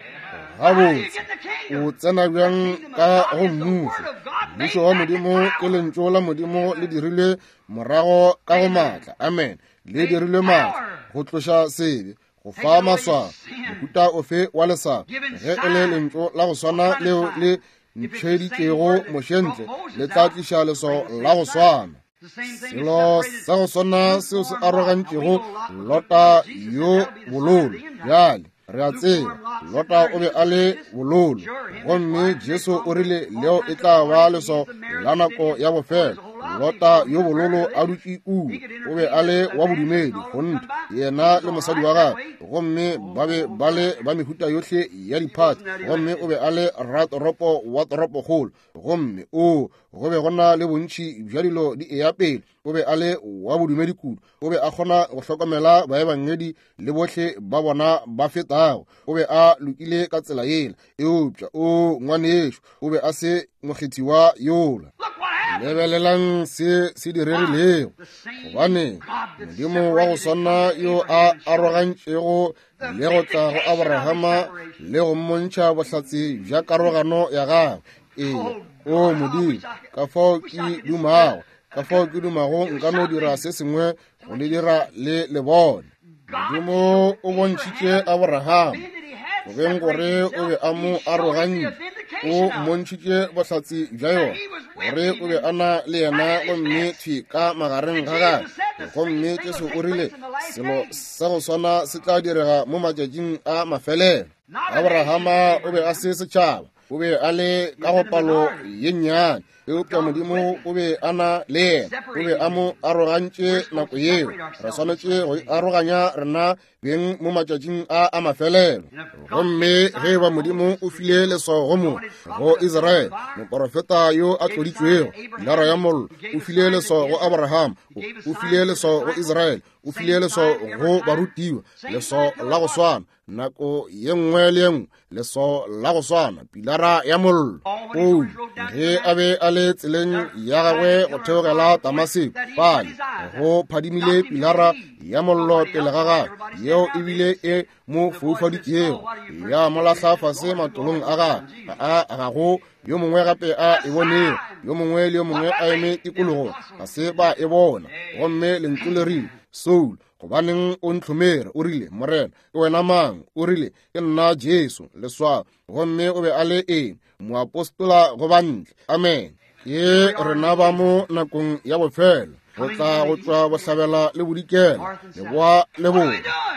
Gabotse, o tsena bjang ka go mmušo? Mmušo wa Modimo ke lentšu la Modimo le dirilwe morago ka go maatla. Amen. Le dirilwe maatla go tloša sebe, go fa maswao, mohuta ofe wa leswao. Ge e le lentšu la go swana leo le ntšheditšego Moshe ntle, le tla tliša leswao la go swana. Selo sa go swana seo se arogantšego Lota yo bololo. Bjale re a tseba Lota o be a le bololo, gomme Jesu o rile leo e tla ba leswao la nako ya bofelo. Lota yo bololo a dutše kua, o be a le wa bodumedi kgonthe, yena le mosadi wa gagwe, gomme ba be ba le ba mehuta yohle ya diphathi, gomme o be a le ratoropo wa toropokgolo, gomme o go be go na le bontši bja dilo di eya pele. O be a le wa bodumedi kudu, o be a kgona go hlokomela baebangedi le bohle ba bona ba fetago. O be a lokile ka tsela yela, eupša o ngwanešo o be a se mokgethiwa yola. Lebelelang se se diregilego, gobane Modimo wa go swana yo a arogantšego le go tla go Abrahama le go mmontšha bohlatse bja karogano ya gagwe. Ee, o Modimo, ka fao ke dumago, ka fao ke dumago nka no dira se sengwe go le dira le le bone. Modimo o bontšhitše Abrahama go beng gore o be a mo arogantše, o mmontšhitše bohlatse bja yona gore o be a na le yena, gomme thwi ka magareng ga gagwe. Gomme Jesu o rile selo sa go swana se tla direga mo matšatšing a mafelelo. Abrahama o be a se setšhaba, o be a le ka go palo ye nnyane, eupša Modimo o be a na le yena, o be a mo arogantše nako yeo. Re swanetše go aroganya rena beng mo matšatšing a a mafelelo. Gomme ge ba Modimo o file leswao go mo go Israele, moporofeta yo a tloditšwego, pilara ya mollo, o file leswao go Abraham, o file leswao go Israele, o file leswao go barutiwa, leswao la go swana nako ye nngwe le ye nngwe, leswao la go swana, pilara ya mollo. Paulo ge a be a le tseleng ya gagwe go theogela Damaseko, fale go phadimile pilara ya mollo pele ga gagwe, yeo ebile e mo foufaditšego, ya mo lahla fase matolong a gagwe. A ga go yo mongwe gape a e bonego, yo mongwe le yo mongwe a eme tikologong ga se ba e bona. Gomme lentšu le rile, Saul, gobaneng o ntlhomere? O rile, Morena, ke wena mang? O rile, ke nna Jesu, leswao. Gomme o be a le eng? Moapostola go bantle. Amen. Ke rena ba mo nakong ya bofelo, go tla go tšwa bohlabela le bodikela, leboa le borwa.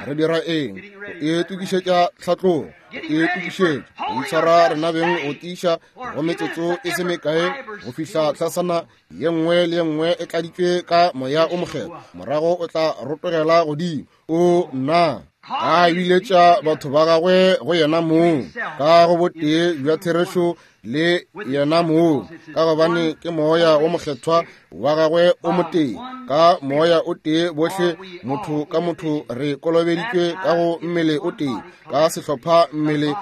Re dira eng? Go itokišetša tlhatlogo, go itokišetša go itshwara rena beng go tiiša go metsotso e se mekae go fihla tlhasana ye nngwe le ye nngwe e tladitšwe ka moya o mokgethwa, morago o tla rotogela godimo. O nna a biletša batho ba gagwe go yena mong ka go botee bja therešo le yena mong, ka gobane ke moya o mokgethwa wa gagwe o motee. Ka moya o tee bohle motho ka motho re kolobeditšwe ka go mmele o tee, ka sehlopha mmele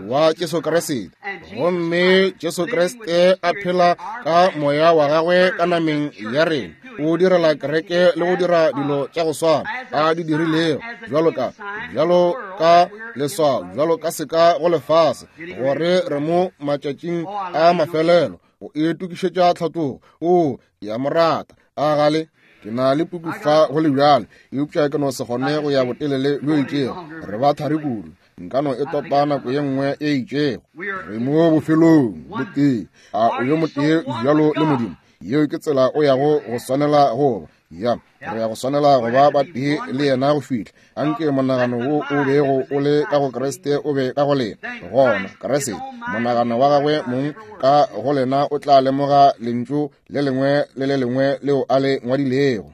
wa Jesu Kriste. Gomme Jesu Kriste a phela ka moya wa gagwe ka nameng ya rena, o direla kereke le go dira dilo tša go swana a di dirilego, bjalo ka bjalo ka leswao, bjalo ka seka go lefase, gore re mo matšatšing a mafelelo go itokišetša tlhatlogo. O ke a mo rata. A gale ke na le puku fa go le bjalo, eupša ke no se kgone go ya botelele bjo itšego. Re ba thari kudu, nka no e topa nako ye nngwe e itšego. Re mo bofelong botee. A o yo motee bjalo le Modimo? Yeo ke tsela o yago go swanela go ba. Ya, re ya go swanela go ba batee le yena go fihla. Anke monagano wo o bego o le ka go Kriste o be ka go lena. Gona Kriste, monagano wa gagwe mong ka go lena o tla lemoga lentšu le lengwe le le lengwe leo a le ngwadilego.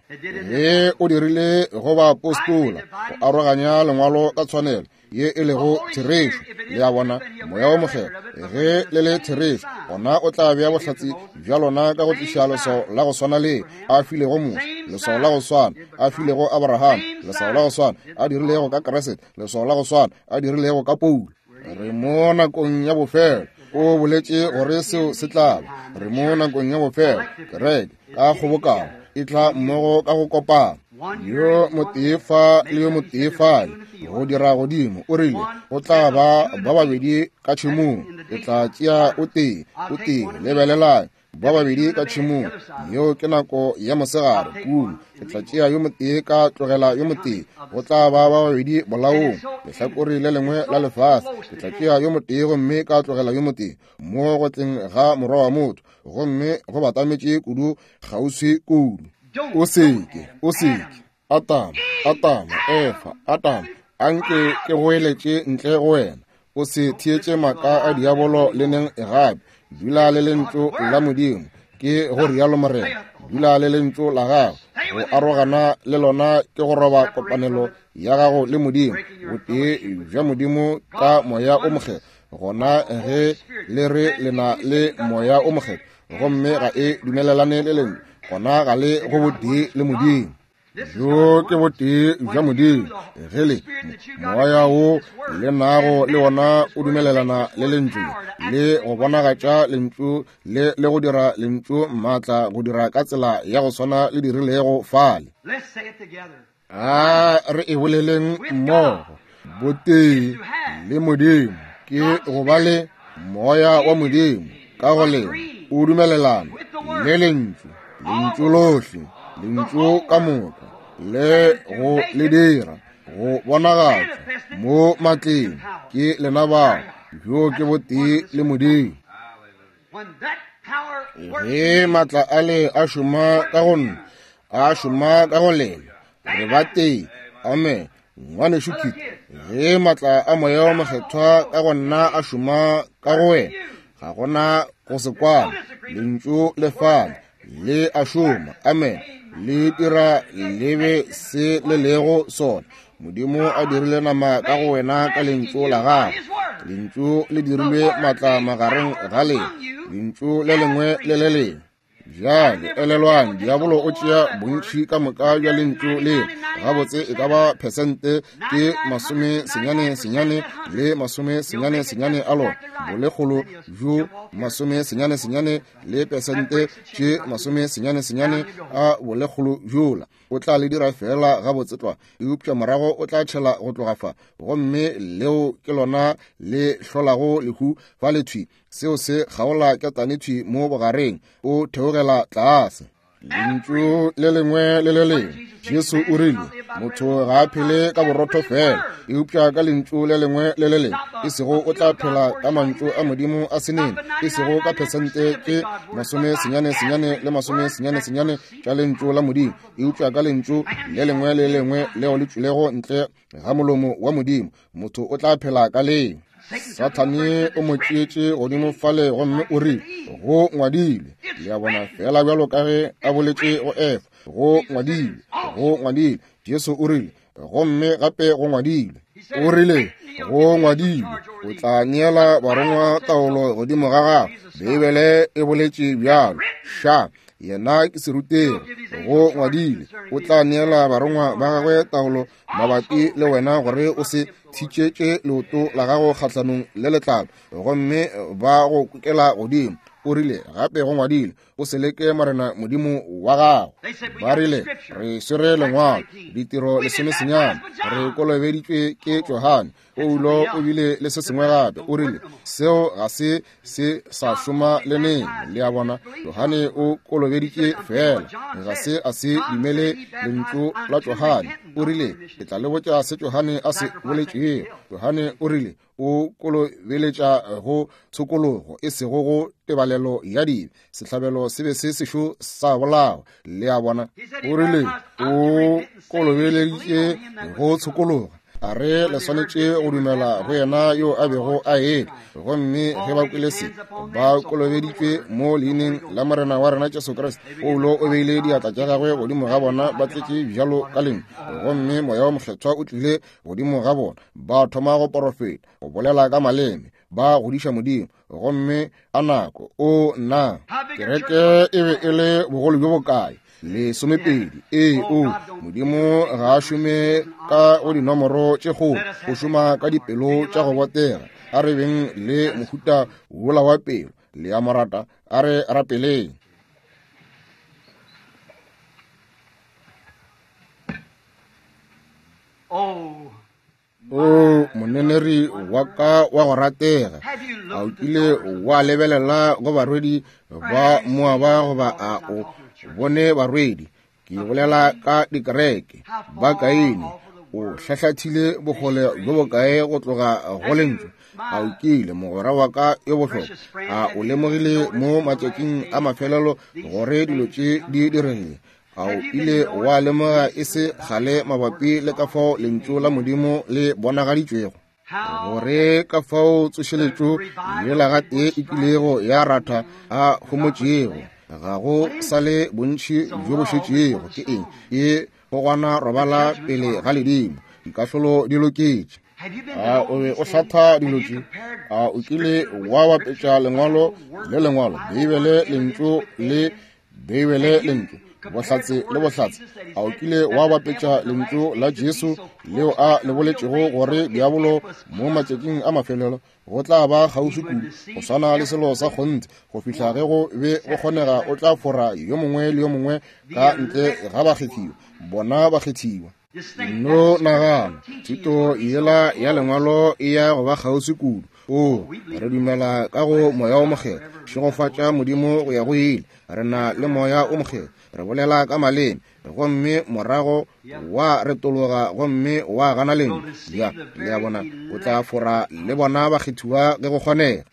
Ge o dirile go baapostola go aroganya lengwalo ka tshwanelo ye e lego therešo, le a bona, moya o mokgethwa ge le le therešo, gona o tla bea bohlatse bja lona ka go tliša leswao la go swana le a filego Moshe, leswao la go swana a filego Abraham, leswao la go swana a dirilego ka Kriste, leswao la go swana a dirilego ka Paulo. Re mo nakong ya bofelo. O boletše gore seo se tla ba. Re mo nakong ya bofelo. Kereke ka kgobokano e tla mmogo ka go kopana, yo motee fa le yo motee fale, go dira godimo. O rile go tla ba ba babedi ka tšhemong, ke tla tšea o tee, o tee. Lebelelang, ba babedi ka tšhemong, yeo ke nako ya mosegare kudu. Ke tla tšea yo motee ka tlogela yo motee. Go tla ba ba babedi bolaong lehlakore le lengwe la lefase. Ke tla tšea yo motee gomme ka tlogela yo motee, mo go tleng ga morwa wa motho. Gomme go batametše kudu, kgauswi kudu. O seke, o seke. Atama, Atama, Efa, Atama, anke ke goeletše ntle go wena. O se theetše maaka a diabolo le neng gape. Dula le lentšu la Modimo, ke go rialo Morena. Dula le lentšu la gago. Go arogana le lona ke go roba kopanelo ya gago le Modimo, botee bja Modimo ka moya o mokgethwa. Gona ge le re le na le moya o mokgethwa gomme ga e dumelelane le lentšu, gona ga le go botee le Modimo. Bjo ke botee bja Modimo. Ge le moya wo le nago le wona o dumelelana le lentšu le go bonagatša lentšu le le go dira lentšu maatla go dira ka tsela ya go swana le dirilego fale. A re e boleleng mmogo. Botee le Modimo ke go ba le moya wa Modimo ka go lena o dumelelana le lentšu, lentšu lohle, lentšu ka moka, le go le dira go bonagatša mo matleng. Ke lena bao. Bjo ke botee le Modimo. Ge maatla a le a šoma ka go nna, a šoma ka go lena, re ba tee. Amen. Ngwanešu Kit, ge maatla a moya wa mokgethwa ka go nna a šoma ka go wena, ga gona go se kwana. Lentšu le fale le a šoma. Amen. Le dira le be se le lego sona. Modimo a dirile nama ka go wena ka lentšu la gagwe. Lentšu le dirilwe matla magareng ga lena, lentšu le lengwe le le lengwe. Bjale elelwang, diabolo o tšea bontši ka moka bja lentšu le gabotse e ka ba phesente ke masome senyane senyane le masome senyane senyane a lona, bolekgolo bjo masome senyane senyane le pesente tše masome senyane senyane a bolekgolo bjola. O tla le dira fela gabotse tlwa, eupša morago o tla tšhela go tloga fa, gomme leo ke lona le hlolago lehu fa le thwi. Seo se kgaola ketane thwi mo bogareng, o theogela tlase. Lentšu le lengwe le le lengwe. Jesu o rile, motho ga a phele ka borotho fela, eupša ka lentšu le lengwe le le lengwe. E sego o tla phela ka mantšu a Modimo a senene, e sego ka phesente ke masome senyane senyane le masome senyane senyane tša lentšu la Modimo, eupša ka lentšu le lengwe le lengwe leo le tšwilego ntle ga molomo wa Modimo, motho o tla phela ka leo. Sathane o mo tšeetše godimo fale gomme o rile, go ngwadilwe. Le a bona, fela bjalo ka ge a boletše go Efa, go ngwadilwe, go ngwadilwe. Jesu o rile, gomme gape go ngwadilwe. O rile, go ngwadilwe, o tla neela barongwa taolo godimo ga gago. Beibele e boletše bjalo. Ša, yena ke serutegi, go ngwadilwe, o tla neela barongwa ba gagwe taolo mabapi le wena gore o se thitšetše leoto la gago kgahlanong le letlalo, gomme ba go kukela godimo. O rile, gape go ngwadilwe, o se leke Morena Modimo wa gago. Ba rile, re swere lengwalo, ditiro lesome senyane, re kolobeditšwe ke Johane. Paulo o bile le se sengwe gape. O rile, seo ga se se sa šoma le neng. Le a bona, Johane o kolobeditše fela, ga se a se dumele lentšu la Johane. O rile, ke tla le botša se Johane a se boletšego. Johane o rile, o kolobeletša go tshokologo, e sego go tebalelo ya dibe. Sehlabelo se be se sešo sa bolawa. Le a bona, o rile, o kolobeleditše go tshokologo. A re le swanetše go dumela go yena yo a bego a etla. Gomme ge ba kwele se, ba kolobeditšwe mo leineng la Morena wa rena Jesu Kriste. Paulo o beile diatla tša gagwe godimo ga bona, ba tletše bjalo ka lentšu, gomme Moya wo Mokgethwa o tlile godimo ga bona. Ba thoma go porofeta, go bolela ka maleme, ba godiša Modimo. Gomme a nako, o nna, kereke e be e le bogolo bjo bokae? Lesomepedi. Ee, o Modimo ga a šome ka go dinomoro tše kgolo, o šoma ka dipelo tša go botega. A re beng le mohuta wola wa pelo. Le a mo rata, a re rapeleng. Oh, O moneneri wa ka wa go ratega, a o kile wa lebelela go barwedi ba Moaba goba a o bone barwedi? Ke bolela ka dikereke ba Kaine. O hlahlathile bokgole bjo bokae go tloga go lentšu? A o kile, mogwera wa ka yo bohlokwa, a o lemogile mo matšatšing a mafelelo gore dilo tše di diregile? A o ile wa lemoga e se kgale mabapi le ka fao lentšu la Modimo le bonagaditšwego, gore ka fao tsošeletšo yela gatee e kilego ya ratha a homotšego, ga go sa le bontši bjo bo šetšego? Ke eng? Ke gogwana robala pele ga ledimo. Dikahlolo di loketše. A o be o hlatha dilo tše? A o kile wa bapetša lengwalo le lengwalo, Beibele lentšu le Beibele lentšu, bohlatse le bohlatse? A o kile wa bapetša lentšu la Jesu leo a le boletšego gore diabolo mo matšatšing a mafelelo go tla ba kgauswi kudu go swana le selo sa kgonthe, go fihla ge go be go kgonega o tla fora yo mongwe le yo mongwe ka ntle ga bakgethiwa, bona bakgethiwa. No nagana, thuto yela ya lengwalo e ya go ba kgauswi kudu. O re dumela ka go Moya o Mokgethwa. Šegofatša Modimo go ya go ile. Re na le Moya o Mokgethwa, re bolela ka maleme, gomme morago wa retologa gomme wa gana lentšu. Ya, le a bona, o tla fora le bona bakgethiwa ge go kgonega.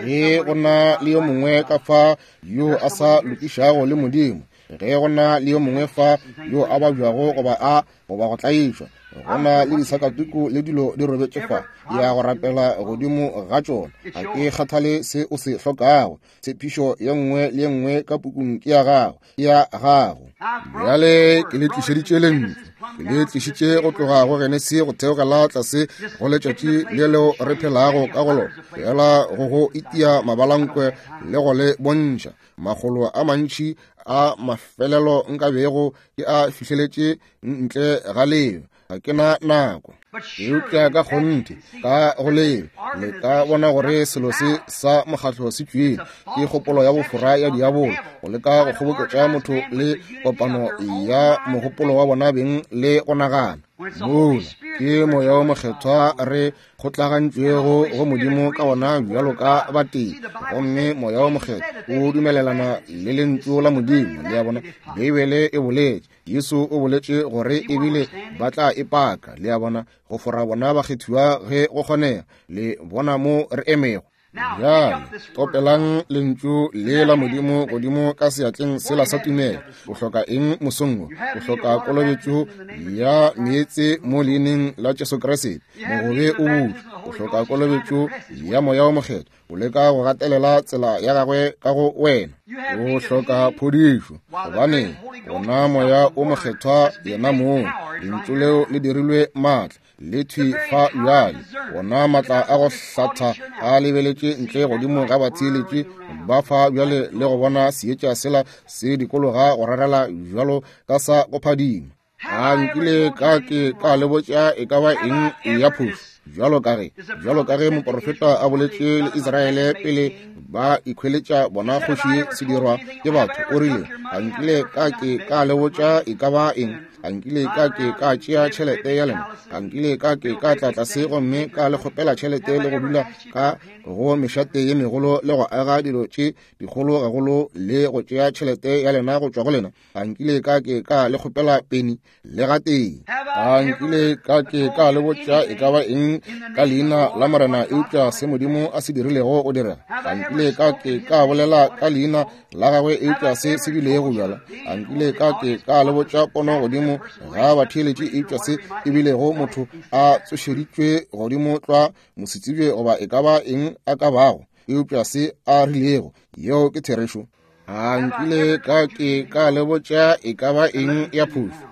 Ge go na le yo mongwe ka fa yo a sa lokišago le Modimo, ge go na le yo mongwe fa yo a babjago goba a goba go tlaišwa, Go na le disakatuku le dilo di robetše fa, ya go rapela godimo ga tšona. Ga ke kgathale se o se hlokago. Tshepišo ye nngwe le ye nngwe ka pukung ke ya gago, ke ya gago. Bjale ke le tlišeditše lentšu, ke le tlišitše go tloga go Genesi go theogela tlase go letšatši le leo re phelago ka go lona, fela go go itia mabalankwe le go le bontšha makgolo a mantši a mafelelo nka bego ke a fihleletše ntle ga leo. Ga ke na nako, eupša ka kgonthe ka go leo le ka bona gore selo se sa mokgatlo se tšwele ke kgopolo ya bofora ya diabolo go leka go kgoboketša motho le kopano ya mogopolo wa bona beng le go nagana. Mola ke moya o mokgethwa re kgotlagantšwego go Modimo ka ona bjalo ka batee, gomme moya o mokgethwa o dumelelana le lentšu la Modimo. Le a bona, Beibele e boletše, Jesu o boletše gore ebile ba tla e paka. Le a bona, go fora bona bakgethiwa ge go kgonega. Le bona mo re emego. Bjale topelang lentšu le la Modimo godimo ka seatleng sela sa tumelo. O hloka eng mosong wo? O hloka kolobetšo ya meetse mo leineng la Jesu Kriste. Mogobe o butšwe. O hloka kolobetšo ya moya o mokgethwa. O leka go gatelela tsela ya gagwe ka go wena. O hloka phodišo, gobane ona moya o mokgethwa yena mong, lentšu leo le dirilwe maatla le thwi fa bjale. Ona maatla a go hlatha a lebeletše ntle godimo ga batheeletši ba fa bjale le go bona seetša sela se dikologa go rarela bjalo ka sa go phadima. A nkile ka ke ka le botša e ka ba eng ya phošo, bjalo ka ge bjalo ka ge moporofeta a boletše le Israele pele ba ikhweletša bona kgoši sedirwa ke batho, o rile, a nkile ka ke ka le botša e ka ba eng? A nkile ka ke ka tšea tšhelete ya lena? A nkile ka ke ka tla tlase gomme ka le kgopela tšhelete le go dula ka go mešate ye megolo le go aga dilo tše dikgolo gagolo le go tšea tšhelete ya lena go tšwa go lena? A nkile ka ke ka le kgopela peni le gatee? A nkile ka ke ka le botša e ka ba eng ka leina la Morena eupša se Modimo a se dirilego go direga? A nkile ka ke ka bolela ka leina la gagwe eupša se se bilego bjala? A nkile ka ke ka le botša pono godimo ga batheeletši eupša se e bilego motho a tsošeditšwe godimo tlwa mosetsebje goba e ka ba eng a ka bago eupša se a rilego? Yeo ke therešo. A nkile ka ke ka le botša e ka ba eng ya phošo?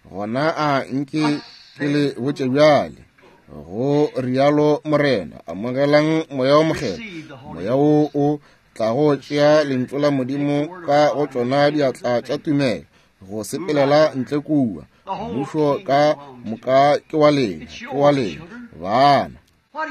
Gona a nke ke le botše bjale, go rialo Morena, amogelang moya o mokgethwa, moya wo o tlago tšea lentšu la Modimo ka go tšona diatla tša tumelo go sepelela ntle kua. Mmušo ka moka ke wa lena, ke wa lena bana.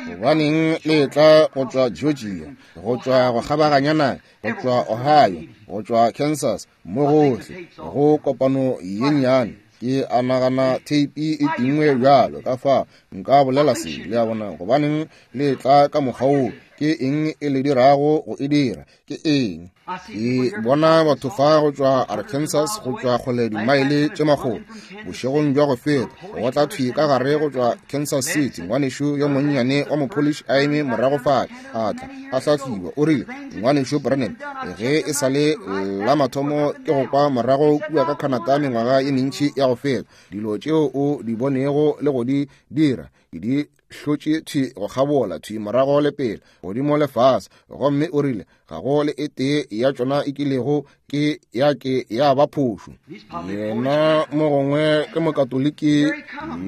Gobaneng le tla go tšwa Georgia, go tšwa go kgabaganya naga, go tšwa Ohio, go tšwa Kansas, mo gohle go kopano ye nnyane. Ke a nagana theipi e tingwe bjalo ka fa nka bolela se. Le a bona, gobaneng le tla ka mokgwa wo? Ke eng e le dirago go e dira? Ke eng? Ke bona batho fa go tšwa Arkansas, go tšwa kgole dimaele tše makgolo. Bošegong bja go feta go tla thwi ka gare go tšwa Kansas City, ngwanešu yo monnyane wa mopolish a eme morago fale, a tla a hlahliwa. O rile, ngwanešu Branham, ge e sa le la mathomo ke go kwa morago kua ka Canada mengwaga ye mentši ya go feta, dilo tšeo o di bonego le go di dira ke di hlotše thwi go kgabola thwi morago le pele godimo le fase. Gomme o rile, ga go le e tee ya tšona e kilego ke ya ke ya ba phošo. Yena mo gongwe ke mokatoliki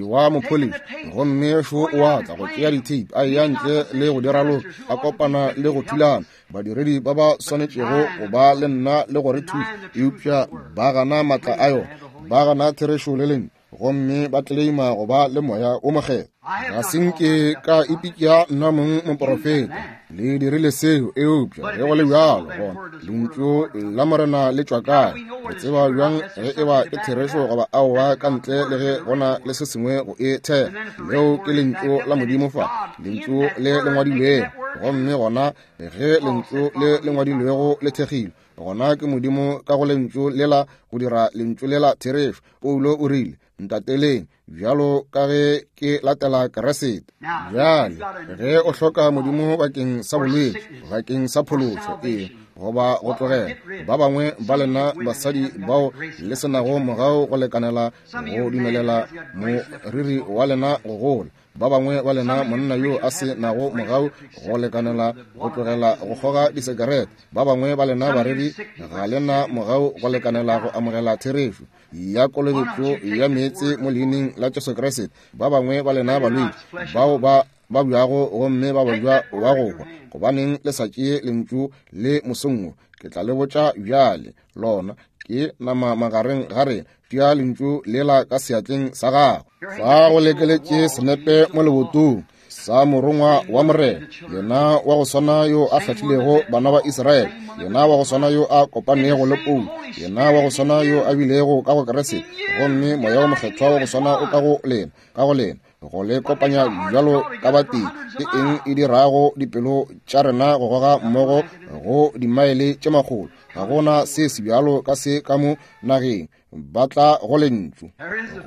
wa mopolish, gomme šo o a tla go tšea ditape a eya ntle le go dira loka, a kopana le go thulana badiredi ba ba swanetšego go ba le nna le go re thuša, eupša ba gana maatla a yona, ba gana therešo le lentšu, gomme ba tleleima go ba le moya o mokgethwa. Ga se nke ka ipitša nna mong moporofeta, le dirile seo, eupša ge go le bjalo gona lentšu la Morena le tšwa kae? Re tseba bjang ge e ba ke therešo goba aowa ka ntle le ge go na le se sengwe go e thea? Leo ke lentšu la Modimo fa, lentšu le le ngwadilwego. Gomme gona ge lentšu le le ngwadilwego le thekgilwe, gona ke Modimo ka go lentšu lela go dira lentšu lela therešo. Paulo o rile, ntateleng bjalo ka ge ke latela Kriste. Bjale ge o hloka Modimo bakeng sa bolwetši, bakeng sa phološo, ee, goba go tlogela. Ba bangwe ba lena basadi bao le se nago mogau go lekanela go dumelela moriri wa lena go gola. Ba bangwe ba lena monna yo a se nago mogau go lekanela go tlogela go kgoga disekerete. Ba bangwe ba lena bareri ga lena mogau go lekanela go amogela therešo ya kolobetšo ya meetse mo leineng la Jesu Kriste. Ba bangwe ba lena balwetši bao ba ba bjago gomme ba bajwa wa go hwa, gobaneng le sa tšee lentšu le mosong wo? Ke tla le botša bjale, lona ke nama magareng ga rena. Tšea lentšu lela ka seatleng sa gago. Fa go lekeletše senepe mo lebotong sa morongwa wa Morena, yena wa go swana yo a hlahlilego bana ba Israele, yena wa go swana yo a kopanego le Paulo, yena wa go swana yo a bilego ka go Kriste, gomme moya wo mokgethwa wa go swana o ka go lena, ka go lena, go le kopanya bjalo ka batee. Ke eng e dirago dipelo tša rena go goga mmogo go dimaele tše makgolo? Ga gona se se bjalo ka se ka mo nageng. Ba tla go lentšu.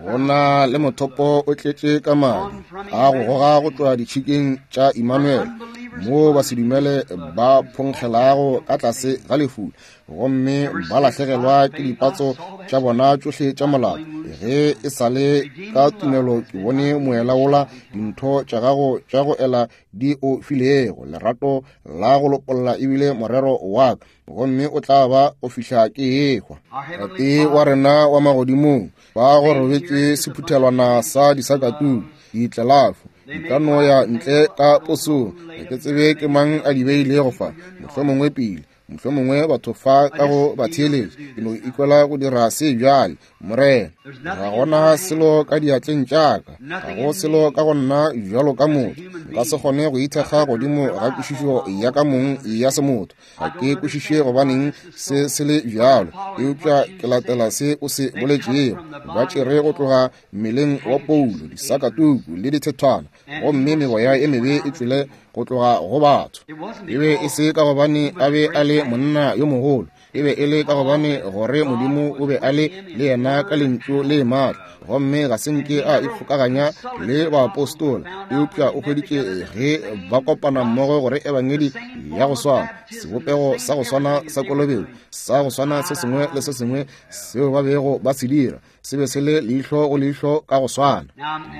Go na le mothopo o tletše ka madi a go goga go tšwa ditšhikeng tša Emmanuel, moo basedumele ba phonkgelago ka tlase ga lefula gomme ba lahlegelwa ke dipatso tša bona tšohle tša molato. Ge e sa le ka tumelo ke bone moela wola dintho tša gago tša go ela di o filego, lerato la go lopolla ebile morero wa ka, gomme o tla ba o fihla ke ehwa. Tate wa rena wa magodimong, ba go robetše sephuthelwana sa disakatuku, ditlelafo di ka no ya ntle ka posong. Ga ke tsebe ke mang a di beilego fa, mohlomongwe pele, mohlomongwe batho fa ka go ba theeletša. Ke no ikwela go dira se bjale, Morena. Ga gona selo ka diatleng tša ka, ga go selo ka go nna bjalo ka motho. Nka se kgone go ithekga godimo ga kwešišo ya ka mong ya semotho. Ga ke kwešiše gobaneng se se le bjalo, eupša ke latela se o se boletšego. Ba tšere go tloga mmeleng wa Paulo disakatuku le dithethwana, gomme meboya e mebe e tšwele go tloga go batho. E be e se ka gobane a be a le monna yo mogolo, e be e le ka gobane gore Modimo o be a le le yena ka lentšu le maatla, gomme ga se nke a ikgokaganya le baapostola, eupša o hweditše ge ba kopana mmogo gore ebangedi ya go swana, sebopego sa go swana sa kolobetšo, sa go swana se sengwe le se sengwe seo ba bego ba se dira, se be se le leihlo go leihlo ka go swana.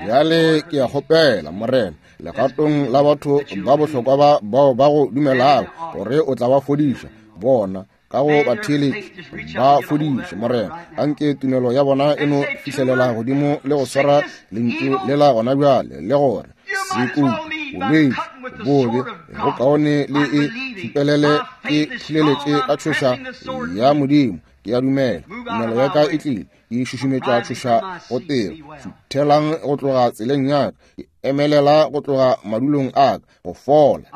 Bjale ke a kgopela, Morena, legatong la batho ba bohlokwa ba bao ba go dumelago gore o tla ba fodiša bona ka go batheeletši, ba fodiše, Morena. Anke tumelo ya bona e no fihlelela godimo le go swara lentšu lela gona bjale, le gore sekuku, bolwetši, bobe, go kaone le e thupelele, ke thuleletše ka tšhoša ya Modimo. Ke a dumela tumelo ya ka e tlile, ke šušumetša tšhoša go tiro. Šuthelang go tloga tseleng ya ka, ke emelela go tloga madulong a ka go fola.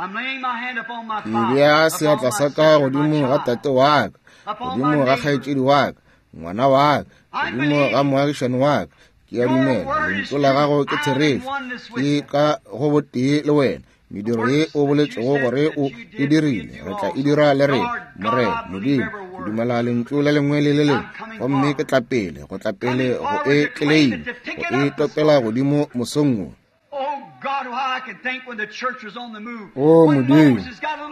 Ke bea seatla sa ka godimo ga tate wa ka, godimo ga kgaetšedi wa ka, ngwana wa ka, godimo ga moagišani wa ka. Ke a dumela lentšu la gago ke therešo, ke ka go botee le wena. Mediro ye o boletšego gore o e dirile, re tla e dira le rena, Morena Modimo. Ke dumela lentšu le lengwe le le lengwe, gomme ke tla pele, go tla pele go e tleleima, go e topela godimo mosong wo. O Modimo,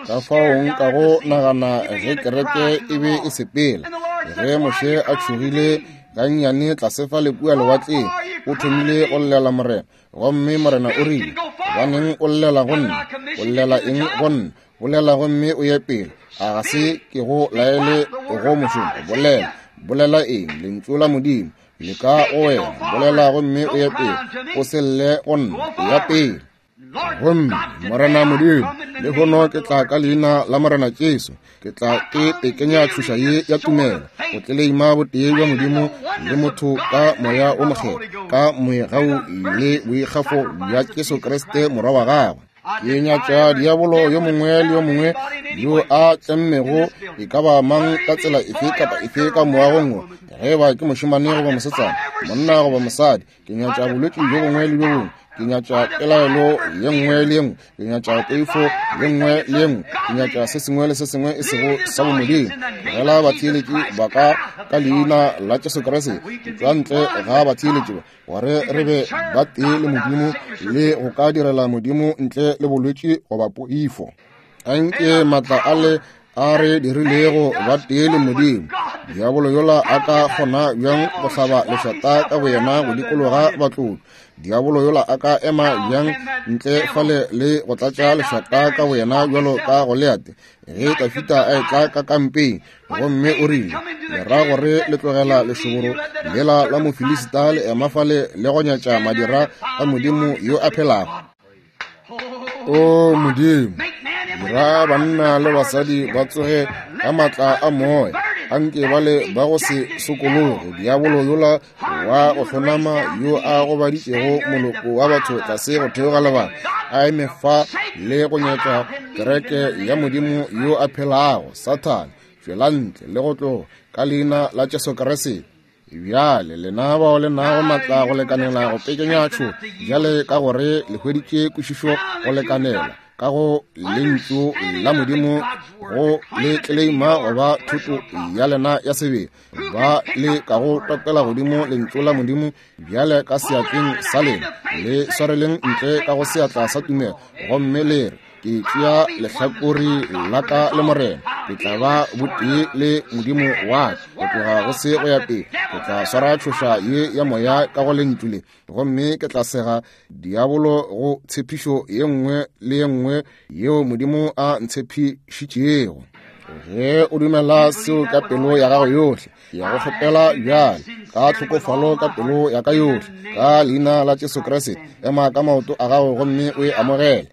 ka fao nka go nagana ge kereke e be e sepela, ge Moshe a tšhogile gannyane tlase fa le kua lewatleng, o thomile go llela Morena, gomme Morena o rile, gobaneng o llela go nna? O llela eng go nna? Bolela gomme o ye pele. A ga se ke go laele go mošomo? Bolela. Bolela eng? Lentšu la Modimo le ka go wena. Bolela gomme o ye pele. O se lle go nna, ya pele. Gomme Morena Modimo, lehono ke tla ka leina la Morena Jesu, ke tla ke tekenya tšhoša ye ya tumelo go tleleima botee bja Modimo le motho ka moya o mokgethwa, ka moegau le boikgafo bja Jesu Kriste morwa wa gagwe. Ke nyatša diabolo yo mongwe le yo mongwe yo a tlemmego e ka ba mang ka tsela efe kapa efe ka moagong wo, ge ba ke mošemane goba mosetsana, monna goba mosadi. Ke nyatša bolwetši bjo bongwe le bjo bongwe, ke nyatša pelaelo ye nngwe le ye nngwe, ke nyatša poifo ye nngwe le ye nngwe, ke nyatša se sengwe le se sengwe e sego sa bomodimo. Tlogela batheeletši ba ka ka leina la Jesu Kriste, tšwa ntle ga batheeletši ba, gore re be ba tee le Modimo le go ka direla Modimo ntle le bolwetši goba poifo. Anke maatla a le a re dirilego ba tee le Modimo. Diabolo yola a ka kgona bjang go hlaba lešata ka boyena go dikologa batlotšwa? Diabolo yola a ka ema bjang ntle fale le go tlatša lešata ka boyena bjalo ka Goliate ge Dafida a etla ka kampeng? Gomme o rile, le ra gore le tlogela lešoboro lela la Mofilisita le ema fale le go nyatša madira a Modimo yo a phelago? O Modimo, dira banna le basadi ba tsoge ka maatla a moya, anke ba le ba go se sokologe. Diabolo yola wa go hlonama yo a gobaditšego moloko wa batho tlase go theoga lebaka, a eme fa le go nyatša kereke ya Modimo yo a phelago. Sathane, tšwela ntle le go tloga ka leina la Jesu Kriste. Bjale lena bao le nago maatla go lekanela go pekenya tšho, bjale ka gore le hweditše kwešišo go lekanela ka go lentšu la Modimo go le tleleima goba thuto ya lena ya sebele, ba le ka go topela godimo lentšu la Modimo bjale ka seatleng sa lena, le swareleng ntle ka go seatla sa tumelo, gomme le re, ke tšea lehlakore la ka le Morena, ke tla ba botee le Modimo wa ka go tloga go se go ya pele. Ke tla swara tšhoša ye ya moya ka go lentšu le, gomme ke tla sega diabolo go tshepišo ye nngwe le ye nngwe yeo Modimo a ntshepišitšego. Ge o dumela seo ka pelo ya gago yohle, ke ya go kgopela bjale ka tlhokofalo ka pelo ya ka yohle, ka leina la Jesu Kriste, ema ka maoto a gago gomme o e amogele.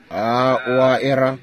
A o a era?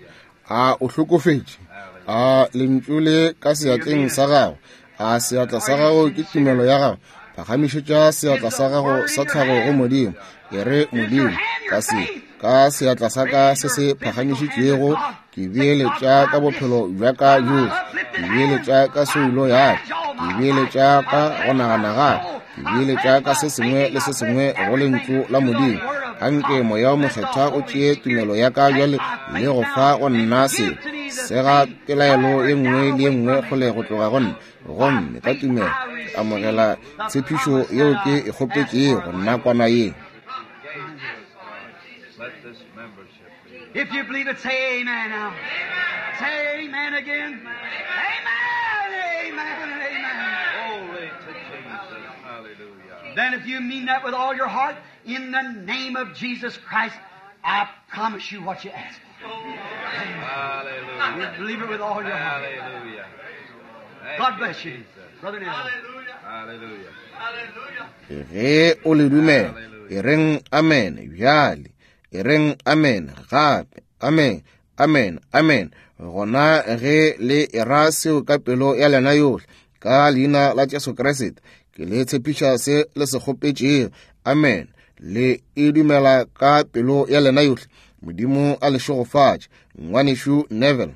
A o hlokofetše? A lentšu le ka seatleng sa gago? A seatla sa gago ke tumelo ya gago? Phagamišetša seatla sa gago sa tlhago go Modimo. E re, Modimo, ka se ka seatla sa ka se se phagamišitšwego, ke beeletša ka bophelo bja ka bjohle, ke beeletša ka soulo ya ka, ke beeletša ka go nagana ga ka, ke beeletša ka se sengwe le se sengwe go lentšu la Modimo. Anke Moya o Mokgethwa o tšee tumelo ya ka bjale le go fa go nna se sega pelaelo ye nngwe le ye nngwe kgole go tloga go nna, gomme ka tumelo ke amogela tshepišo yeo ke e kgopetšego nakwana ye. If you believe it, say amen now. Say amen again. Amen, amen, amen. Glory to Jesus. Hallelujah. Then if you mean that with all your heart, in the name of Jesus Christ, I promise you what you ask for. Hallelujah. You believe it with all your heart. Hallelujah. Thank God bless you. Jesus. Brother Neville. Hallelujah. Ge o le dumela, e reng amen bjale, e reng amen gape, amen, amen, amen. Gona ge le era seo ka pelo ya lena yohle, ka leina la Jesu Kriste, ke le tshepiša se le se kgopetšego. Amen. Le e dumela ka pelo ya lena yohle. Modimo a le šegofatše. Ngwanešu Neville.